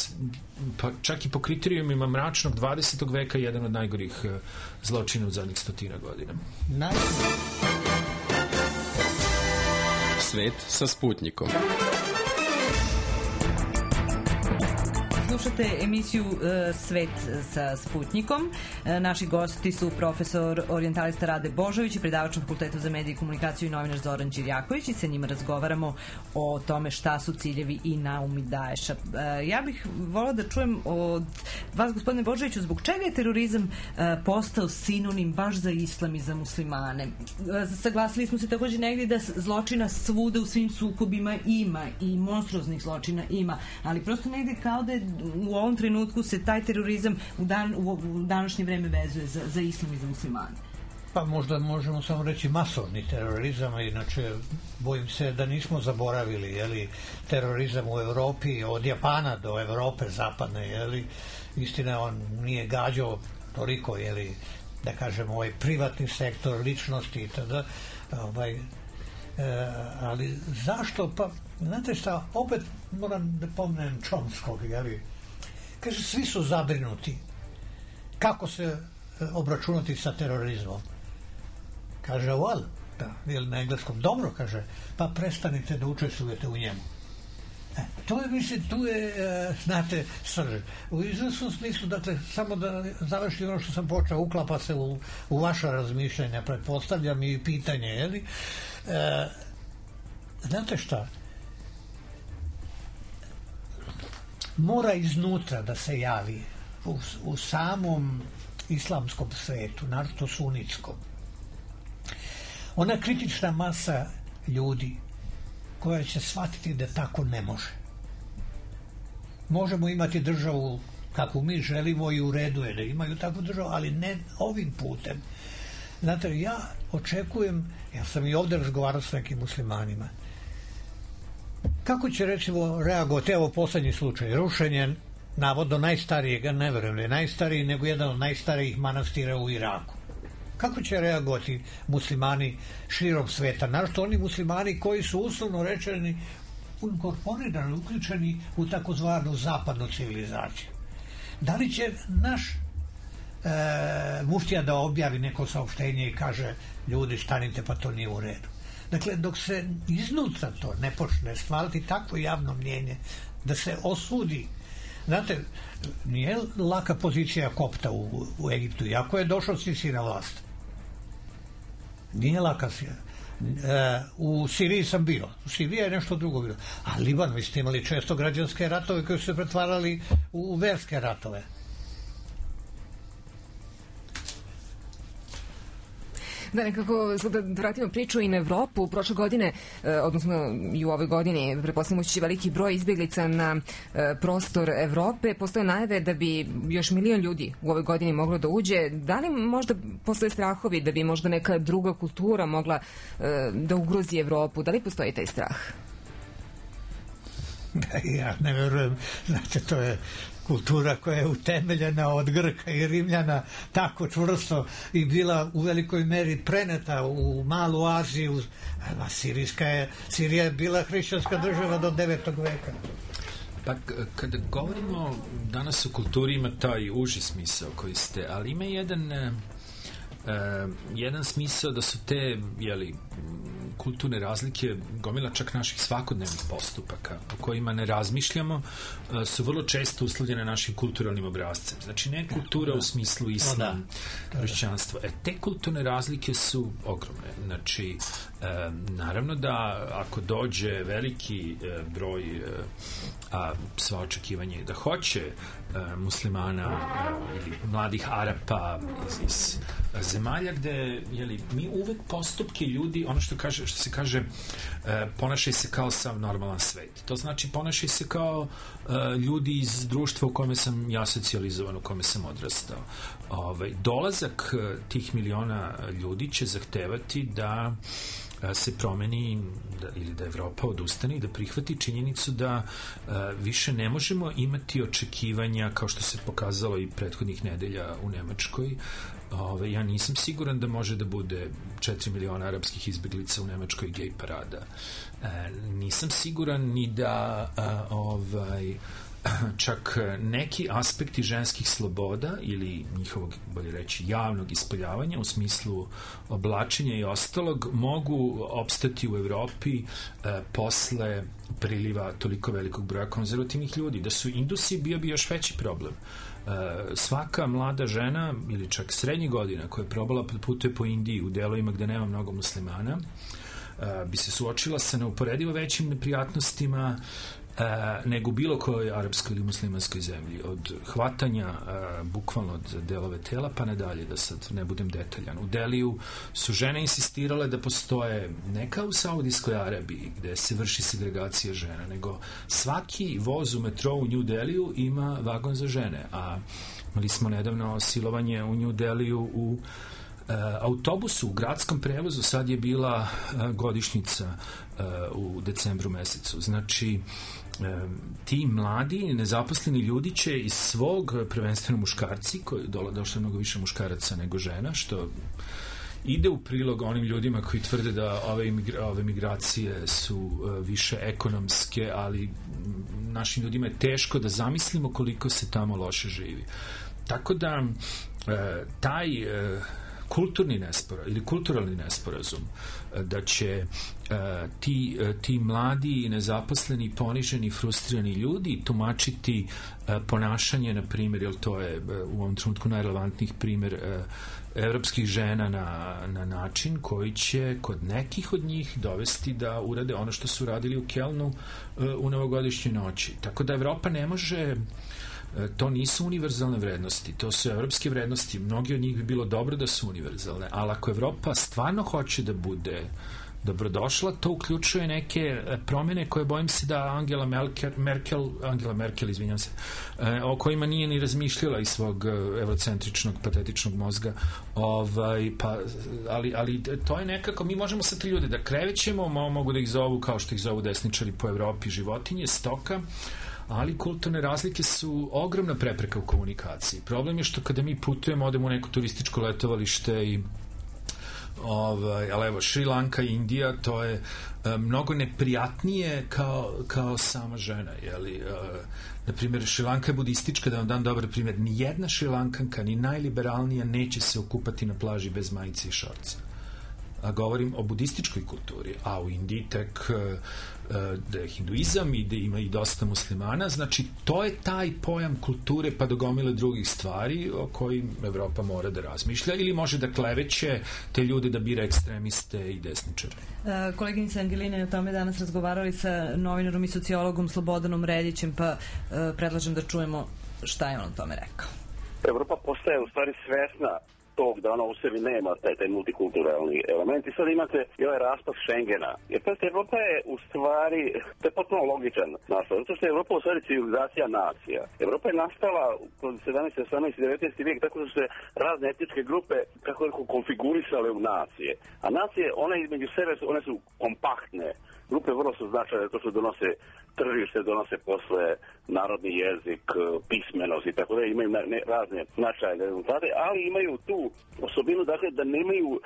pa čak i po kriterijumima mračnog dvadesetog veka, jedan od najgorih uh, zločina u zadnjih stotina godina. Najgorih. Svet sa Sputnikom. Slušate emisiju uh, Svet sa Sputnikom. Uh, naši gosti su profesor orijentalista Rade Božović i predavač na Fakultetu za medije i komunikaciju i novinar Zoran Đirjaković i sa njima razgovaramo o tome šta su ciljevi i naumi Daesha. Uh, ja bih volila da čujem od vas, gospodine Božoviću, zbog čega je terorizam uh, postao sinonim baš za islam i za muslimane? Uh, saglasili smo se također negdje da zločina svuda u svim sukobima ima i monstruoznih zločina ima, ali prosto negdje kao da je u ovom trenutku se taj terorizam u, dan, u današnje vreme vezuje za, za islam i za muslimane. Pa možda možemo samo reći masovni terorizam, inače bojim se da nismo zaboravili, jeli, terorizam u Evropi, od Japana do Evrope zapadne, jeli, istina on nije gađao toliko, jeli, da kažemo, ovaj privatni sektor, ličnosti i tada, ovaj, e, ali zašto, pa, znate šta, opet moram da pomnem Chomskog, jeli, kaže, svi su zabrinuti kako se obračunati sa terorizmom. Kaže, well, da, ili na engleskom, dobro, kaže, pa prestanite da učestvujete u njemu. E, to je, mislim, tu je, e, znate, srž. U izvesnom smislu, dakle, samo da završim ono što sam počeo, uklapa se u, u vaša razmišljanja, pretpostavljam i pitanje, jeli? E, znate šta? Mora iznutra da se javi u, u samom islamskom svetu, naročito sunitskom, ona kritična masa ljudi koja će shvatiti da tako ne može. Možemo imati državu kakvu mi želimo i u redu je da imaju takvu državu, ali ne ovim putem. Znate, ja očekujem, ja sam i ovdje razgovarao s nekim muslimanima, kako će, recimo, reagovati, evo poslednji slučaj, rušenje navodno najstarijeg, ne verujem da je najstariji, nego jedan od najstarijih manastira u Iraku. Kako će reagovati muslimani širom sveta? Našto oni muslimani koji su uslovno rečeni inkorporirani, uključeni u takozvanu zapadnu civilizaciju. Da li će naš e, muftija da objavi neko saopštenje i kaže, ljudi, stanite, pa to nije u redu? Dakle, dok se iznutra to ne počne stvarati takvo javno mnjenje, da se osudi. Znate, nije laka pozicija kopta u, u Egiptu, iako je došao Sisi na vlast. Nije laka si. E, u Siriji sam bio. U Siriji je nešto drugo bilo. A Liban, vi ste imali često građanske ratove koji su se pretvarali u, u verske ratove. Da, nekako, da vratimo priču i na Evropu. Prošle godine, odnosno i u ovoj godini, pretpostavljamo će veliki broj izbjeglica na prostor Evrope. Postoje najave da bi još milion ljudi u ovoj godini moglo da uđe. Da li možda postoje strahovi da bi možda neka druga kultura mogla da ugrozi Evropu? Da li postoji taj strah? Ja ne verujem, znate, to je kultura koja je utemeljena od Grka i Rimljana tako čvrsto i bila u velikoj meri preneta u Malu Aziju. A Sirijska je, Sirija je bila hrišćanska država do devetog veka. Pa kada govorimo danas o kulturi ima taj uži smisao koji ste, ali ima jedan e, jedan smisao da su te, jeli, kulturne razlike gomila čak naših svakodnevnih postupaka o kojima ne razmišljamo, su vrlo često uslovljene našim kulturalnim obrazcem. Znači ne kultura u smislu islam, hrišćanstva. E, te kulturne razlike su ogromne. Znači, e, naravno da ako dođe veliki e, broj e, a sva očekivanje je da hoće e, muslimana e, ili mladih Arapa iz, iz zemalja gde, jeli, mi uvek postupke ljudi, ono što kaže, što se kaže, e, ponašaj se kao sav normalan svet. To znači ponašaj se kao e, ljudi iz društva u kome sam ja socijalizovan, u kome sam odrastao. Ove, dolazak e, tih miliona ljudi će zahtevati da se promeni da, ili da Evropa odustane i da prihvati činjenicu da uh, više ne možemo imati očekivanja kao što se pokazalo i prethodnih nedelja u Nemačkoj. Ove, ja nisam siguran da može da bude četiri miliona arapskih izbeglica u Nemačkoj gej parada. E, nisam siguran ni da a, ovaj čak neki aspekti ženskih sloboda ili njihovog, bolje reći, javnog ispoljavanja u smislu oblačenja i ostalog mogu opstati u Evropi e, posle priliva toliko velikog broja konzervativnih ljudi. Da su Indusi bio bi još veći problem. E, svaka mlada žena ili čak srednjih godina koja je probala putuje po Indiji u delovima gde nema mnogo muslimana e, bi se suočila sa neuporedivo većim neprijatnostima E, nego u bilo kojoj arapskoj ili muslimanskoj zemlji, od hvatanja e, bukvalno od delove tela pa nadalje, da sad ne budem detaljan. U Deliju su žene insistirale da postoje, ne kao u Saudijskoj Arabiji gde se vrši segregacija žena, nego svaki voz u metrou u New Deliju ima vagon za žene, a imali smo nedavno silovanje u New Deliju u Uh, autobusu, u gradskom prevozu. Sad je bila uh, godišnjica uh, u decembru mesecu. Znači, uh, ti mladi, nezaposleni ljudi će iz svog, prvenstveno muškarci, koji dola, došlo mnogo više muškaraca nego žena, što ide u prilog onim ljudima koji tvrde da ove, imigra, ove migracije su uh, više ekonomske, ali našim ljudima je teško da zamislimo koliko se tamo loše živi. Tako da uh, taj uh, kulturni nesporazum ili kulturalni nesporazum da će uh, ti, uh, ti mladi, nezaposleni, poniženi, frustrirani ljudi tumačiti uh, ponašanje, na primjer, jer to je uh, u ovom trenutku najrelevantnijih primjer uh, evropskih žena na, na način koji će kod nekih od njih dovesti da urade ono što su radili u Kelnu uh, u novogodišnjoj noći. Tako da Evropa ne može, to nisu univerzalne vrednosti, to su evropske vrednosti, mnogi od njih bi bilo dobro da su univerzalne, ali ako Evropa stvarno hoće da bude dobrodošla, to uključuje neke promjene koje bojim se da Angela Merkel, Merkel Angela Merkel, izvinjam se, o kojima nije ni razmišljala iz svog evrocentričnog, patetičnog mozga, ovaj, pa, ali, ali to je nekako, mi možemo sa te ljude da krevećemo, mogu da ih zovu kao što ih zovu desničari po Evropi, životinje, stoka, ali kulturne razlike su ogromna prepreka u komunikaciji. Problem je što kada mi putujemo, odemo u neko turističko letovalište i ovaj, ali evo, Šri Lanka i Indija, to je e, mnogo neprijatnije kao, kao sama žena, jeli, e, na primjer, Šri Lanka je budistička, da vam dam dobar primjer, ni jedna Šri Lankanka, ni najliberalnija neće se okupati na plaži bez majice i šorca. A govorim o budističkoj kulturi, a u Indiji tek e, da je hinduizam i da ima i dosta muslimana, znači to je taj pojam kulture pa do gomile drugih stvari o kojim Evropa mora da razmišlja ili može da kleveće te ljude da bira ekstremiste i desničare. Uh, koleginica Angelina je o tome danas razgovarali sa novinarom i sociologom Slobodanom Redićem, pa uh, predlažem da čujemo šta je on o tome rekao. Evropa postaje u stvari svesna tog da ona u sebi nema taj, taj multikulturalni element i sad imate i ovaj raspad Schengena. Jer pazite, Evropa je u stvari, to je potpuno logičan nastav, zato što je Evropa u stvari civilizacija nacija. Evropa je nastala kroz sedamnaesti, osamnaesti, devetnaesti vijek tako da su se razne etničke grupe kako je konfigurisale u nacije. A nacije, one između sebe su, one su kompaktne. Grupe vrlo su značajne, to što donose tržište, donose posle narodni jezik, pismenost i tako da imaju ne, razne značajne rezultate, ali imaju tu osobinu dakle, da nemaju, uh,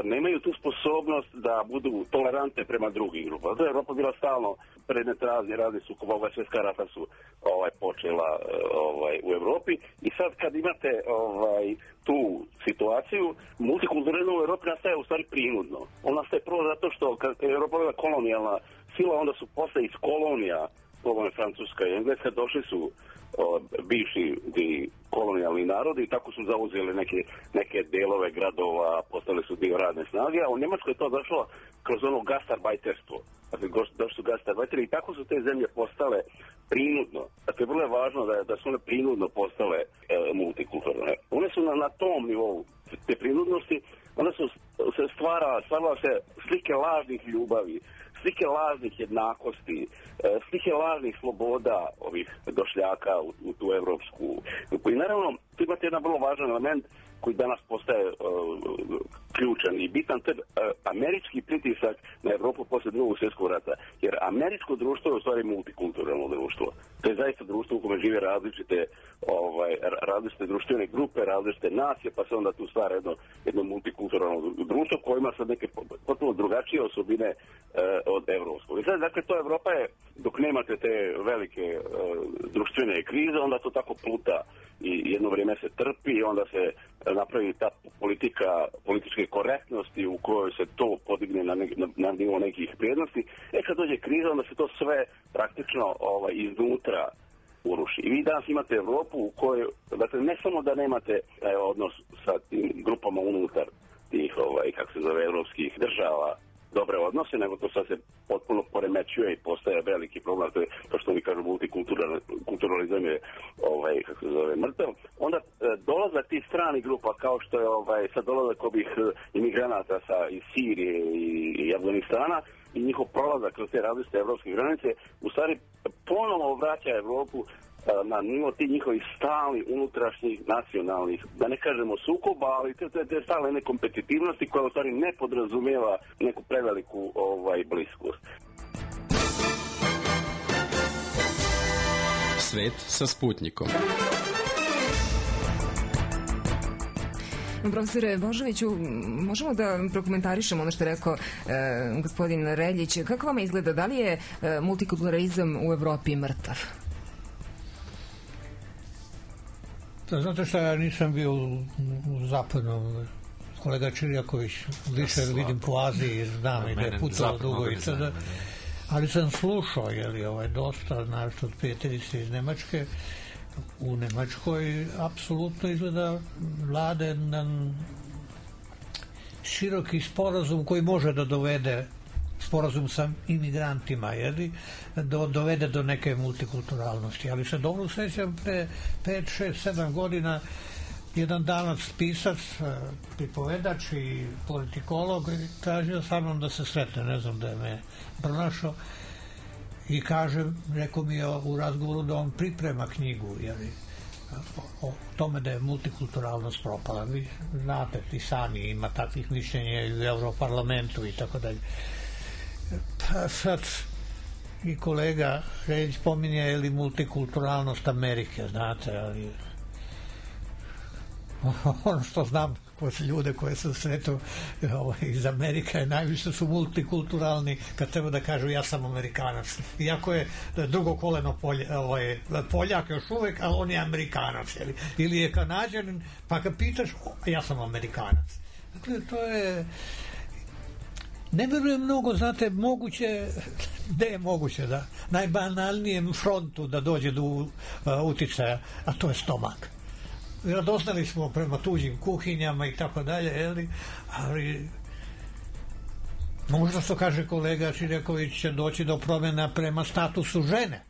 nemaju tu sposobnost da budu tolerantne prema drugim grupama. To je Evropa bila stalno predmet razni, razni sukoba, ova svjetska rata su ovaj, počela uh, ovaj, u Evropi i sad kad imate ovaj, tu situaciju, multikulturalizam u Evropi nastaje u stvari prinudno. On nastaje prvo zato što kad je Evropa bila kolonijalna sila, onda su posle iz kolonija, poglavne Francuska i Engleska, došli su o, bivši kolonijalni narodi i tako su zauzeli neke, neke delove gradova, postali su dio radne snage, a u Njemačkoj je to došlo kroz ono gastarbajterstvo. Dakle, došli su gastarbajteri i tako su te zemlje postale prinudno. Dakle, vrlo je važno da, da su one prinudno postale e, multikulturne. One su na, na tom nivou te prinudnosti, onda su se stvara, stvarala se slike lažnih ljubavi, slike lažnih jednakosti, slike lažnih sloboda ovih došljaka u, u tu evropsku. I naravno, tu imate jedan vrlo važan element koji danas postaje uh, ključan i bitan, to je uh, američki pritisak na Evropu posle drugog svjetskog rata. Jer američko društvo je u stvari multikulturalno društvo. To je zaista društvo u kome žive različite, ovaj, različite društvene grupe, različite nacije, pa se onda tu stvara jedno, jedno multikulturalno društvo koje ima sad neke potpuno drugačije osobine uh, od evropskog. I sad, dakle, to Evropa je, dok nemate te velike uh, društvene krize, onda to tako pluta i jedno vrijeme se trpi i onda se napravi ta politika političke korektnosti u kojoj se to podigne na, ne, na, na nivo nekih vrijednosti. E kad dođe kriza, onda se to sve praktično ovaj, iznutra uruši. I vi danas imate Evropu u kojoj, dakle, ne samo da nemate e, odnos sa tim grupama unutar tih, ovaj, kako se zove, evropskih država, dobre odnose, nego to sad se potpuno poremećuje i postaje veliki problem, to je to što mi kažu multikulturalizam je ovaj, kako se zove, mrtav. Onda e, dolazak tih stranih grupa kao što je ovaj, sad dolazak ovih imigranata sa, iz Sirije i, i Afganistana i njihov prolazak kroz te različite evropske granice u stvari ponovo vraća Evropu na nivo tih njihovih stalnih, unutrašnjih, nacionalnih, da ne kažemo sukoba, ali te, te, te stalne kompetitivnosti koja u stvari ne podrazumijeva neku preveliku ovaj, bliskost. Svet sa Sputnikom. Profesore Božoviću, možemo da prokomentarišemo ono što je rekao e, gospodin Reljić. Kako vama izgleda, da li je e, multikulturalizam u Evropi mrtav? Znate šta, ja nisam bio u, u zapadnom, kolega Čirjaković, više ja vidim po Aziji, znam i da je putovao dugo i sada, ali sam slušao, jeli, ovaj, dosta, našto od prijateljice iz Nemačke, u Nemačkoj apsolutno izgleda vlada jedan široki sporazum koji može da dovede sporazum sa imigrantima, jeli, do, dovede do neke multikulturalnosti. Ali se dobro sjećam pre pet, šest, sedam godina jedan danac pisac, pripovedač i politikolog tražio sa mnom da se sretne, ne znam da je me pronašao i kaže, rekao mi je u razgovoru da on priprema knjigu, jeli, o tome da je multikulturalnost propala. Vi znate, i sami ima takvih mišljenja i u Europarlamentu i tako dalje. Pa sad i kolega Reljić pominje je li multikulturalnost Amerike, znate, ali ono što znam kod ljude koje sam sretao ovaj, iz Amerika je najviše su multikulturalni kad treba da kažu ja sam Amerikanac. Iako je drugo koleno polja, ovaj, Poljak još uvek, ali on je Amerikanac. Ili, ili je Kanađanin, pa kad pitaš, ja sam Amerikanac. Dakle, to je... Ne verujem mnogo, znate, moguće, gde je moguće da najbanalnijem frontu da dođe do uh, uticaja, a to je stomak. Radoznali smo prema tuđim kuhinjama i tako dalje, ali možda što kaže kolega Čirjaković će doći do promjena prema statusu žene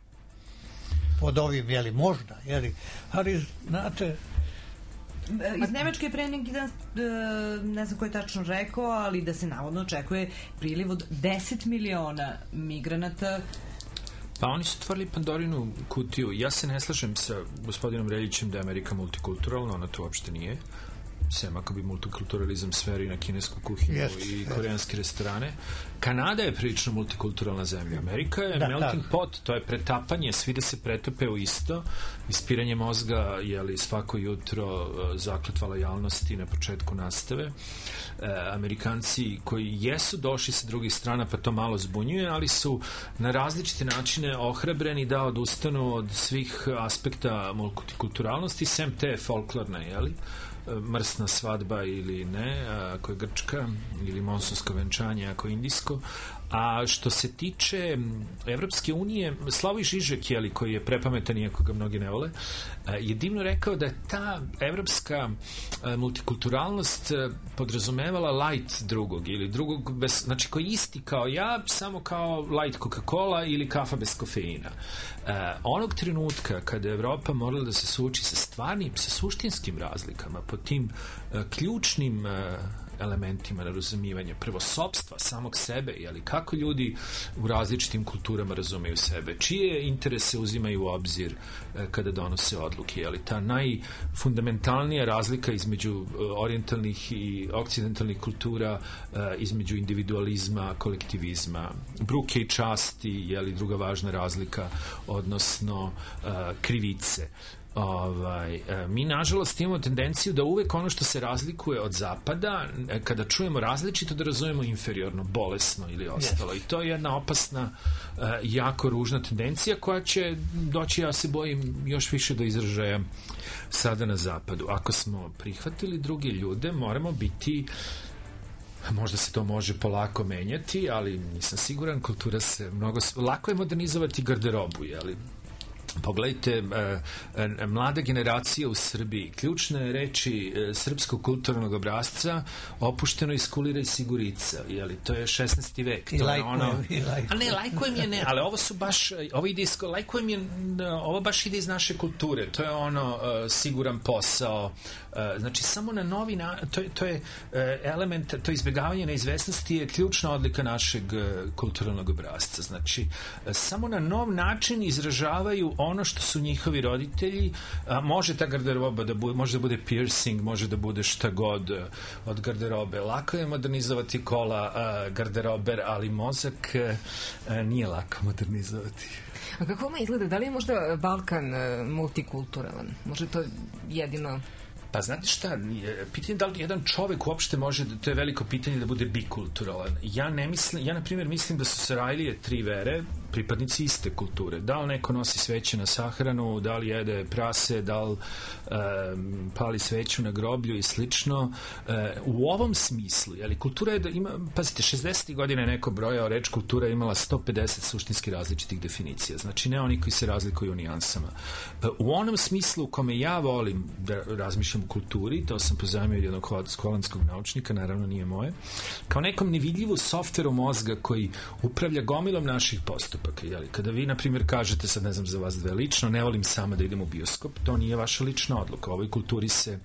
pod ovim, jeli, možda, jeli, ali znate Iz Nemačke pre neki dan, ne znam ko je tačno rekao, ali da se navodno očekuje priliv od deset miliona migranata. Pa oni su otvorili Pandorinu kutiju. Ja se ne slažem sa gospodinom Reljićem da je Amerika multikulturalna, ona to uopšte nije. Sem ako bi multikulturalizam sferi na kinesku kuhinju yes, i koreanske yes. restorane. Kanada je prilično multikulturalna zemlja. Amerika je da, melting da. pot, to je pretapanje, svi da se pretope u isto, ispiranje mozga, jeli svako jutro zakletva lojalnosti na početku nastave. E, Amerikanci koji jesu došli sa drugih strana, pa to malo zbunjuje, ali su na različite načine ohrabreni da odustanu od svih aspekta multikulturalnosti, sem te folklorne, jeli? Mrsna svadba ili ne, ako je grčka, ili monsunsko venčanje ako je indijsko. A što se tiče Evropske unije, Slavoj Žižek, jeli, koji je prepametan iako ga mnogi ne vole, je divno rekao da je ta evropska multikulturalnost podrazumevala light drugog ili drugog, bez, znači koji isti kao ja, samo kao light Coca-Cola ili kafa bez kofeina. Onog trenutka kada je Evropa morala da se suoči sa stvarnim, sa suštinskim razlikama, po tim ključnim elementima razumijevanja, prvo sopstva samog sebe, jeli, kako ljudi u različitim kulturama razumeju sebe, čije interese uzimaju u obzir e, kada donose odluke, jeli, ta najfundamentalnija razlika između orijentalnih i okcidentalnih kultura, e, između individualizma, kolektivizma, bruke i časti, jeli, druga važna razlika, odnosno e, krivice. Ovaj, mi nažalost imamo tendenciju da uvek ono što se razlikuje od zapada, kada čujemo različito, da razumemo inferiorno, bolesno ili ostalo. Yes. I to je jedna opasna, jako ružna tendencija koja će doći, ja se bojim, još više do izražaja sada na zapadu. Ako smo prihvatili druge ljude, moramo biti, možda se to može polako menjati, ali nisam siguran, kultura se mnogo, lako je modernizovati garderobu, jeli? Pogledajte, mlada generacija u Srbiji, ključne reči srpskog kulturnog obrazca, opušteno iskulira i sigurica, jeli, to je šesnaesti vek. I to lajkujem, je ono, i lajkujem. A ne, lajkujem je ne, ali ovo su baš, ovo ide iz, lajkujem je, ovo baš ide iz naše kulture, to je ono siguran posao, znači samo na novi, na, to, je, to je element, to izbjegavanje neizvesnosti je ključna odlika našeg kulturnog obrazca, znači samo na nov način izražavaju ono što su njihovi roditelji, a, može ta garderoba da bude, može da bude piercing, može da bude šta god od garderobe. Lako je modernizovati kola a, garderober, ali mozak a, nije lako modernizovati. A kako vam izgleda? Da li je možda Balkan a, multikulturalan? Može to jedino... Pa znate šta, pitanje da li jedan čovek uopšte može, to je veliko pitanje da bude bikulturalan. Ja ne mislim, ja na primjer mislim da su Sarajlije tri vere pripadnici iste kulture. Da li neko nosi sveće na sahranu, da li jede prase, da li um, pali sveću na groblju i slično. Uh, u ovom smislu, jeli, kultura je da ima, pazite, šezdesetih godina je neko brojao, reč kultura je imala sto pedeset suštinski različitih definicija. Znači ne oni koji se razlikuju u nijansama. Uh, u onom smislu u kome ja volim da razmišljam u kulturi, to sam pozajmio od jednog holandskog naučnika, naravno nije moje, kao nekom nevidljivu softveru mozga koji upravlja gomilom naših postupaka. Jeli? Kada vi, na primjer, kažete, sad ne znam za vas dve lično, ne volim sama da idem u bioskop, to nije vaša lična odluka. U ovoj kulturi se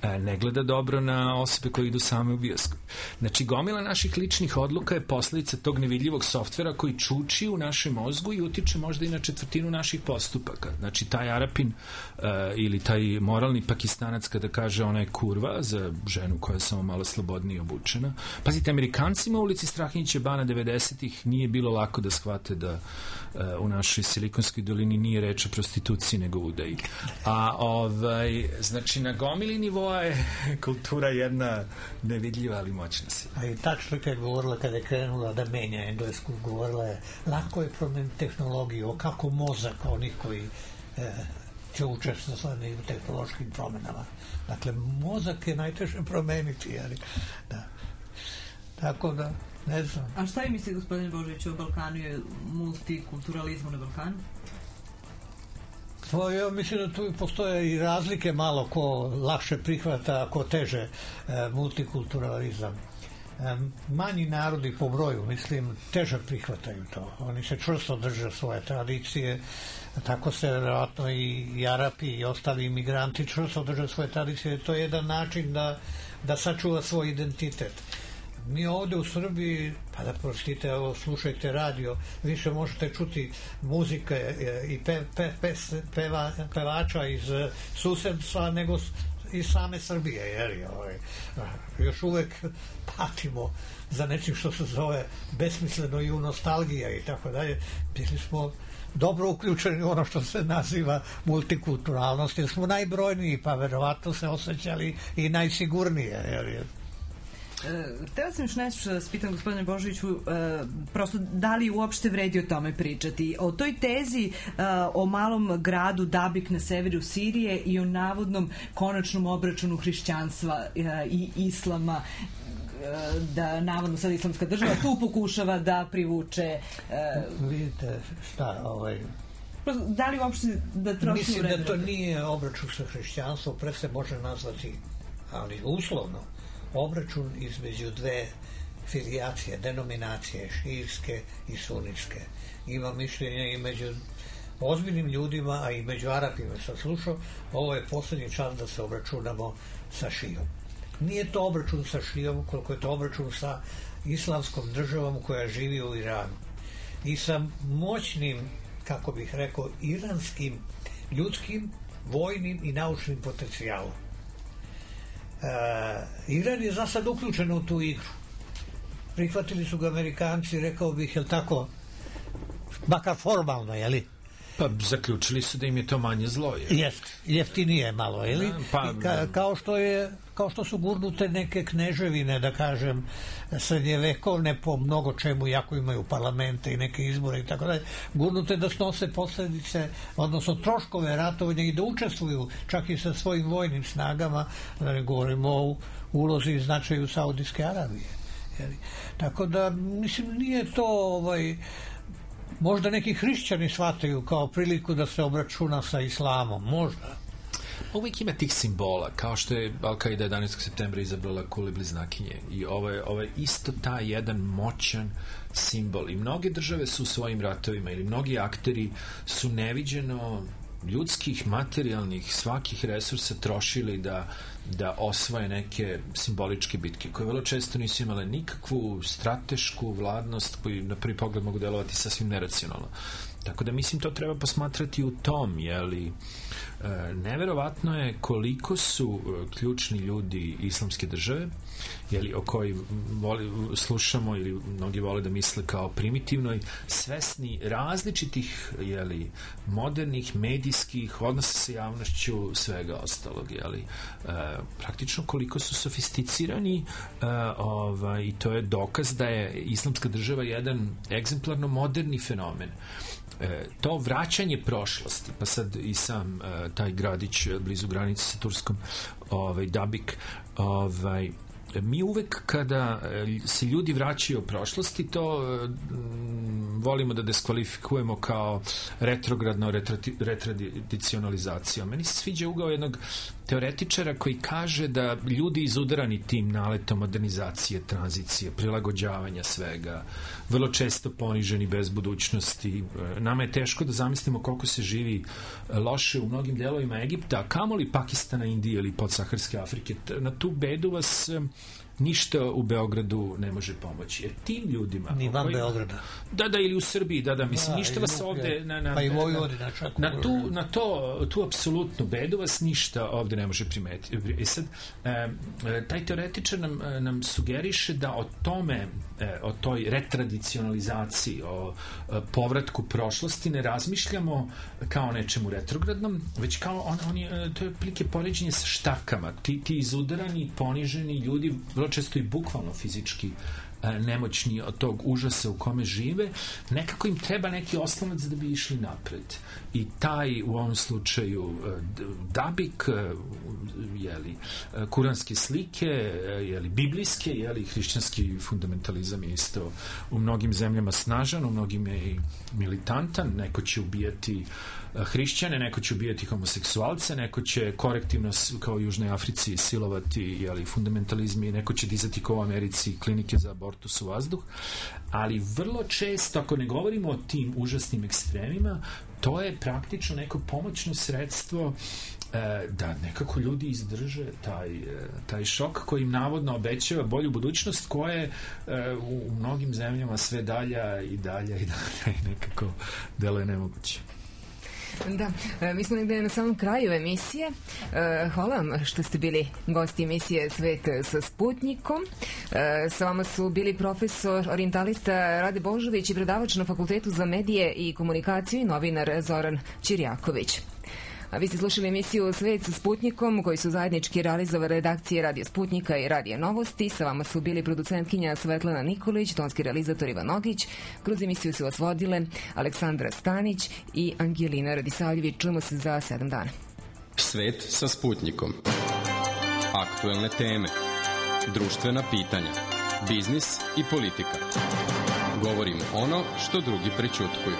e, ne gleda dobro na osobe koje idu same u bioskop. Znači, gomila naših ličnih odluka je posljedica tog nevidljivog softvera koji čuči u našem mozgu i utiče možda i na četvrtinu naših postupaka. Znači, taj Arapin e, ili taj moralni Pakistanac kada kaže ona je kurva za ženu koja je samo malo slobodnije obučena. Pazite, Amerikancima u ulici Strahinjića Bana devedesetih nije bilo lako da shvate da uh, u našoj Silikonskoj dolini nije reč o prostituciji nego udaji. A ovaj, znači na gomili nivoa je kultura jedna nevidljiva ali moćna sila. A i tačno kad je govorila, kada je krenula da menja englesku, govorila je lako je promeniti tehnologiju, kako mozak onih koji e, će učestvovati u tehnološkim promenama. Dakle, mozak je najteže promeniti, ali da. Tako da, ne znam. A šta vi mislite, gospodine Božović, o Balkanu i multikulturalizmu na Balkanu? To, ja mislim da tu postoje i razlike malo ko lakše prihvata, ko teže e, multikulturalizam. manji narodi po broju, mislim, teže prihvataju to. Oni se čvrsto drže svoje tradicije, tako se vjerojatno i Arapi i ostali imigranti čvrsto drže svoje tradicije. To je jedan način da, da sačuva svoj identitet. Mi ovdje u Srbiji, pa da prostite, evo, slušajte radio, više možete čuti muzike i pe, pe, pe, peva, pevača iz susedstva nego iz same Srbije, jer ovaj, još uvek patimo za nečim što se zove besmisleno i u nostalgija i tako dalje. Bili smo dobro uključeni u ono što se naziva multikulturalnost, jer smo najbrojniji, pa verovatno se osjećali i najsigurnije, jer je. Htela sam još nešto da spitam gospodine Božoviću, prosto da li uopšte vredi o tome pričati, o toj tezi o malom gradu Dabik na severu Sirije i o navodnom konačnom obračunu hrišćanstva i islama, da navodno sad islamska država tu pokušava da privuče. Vidite šta, ovaj, da li uopšte da trošimo mislim vremena? da to nije obračun sa hrišćanstvom, pre se može nazvati, ali uslovno, obračun između dve filijacije, denominacije, šijirske i sunničke. Ima mišljenje i među ozbiljnim ljudima, a i među Arapima sam slušao, ovo je posljednji čas da se obračunamo sa šijom. Nije to obračun sa šijom, koliko je to obračun sa islamskom državom koja živi u Iranu. I sa moćnim, kako bih rekao, iranskim, ljudskim, vojnim i naučnim potencijalom. Uh, Iran je za sad uključen u tu igru. Prihvatili su ga Amerikanci, rekao bih, jel tako, makar formalno, jeli? Pa zaključili su da im je to manje zlo. Je. Jest, jeftinije malo, jeli? Da, pa, ka, kao, što je, kao što su gurnute neke kneževine, da kažem, srednjevekovne po mnogo čemu, jako imaju parlamente i neke izbore i tako dalje, gurnute da snose posljedice, odnosno troškove ratovanja i da učestvuju čak i sa svojim vojnim snagama, da ne govorimo o ulozi i značaju Saudijske Arabije. Jeli? Tako da, mislim, nije to ovaj, možda neki hrišćani shvataju kao priliku da se obračuna sa islamom, možda. Uvijek ima tih simbola, kao što je Al-Qaida jedanaestog septembra izabrala kule bliznakinje, i ovo je, ovo je isto taj jedan moćan simbol, i mnoge države su u svojim ratovima ili mnogi akteri su neviđeno ljudskih, materijalnih, svakih resursa trošili da, da osvoje neke simboličke bitke, koje vrlo često nisu imale nikakvu stratešku vladnost, koji na prvi pogled mogu delovati sasvim neracionalno. Tako da mislim to treba posmatrati u tom, jeli, e, neverovatno je koliko su e, ključni ljudi islamske države, jeli, o kojoj voli, slušamo ili mnogi vole da misle kao primitivnoj, svesni različitih, jeli, modernih, medijskih odnosa sa javnošću, svega ostalog, jeli, e, praktično koliko su sofisticirani, e, ovaj, i to je dokaz da je islamska država jedan egzemplarno moderni fenomen. E, to vraćanje prošlosti, pa sad i sam e, taj gradić blizu granice sa Turskom, ovaj, Dabik, ovaj, mi uvek kada se ljudi vraćaju u prošlosti, to mm, volimo da diskvalifikujemo kao retrogradno retradicionalizaciju. Meni se sviđa ugao jednog teoretičara koji kaže da ljudi izudarani tim naletom modernizacije, tranzicije, prilagođavanja svega, vrlo često poniženi bez budućnosti. Nama je teško da zamislimo koliko se živi loše u mnogim delovima Egipta, a kamoli Pakistana, Indije ili podsaharske Afrike. Na tu bedu vas ništa u Beogradu ne može pomoći. Jer tim ljudima... Ni van koji, Beograda. Da, da, ili u Srbiji, da, da, mislim, da, ništa vas ovde... Na, na, pa i Vojvodina čak. Na tu, na to, tu apsolutnu bedu vas ništa ovde ne može primetiti. I sad, e, taj teoretičar nam, nam sugeriše da o tome, e, o toj retradicionalizaciji, o e, povratku prošlosti ne razmišljamo kao nečemu retrogradnom, već kao on, on je, to je prilike poređenje sa štakama. Ti, ti izudarani, poniženi ljudi, vrlo često i bukvalno fizički nemoćni od tog užasa u kome žive, nekako im treba neki oslonac da bi išli napred. I taj, u ovom slučaju, Dabik, jeli, kuranske slike, jeli, biblijske, jeli, hrišćanski fundamentalizam je isto u mnogim zemljama snažan, u mnogim je i militantan, neko će ubijati hrišćane, neko će ubijati homoseksualce, neko će korektivno kao u Južnoj Africi silovati, jeli, fundamentalizmi, neko će dizati kao u Americi klinike za abortus u vazduh, ali vrlo često, ako ne govorimo o tim užasnim ekstremima, to je praktično neko pomoćno sredstvo da nekako ljudi izdrže taj, taj šok koji im navodno obećava bolju budućnost, koje u, u mnogim zemljama sve dalja i dalja i dalja i nekako deluje nemoguće. Da, mi smo negde na samom kraju emisije. Hvala vam što ste bili gosti emisije Svet sa Sputnikom. Sa vama su bili profesor orijentalista Rade Božović i predavač na Fakultetu za medije i komunikaciju i novinar Zoran Ćirjaković. A vi ste slušali emisiju Svet sa Sputnikom, koji su zajednički realizovali redakcije Radio Sputnika i Radio Novosti. Sa vama su bili producentkinja Svetlana Nikolić, tonski realizator Ivan Nogić. Kroz emisiju su vas vodile Aleksandra Stanić i Angelina Radisavljević. Čujemo se za sedam dana. Svet sa Sputnikom. Aktuelne teme, društvena pitanja, biznis i politika. Govorimo ono što drugi prećutkuju.